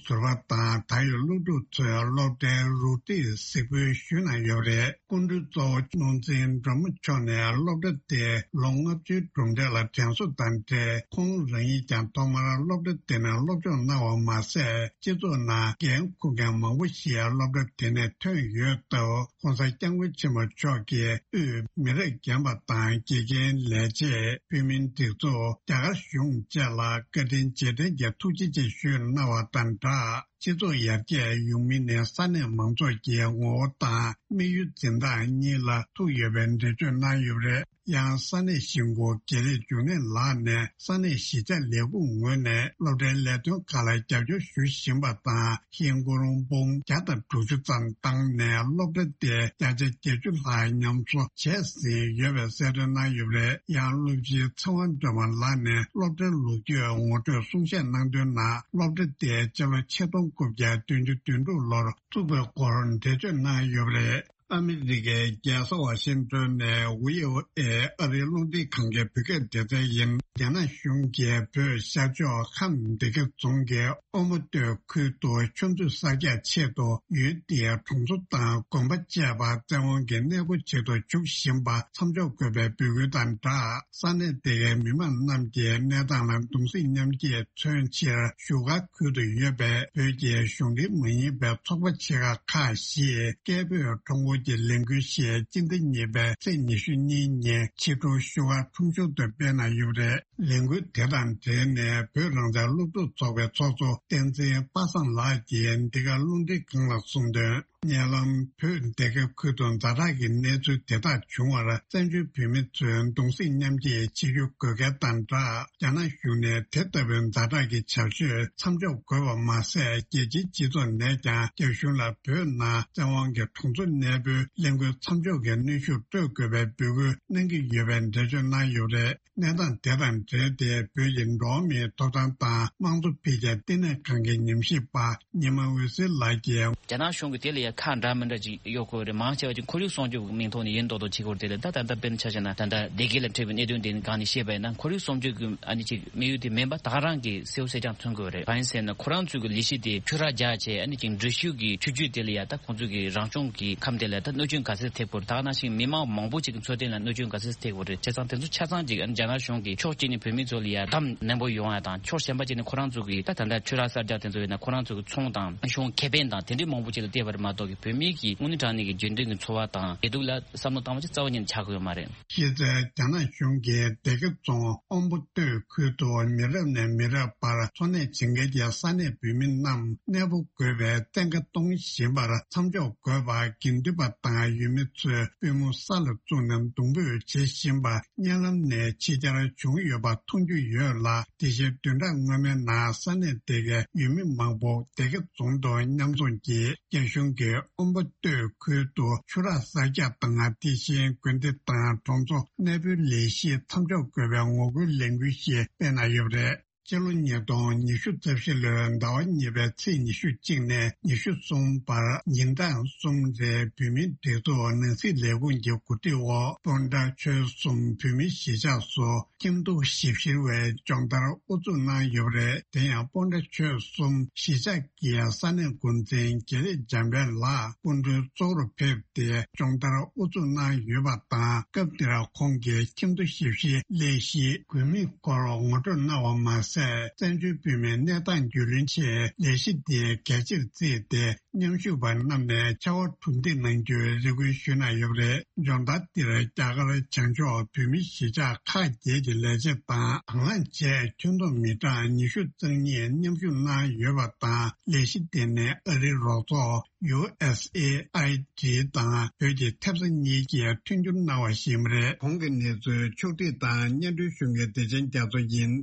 ཟུར་པ་དང་ད་ཡོད་སློབ་ཕྲུག་ཚོས་སློབ་གྲྭའི་རུ་སྒྲིག་གཟིགས་འབུལ་ཞུས་གནང་ཡོད་པ་རེད། སྐུ་མགྲོན་གཙོ་བོ་ནོར་འཛིན་སྒྲོལ་མ་མཆོག་ནས་སློབ་གྲྭ་དེ་ལོ་ལྔ་བཅུའི་གྲུབ་འབྲས་ལ་དྲན་གསོ་དང་འབྲེལ། ཁོང་རང་ཉིད་ཀྱང་ཐོག་མར་སློབ་གྲྭ་དེ་ནས་སློབ་སྦྱོང་གནང་བ་མ་ཟད། སྤྱི་ཚོགས་ནང་འགན་འཁུར་མཁན་མང་པོ་ཞིག་སློབ་གྲྭ་དེ་ནས་ཐོན་ཡོད་སྟབས། ྋགོང་ས་ྋསྐྱབས་མགོན་ཆེན་པོ་མཆོག་གིས་དབུས་མི་རབས་རྒན་པ་དང་དགེ་རྒན་ལས་བྱེད། བོད་མིའི་སྒྲིག་འཛུགས། རྒྱ་གར་གཞུང་བཅས་ལ་བཀའ་དྲིན་རྗེས་དྲན་གྱི་ཐུགས་རྗེ་ཆེ་ཞུས་གནང་བ་དང་སྦྲགས། སྤྱི་ཚོགས་ཡར་རྒྱས་ཡོང་མིན་ནི་ས་གནས་མང་ཚོགས་ཀྱི་ངོ་བོ་དང་དམིགས་ཡུལ་འཛིན་སྟངས་གཉིས་ལ་ཐུག་ཡོད་པའི་འགྲེལ་བརྗོད་གནང་ཡོད་པ་རེད། ཡང་ས་གནས་གཞིས་འགོ་དགེ་ལེགས་འབྱུང་གནས་ལགས་ནས་ས་གནས་གཞིས་ཆགས་ལས་ཁུངས་ངོས་ནས་སློབ་གྲྭའི་ལས་དོན་ཁག་ལ་རྒྱབ་སྐྱོར་ཞུ་བཞིན་པ་དང་། ཧིན་སྒོར་འབུམ་བརྒྱ་དང་དྲུག་ཅུ་ཙམ་བཏང་ནས་སློབ་གྲྭ་དེ་བརྒྱ་ཆ་བརྒྱད་ཅུ་ལྷག་ཉམས་གསོ་བྱས་ཟིན་ཡོད་པའི་གསལ་སྟོན་གནང་ཡོད་པ་རེད། ཡང་སློབ་སྤྱི་ཚེ་དབང་སྒྲོལ་མ་ལགས་ནས་སློབ་གྲྭའི་ལོ་རྒྱུས་ངོ་སྤྲོད་གསུང་བཤད་གནང་དོན་ནང་། སློབ་གྲྭ་དེ་སྤྱི་ལོ་ཆིག་སྟོང་དགུ་བརྒྱ་བདུན་ཅུ་དོན་དྲུག་ལོར་བཙུགས་པའི་སྐོར་འགྲེལ་བརྗོད་གནང་ཡོད་པ་རེད། ཨ་མི་རི་ཀའི་རྒྱལ་ས་ཝ་ཤིང་ཏོན་ནས་ཝི་ཨོ་ཨེ་ཨ་རིའི་རླུང་འཕྲིན་ཁང་གི་བོད་སྐད་སྡེ་ཚན་ཡིན། རྒྱ་ནག་གཞུང་གིས་བོད་ཤར་ཕྱོགས་ཁམས་སྡེ་དགེ་རྫོང་གི་ཨོ་མོ་སྟོད་ཁུལ་དུ་ཆུ་མཛོད་གསར་རྒྱག་ཆེད་དུ་ཡུལ་དེའི་གྲོང་ཚོ་དང་དགོན་པ་བཅས་པ་བཙན་དབང་གིས་གནས་སྤོ་བྱེད་དུ་འཇུག་བཞིན་པ་མཚམས་འཇོག་དགོས་པའི་འབོད་སྐུལ་དང་སྦྲགས། ས་གནས་དེ་གའི་མི་མང་རྣམས་ཀྱིས་གནས་སྟངས་ལ་གདུང་སེམས་མཉམ་སྐྱེད་མཚོན་ཕྱིར། བཞུགས་སྒར་ཁུལ་དུ་ཡོད་པའི་བོད་ཀྱི་གཞུང་འབྲེལ་མ་ཡིན་པའི་ཚོགས་པ་ཆེ་ཁག་ཁག་བཞིས་སྐད་འབོད་ཁྲོམ་སྐོར་གྱི་ལས་འགུལ་ཞིག་སྤྱི་ཟླ་གཉིས་པའི་ཚེས་ཉི་ཤུ་གཉིས་ཉིན་ཕྱི་དྲོ་བཞུགས་སྒར་ཁྲོམ་གཞུང་དུ་སྤེལ་གནང་ཡོད་པ་རེད། ལས་འགུལ་དེ་དང་འབྲེལ་ནས་བོད་རང་བཙན་སློབ་ཕྲུག་ཚོགས་པའི་ཚོགས་གཙོ་བསྟན་འཛིན་པ་སངས་ལགས་ཀྱིས་འདི་ག་རླུང་འཕྲིན་ཁང་ལ་གསུངས་དོན། ཉེ་ལམ་བོད་སྡེ་དགེ་ཁུལ་དུ་ཛ་དྲག་གི་གནས་ཚུལ་དེ་དག་བྱུང་བར་བཙན་བྱོལ་བོད་མི་ཚོས་གདུང་སེམས་མཉམ་སྐྱེད་བྱེད་རྒྱུ་དགོས་གལ་དང་སྦྲགས། རྒྱ་ནག་གཞུང་ནས་དེ་ལྟ་བུའི་ཛ་དྲག་གི་བྱ་སྤྱོད་མཚམས་འཇོག་དགོས་པ་མ་ཟད། རྒྱལ་སྤྱིའི་སྤྱི་ཚོགས་ནས་ཀྱང་རྒྱ་གཞུང་ལ་བོད་ནང་བཙན་དབང་གི་གྲོང་ཚོ་གནས་སྤོའི་ལས་འགུལ་མཚམས་འཇོག་གི་གནོན་ཤུགས་སྤྲོད་དགོས་པའི་འབོད་སྐུལ་གནང་གི་ཡོད་པའི་འགྲེལ་བརྗོད་གནང་ཡོད་པ་རེད། གནས་སྟངས་དེ་དང་འབྲེལ་ཏེ། བོད་ཀྱི་འགྲོ་བ་མིའི་ཐོབ་ཐང་དང་དམངས་གཙོ་འཕེལ་རྒྱས་ལྟེ་གནས་ཁང་གི་ཉམས་ཞིབ་པ་ཉི་མ་འོད་ཟེར་ལགས་ཀྱིས། རྒྱ་ནག་གཞུང་གིས་དེ་ལ་ཡང་ཁ་འདྲ་མི་འདྲ་ཅིག་གཡོག་དགོས་རེད། མང་ཆེ་བ་ཅིག་ཁོར་ཡུག་སྲུང་སྐྱོབ་ཀྱི་མིང་ཐོག་ནས་ཡིན་མདོག་མདོག་བྱེད་དགོས་རེད་དེ་ལ། ད་ད་ལྟ་དཔེར་ན་ཆ་བཞག་ན། ད་ལྟ་སྡེ་དགེ་ལ་འཕྲད་པའི་གནད་དོན་དེ་སྒང་ནས་བཤད་པ་ཡིན་ན། ཁོར་ཡུག་སྲུང་སྐྱོབ་ཀྱི་ཨ་ནི་ཅིག་དམིགས་ཡུལ་དེ་མིན་པ། ད་ག་རང་གི་སེའུ་སེ་ཅང་ཐོན་དགོས་རེད། གང་ཡིན་ཟེར་ན། ཁོ་རང་ཚོའི་གི་ལས་གཞི་དེ་ཆུ་རགས་རྒྱག་བྱས། ཨ་ནི་ཅིག་འགྲུལ་བཞུད་ཀྱི་ཆུ་རྒྱུད་དེ་ལ་ཡང་ད་ཁོང་ཚོའི་གི་རང་སྐྱོང་གི་ཁམས་དེ་ལ་ད་གནོད་སྐྱོན་ག་ཚད་ཐེབས་དགོས་རེད། ད་ག་ནང་བཞིན་མི་མང་མང་པོ་ཅིག་གི་འཚོ་རྟེན་ལ་གནོད་སྐྱོན་ག་ཚད་ཐེབས་དགོས་རེད། བྱས་ཙང་དེ་ཚོ་ཆ་ཚང་ཅིག་ཨ་ནི་རྒྱ་ནག་གཞུང་གིས་ཕྱོགས་གཅིག་ནས་བོད་མི་ཚོ་ལ་ཡང་གདམ་ནན་པོ་ཡོང་ཡ་དང་། ཕྱོགས་གཞན་པ་ཅིག་ནས་ཁོ་རང་ཚོ་གི་ད་ད་ལྟ་ཆུ་རགས་གསར་རྒྱག་དེ་ཚོ་ཡིན་ན། ཁོ་རང་ཚོ་གི་ཚོང་དང་གཞུང་ཁེ་ཕན་དང་དེ་འདྲའི་མང་པོ་ཅིག་ལ་བལྟས་པ་རེད་མ་གཏོགས་ཀྱི། བོད་མི་གི་དངོས་གནས་དྲང་གནས་ཀྱི་རྒྱུན་ལྡན་གྱི་འཚོ་བ་དང་བདེ་སྡུག་ལ་བསམ་བློ་བཏང་བ་ཅིག་རྩ་བ་ཉིད་ནས་ཆགས་ཀྱི་ཡོད་མ་རེད། གཞི་རྩའི་རྒྱ་ནག་གཞུང་གིས་སྡེ་དགེ་རྫོང་ཨོམ་བུ་སྟོད་ཁུལ་དུ་མི་རབས་ནས་མི་རབས་བར་འཚོ་གནས་བྱེད་མཁན་གྱི་ས་གནས་བོད་མི་རྣམས་གནས་སྤོ་དགོས་པའི་བཙན་བཀའ་གཏོང་བཞིན་པར་མཚམས་འཇོག་དགོས་པ། དགེ་འདུན་པ་དང་ཡུལ་མི་ཚོས་པུས་མོ་ས་ལ་བཙུགས་ནས་གདུང་འབོད་བྱེད་བཞིན་པ་བརྙན་ལམ་ནས་ཕྱི་གྱར་བྱུང་ཡོད་པ་མཐོང་རྒྱུ་ཡོད་ལ། དེ་བཞིན་བདུན་ཕྲག་སྔོན་མའི་ནང་ས་གནས་དེ་གའི་ཡུལ་མི་མང་པོ་སྡེ་དགེ་རྫོང་དུ་མཉམ་འཛོམས་ཀྱིས་རྒྱ་གཞུང་གིས་ཨོམ་པོ་སྟོད་ཁུལ་དུ་ཆུ་རགས་གསར་རྒྱག་དང་། དེ་བཞིན་དགོན་སྡེ་དང་གྲོང་ཚོ་གནས་སྤོའི་ལས་གཞི་མཚམས་འཇོག་དགོས་པའི་ངོ་རྒོལ་ལས་འགུལ་ཞིག་སྤེལ་གནང་ཡོད་པ་རེད། སྤྱི་ལོ་ཉིས་སྟོང་ཉི་ཤུ་རྩ་བཞི་ལོའི་ཟླ་བ་གཉིས་པའི་ཚེས་ཉི་ཤུ་གཅིག་ནས་ཉི་ཤུ་གསུམ་བར་ཉིན་གྲངས་གསུམ་རིང་བོད་མིའི་སྒྲིག་འཛུགས་ནང་སྲིད་ལས་ཁུངས་ཀྱི་གོ་སྒྲིག་འོག་སྤོན་ཊ་ཆོལ་གསུམ་བོད་མིའི་གཞིས་ཆགས་སུ་ཁྱིམ་སྡོད་ཞིབ་བཤེར་བའི་སྦྱོང་བརྡར་དབུ་འཛུགས་གནང་ཡོད་པ་རེད། དེ་ཡང་སྤོན་ཊ་ཆོལ་གསུམ་གཞིས་ཆགས་ཀྱི་ས་གནས་འགོ་འཛིན་དགེ་ལེགས་འཇམ་དཔལ་ལགས་སྐུ་མགྲོན་གཙོ་བོར་ཕེབས་ཏེ་སྦྱོང་བརྡར་དབུ་འཛུགས་གནང་ཡོད་པ་དང་། སྐབས་དེར་ཁོང་གིས་ཁྱིམ་སྡོད་ཞིབ་བཤེར་ལས་གཞིའི་དགོས་དམིགས་སྐོར་ངོ་སྤྲོད་གནང་བ་མ་ཟད། བཙན་བྱོལ་བོད་མིའི་གནས་སྟངས་རྒྱུས་ལོན་ཆེད་ལས་གཞི་དེ་གལ་ཆེར་བརྩིས་ཏེ། མཉམ་ཞུགས་པ་རྣམས་ནས་ཕྱར་བ་གྲུ་འདེགས་གནང་རྒྱུའི་རེ་སྐུལ་ཞུས་གནང་ཡོད་པ་རེད། སྦྱོང་བརྡར་འདིར་རྒྱ་གར་བྱང་ཕྱོགས་བོད་མིའི་གཞིས་ཆགས་ཁག་བརྒྱད་ཀྱི་ལས་བྱེད་དང་། དང་བླངས་བྱས་ཁྱོན་བསྡོམས་མི་གྲངས་ཉི་ཤུ་རྩ་གཉིས་མཉམ་ཞུགས་གནང་ཡོད་པ་དང་། ལས་གཞི་དེ་ནི་ཨ་རིའི་རོགས་ཚོགས་ཡུ་ཨེས་ཨེ་ཨའི་ཌི་དང་བོད་ཀྱི་ཐེབས་རྩ་གཉིས་ཀྱིས་མཐུན་འགྱུར་གནང་བ་ཞིག་ཡིན་པ་རེད། གོང་གི་གནས་ཚུལ་ཕྱོགས་སྒྲིག་དང་སྙན་སྒྲོན་ཞུ་མཁན་བདེ་ཆེན་རྒྱ་མཚོ་ཡིན།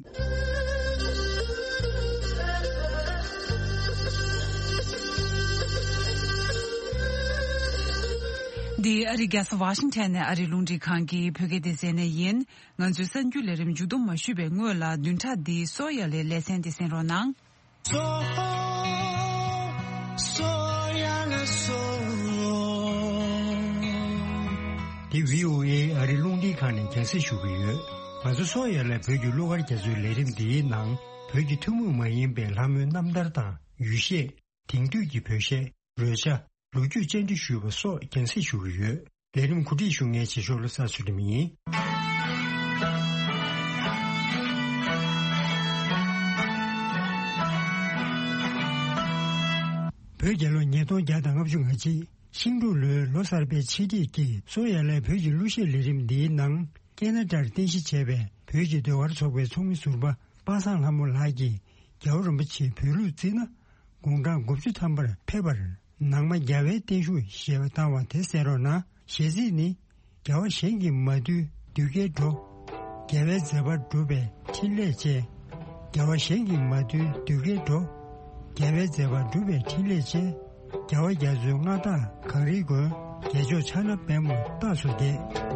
འདི་ཨ་རིའི་རྒྱལ་ས་ཝ་ཤིང་ཊོན་ནས་ཨ་རིའི་རླུང་འཕྲིན་ཁང་གི་བོད་སྐད་སྡེ་ཚན་ནས་ཡིན། ང་ཚོའི་གསར་འགྱུར་ལས་རིམ་མཇུག་བསྡོམས་མ་ཞུས་པའི་སྔོན་ལ། བདུན་ཕྲག་འདིའི་སོ་ཡ་ལའི་ལེ་ཚན་འདི་གསན་རོགས་གནང་། སོ། སོ་ཡ་ལ་སོ། འདི་བྷི་ཨོ་ཨེ་ཨ་རིའི་རླུང་འཕྲིན་ཁང་ནས་རྒྱང་སྲིང་ཞུ་གི་ཡོད། ང་ཚོ་སོ་ཡ་ལ་བོད་ཀྱི་གླུ་གར་རྒྱ་མཚོའི་ལས་རིམ་འདིའི་ནང་། བོད་ཀྱི་ཐུན་མོང་མ་ཡིན་པའི་ལྷ་མོའི་རྣམ་ཐར་དང་། ཡུལ་གཞས། དེང་དུས་ཀྱི་བོད་གཞས། རོལ་ཆ། ལོ་རྒྱུས་བཅར་འདྲི་ཞུས་པ་སོགས་རྒྱང་སྲིང་ཞུ་གི་ཡོད། ལས་རིམ་གོ་སྒྲིག་ཞུ་མཁན་རྗེས་ཕྱོགས་བློ་བཟང་ཚུལ་ཁྲིམས་ཡིན། བོད་རྒྱལ་ལོ་ཉིས་སྟོང་བརྒྱ་དང་ལྔ་བཅུ་ང་གཅིག་ཤིང་འབྲུག་ལོའི་ལོ་གསར་པའི་ཆེད་སྒྲིག་གིས་སོ་ཡ་ལའི་བོད་ཀྱི་གླུ་གཞས་ལས་རིམ་འདིའི་ནང་། ཀེ་ན་ཌར་རྟེན་གཞི་བྱས་པའི་བོད་ཀྱི་ཟློས་གར་ཚོགས་པའི་ཚོགས་མི་ཟུར་པ་པ་སངས་ལྷ་མོ་ལགས་ཀྱིས། རྒྱལ་བ་རིན་པོ་ཆེས་བོད་ལུགས་བརྩིས་ན། དགུང་གྲངས་དགུ་བཅུ་ཐམ་པར་ཕེབས་པར། ནང་མ་རྒྱལ་བའི་བརྟན་བཞུགས་ཞེས་པ་བཏང་བ་དེ་གསན་རོགས་གནང་། གཞས་ཚིག་ནི། རྒྱལ་བ་གཞན་གྱིས་མ་བཏུལ་ གདུལ་དཀའི་འགྲོ། དགེ་བའི་མཛད་པ་སྒྲུབ་པའི་ཕྲིན་ལས་བཅས། དགེ་བ་གཞན་གྱིས་མ་བཏུལ་གདུལ་དཀའི་འགྲོ། དགེ་བའི་མཛད་པ་སྒྲུབ་པའི་ཕྲིན་ལས་བཅས། རྒྱལ་བ་རྒྱ་མཚོའི་མངའ་བདག་གངས་རིའི་མགོན། རྒྱལ་མཆོག་ཕྱག་ན་པདྨོ་རྟག་ཏུ་བརྒྱན།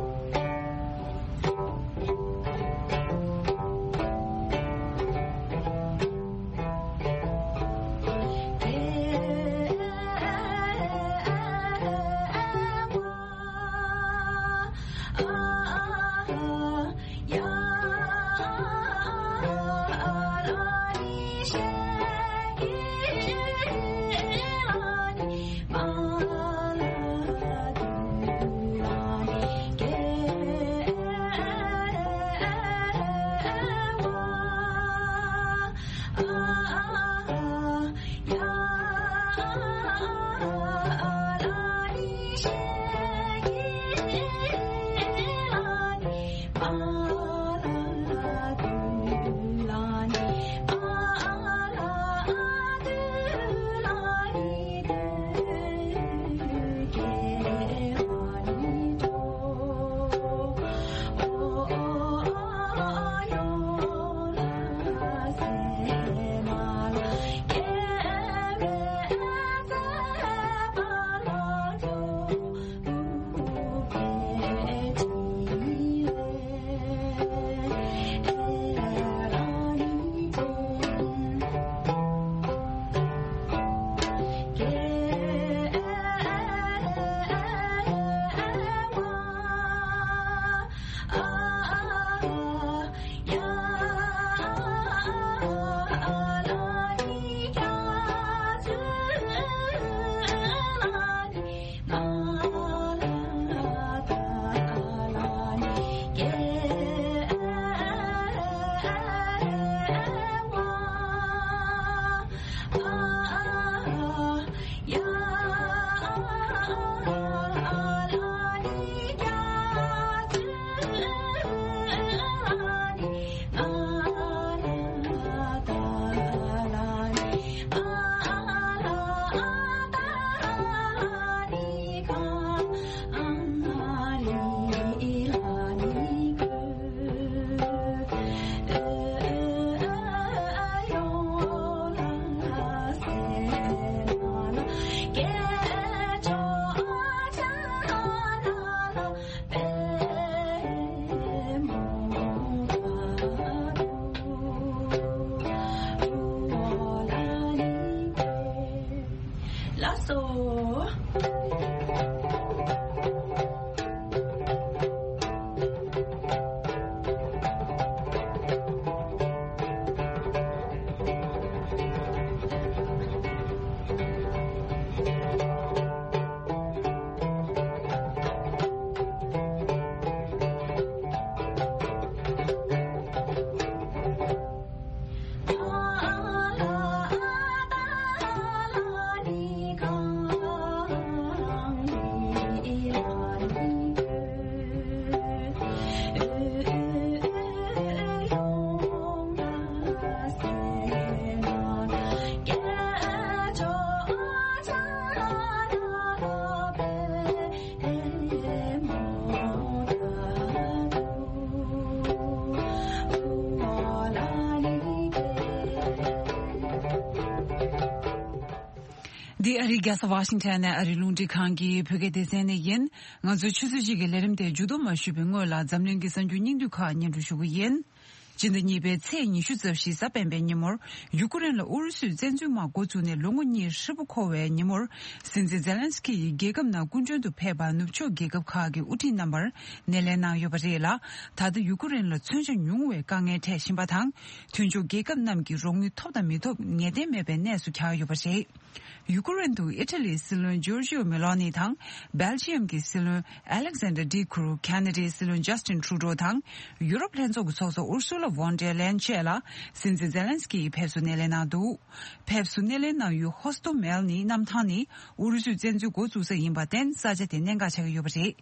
ལགས་སོ། འདི་ཨ་རིའི་རྒྱལ་ས་ཝ་ཤིང་ཊོན་ནས་ཨ་རིའི་རླུང་འཕྲིན་ཁང་གི་བོད་སྐད་སྡེ་ཚན་ནས་ཡིན། ང་ཚོའི་ཆུ་ཚོད་གཅིག་གི་ལས་རིམ་དེ་མཇུག་བསྡོམས་མ་ཞུས་པའི་སྔོན་ལ། འཛམ་གླིང་གི་གསར་འགྱུར་སྙིང་བསྡུས་ཁག་སྙན་སྒྲོན་ཞུ་གི་ཡིན། སྤྱི་ཟླ་གཉིས་པའི་ཚེས་ཉི་ཤུ་རྩ་བཞི་གཟའ་སྤེན་པའི་ཉིན་མོར། ཡུ་ཀེ་རེན་ལ་ཨུ་རུ་སུས་བཙན་འཛུལ་དམག་འགོ་བཙུགས་ནས་ལོ་ངོ་གཉིས་ཧྲིལ་པོ་འཁོར་བའི་ཉིན་མོར། སྲིད་འཛིན་ཛེ་ལན་སི་ཀི་ཡིས་རྒྱལ་ཁབ་ནང་སྐུ་མགྲོན་དུ་ཕེབས་པར་ནུབ་ཕྱོགས་རྒྱལ་ཁབ་ཁག་གི་དབུ་ཁྲིད་རྣམ་པར་སྣེ་ལེན་གནང་ཡོད་པ་རེད་ལ། ད་ལྟ་ཡུ་ཀེ་རེན་ལ་མཚོན་ཆ་ཉུང་བའི་དཀའ་ངལ་འཕྲད་བཞིན་པ་དང་། མཐུན་ཕྱོགས་རྒྱལ་ཁབ་རྣམས་ཀྱིས་རོགས་དངུལ་ཐོབ་དང་མི་ཐོབ་ངེས་གཏན་མེད་པའི་གནས་སུ་གྱར་ཡོད་པ་རེད། ཡུ་ཀེ་རེན་དུ་ཨི་ཊ་ལིའི་སྲིད་བློན་ཇོར་ཇིའོ་མེ་ལོ་ནི་དང་། སྦེལ་ཇི་ཡམ་གྱི་སྲིད་བློན་ཨ་ལེག་ཟན་ཌར་ཌི་ཁུ་རུ། ཁ་ན་ཌའི་སྲིད་བློན་ཇ་སི་ཊིན་ཊུ་རུ་ཌོ་དང་། ཡུ་རོབ་ལྷན་ཚོགས་ཀྱི་ཚོགས་གཙོ་ཨུར་སུ་ལ། ཝོན་ཌེར་ལེན་བཅས་ལ་སྲིད་འཛིན་ཛེ་ལན་སི་ཀི་ཡིས་ཕེབས་བསུ་སྣེ་ལེན་གནང་འདུག། ཕེབས་བསུ་སྣེ་ལེན་གནང་ཡུལ་ཧོ་སི་ཏོ་མེལ་ནི་གནམ་ཐང་ནི་ཨུ་རུ་སུའི་བཙན་འཛུལ་འགོ་བཙུགས་ས་ཡིན་པར་བརྟེན་ས་ཆ་དེ་གནད་འགག་ཆགས་ཀྱི་ཡོད་པ་རེད།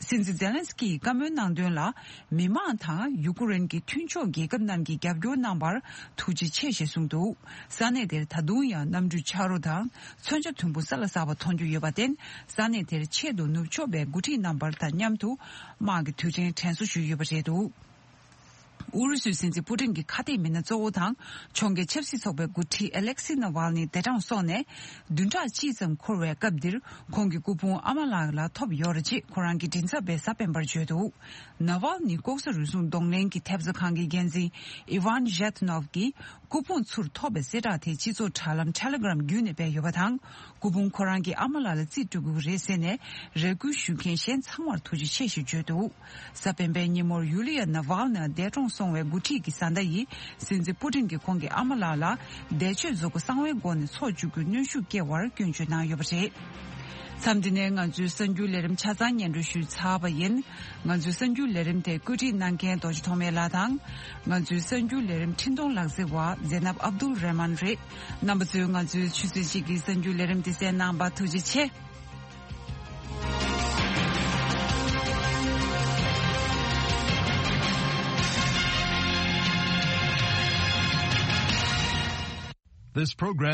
སྲིད་འཛིན་ཛེ་ལན་སི་ཀི་ཡིས་བཀའ་མོལ་གནང་དོན་ལ། མི་མང་དང་ཡུ་ཀེ་རེན་གྱི་མཐུན་ཕྱོགས་རྒྱལ་ཁབ་རྣམས་ཀྱིས་རྒྱབ་སྐྱོར་གནང་བར་ཐུགས་རྗེ་ཆེ་ཞེས་གསུངས་འདུག། ས་གནས་དེར་ད་དུང་ཡང་གནམ་གྲུ་ཆག་རོ་དང་མཚོན་ཆ་དུམ་བུ་ས་ལ་ཟགས་པ་མཐོང་རྒྱུ་ཡོད་པར་བརྟེན། ས་གནས་དེར་ཆེད་དུ་ནུབ་ཕྱོགས་པའི་འགོ་ཁྲིད་རྣམ་པ་དང་མཉམ་དུ་དམག་གི་དུས་དྲན་དྲན་གསོ་ཞུས་ཡོད་པ་རེད་འདུག། ཨུ་རུ་སུའི་སྲིད་འཛིན་པུ་ཏིན་གྱི་ཁ་གཏད་མི་སྣ་གཙོ་བོ་དང་ཕྱོགས་འགལ་ཆབ་སྲིད་ཚོགས་པའི་འགོ་ཁྲིད་ཨ་ལེག་སི་ན་ཝལ་ནི་འདས་གྲོངས་སོང་ནས་བདུན་ཕྲག་གཅིག་ཙམ་འཁོར་བའི་སྐབས་འདིར། ཁོང་གི་སྐུ་ཕུང་ཨ་མ་ལགས་ལ་ཐོབ་ཡོད་རེད་ཅེས་ཁོ་རང་གི་མགྲིན་ཚབ་པས་གཟའ་སྤེན་པར་བརྗོད་འདུག། ན་ཝལ་ནི་ལྐོག་ཟ་རུལ་སུངས་གདོང་ལེན་གྱི་ཐེབས་རྩ་ཁང་གི་འགན་འཛིན་ཨི་ཝན་ཞེད་ནོབ་ཀྱིས་སྐུ་ཕུང་ཚུར་ཐོབ་པའི་གསལ་བསྒྲགས་དེ་སྤྱི་ཚོགས་དྲ་ལམ་ཊེ་ལེ་གྷི་རམ་བརྒྱུད་ནས་སྤེལ་ཡོད་པ་དང་། སྐུ་ཕུང་ཁོ་རང་གི་ཨ་མ་ལགས་ལ་རྩིས་སྤྲོད་དགོས་ཀྱི་རེད་ཟེར་ནས་རེ་སྐུལ་ཞུ་མཁན་གཞན་ཚང་མར་ཐུགས་རྗེ་ཆེ་ཞེས་བརྗོད་འདུག། གཟའ་སྤེན་པའི་ཉིན་མོར་ཡུ་ལི་ཡ་ན་ཝལ་ནི་འདས་གྲོངས་སོང་བའི་འགོ་ཁྲིད་ཀྱི་བཟའ་ཟླ་ཡིས་སྲིད་འཛིན་པུ་ཏིན་གྱིས་ཁོང་གི་ཨ་མ་ལགས་ལ་འདས་མཆོད་གཟུགས་པོ་གསང་བའི་སྒོ་ནས་འཚོ་བཅུག་རྒྱུའི་གནོན་ཤུགས་སྐྱེལ་བར་སྐྱོན་བརྗོད་གནང་ཡོད་པ་རེད། མཚམས་འདི་ནས་ང་ཚོའི་གསར་འགྱུར་ལས་རིམ་ཆ་ཚང་སྙན་སྒྲོན་ཞུས་ཚར་བ་ཡིན། ང་ཚོའི་གསར་འགྱུར་ལས་རིམ་དེ་བཀོད་སྒྲིག་གནང་མཁན་རྡོ་རྗེ་ཐོགས་མེད་ལགས་དང་། ང་ཚོའི་གསར་འགྱུར་ལས་རིམ་འཕྲིན་གཏོང་ལག་རྩལ་བ་ཛེ་ནབ་ཨབ་དུལ་རེ་མན་རེད། རྣམ་པ་ཚོས་ང་ཚོའི་ཆུ་ཚོད་གཅིག་གི་གསར་འགྱུར་ལས་རིམ་དེ་གསན་གནང་བར་ཐུགས་རྗེ་ཆེ། This program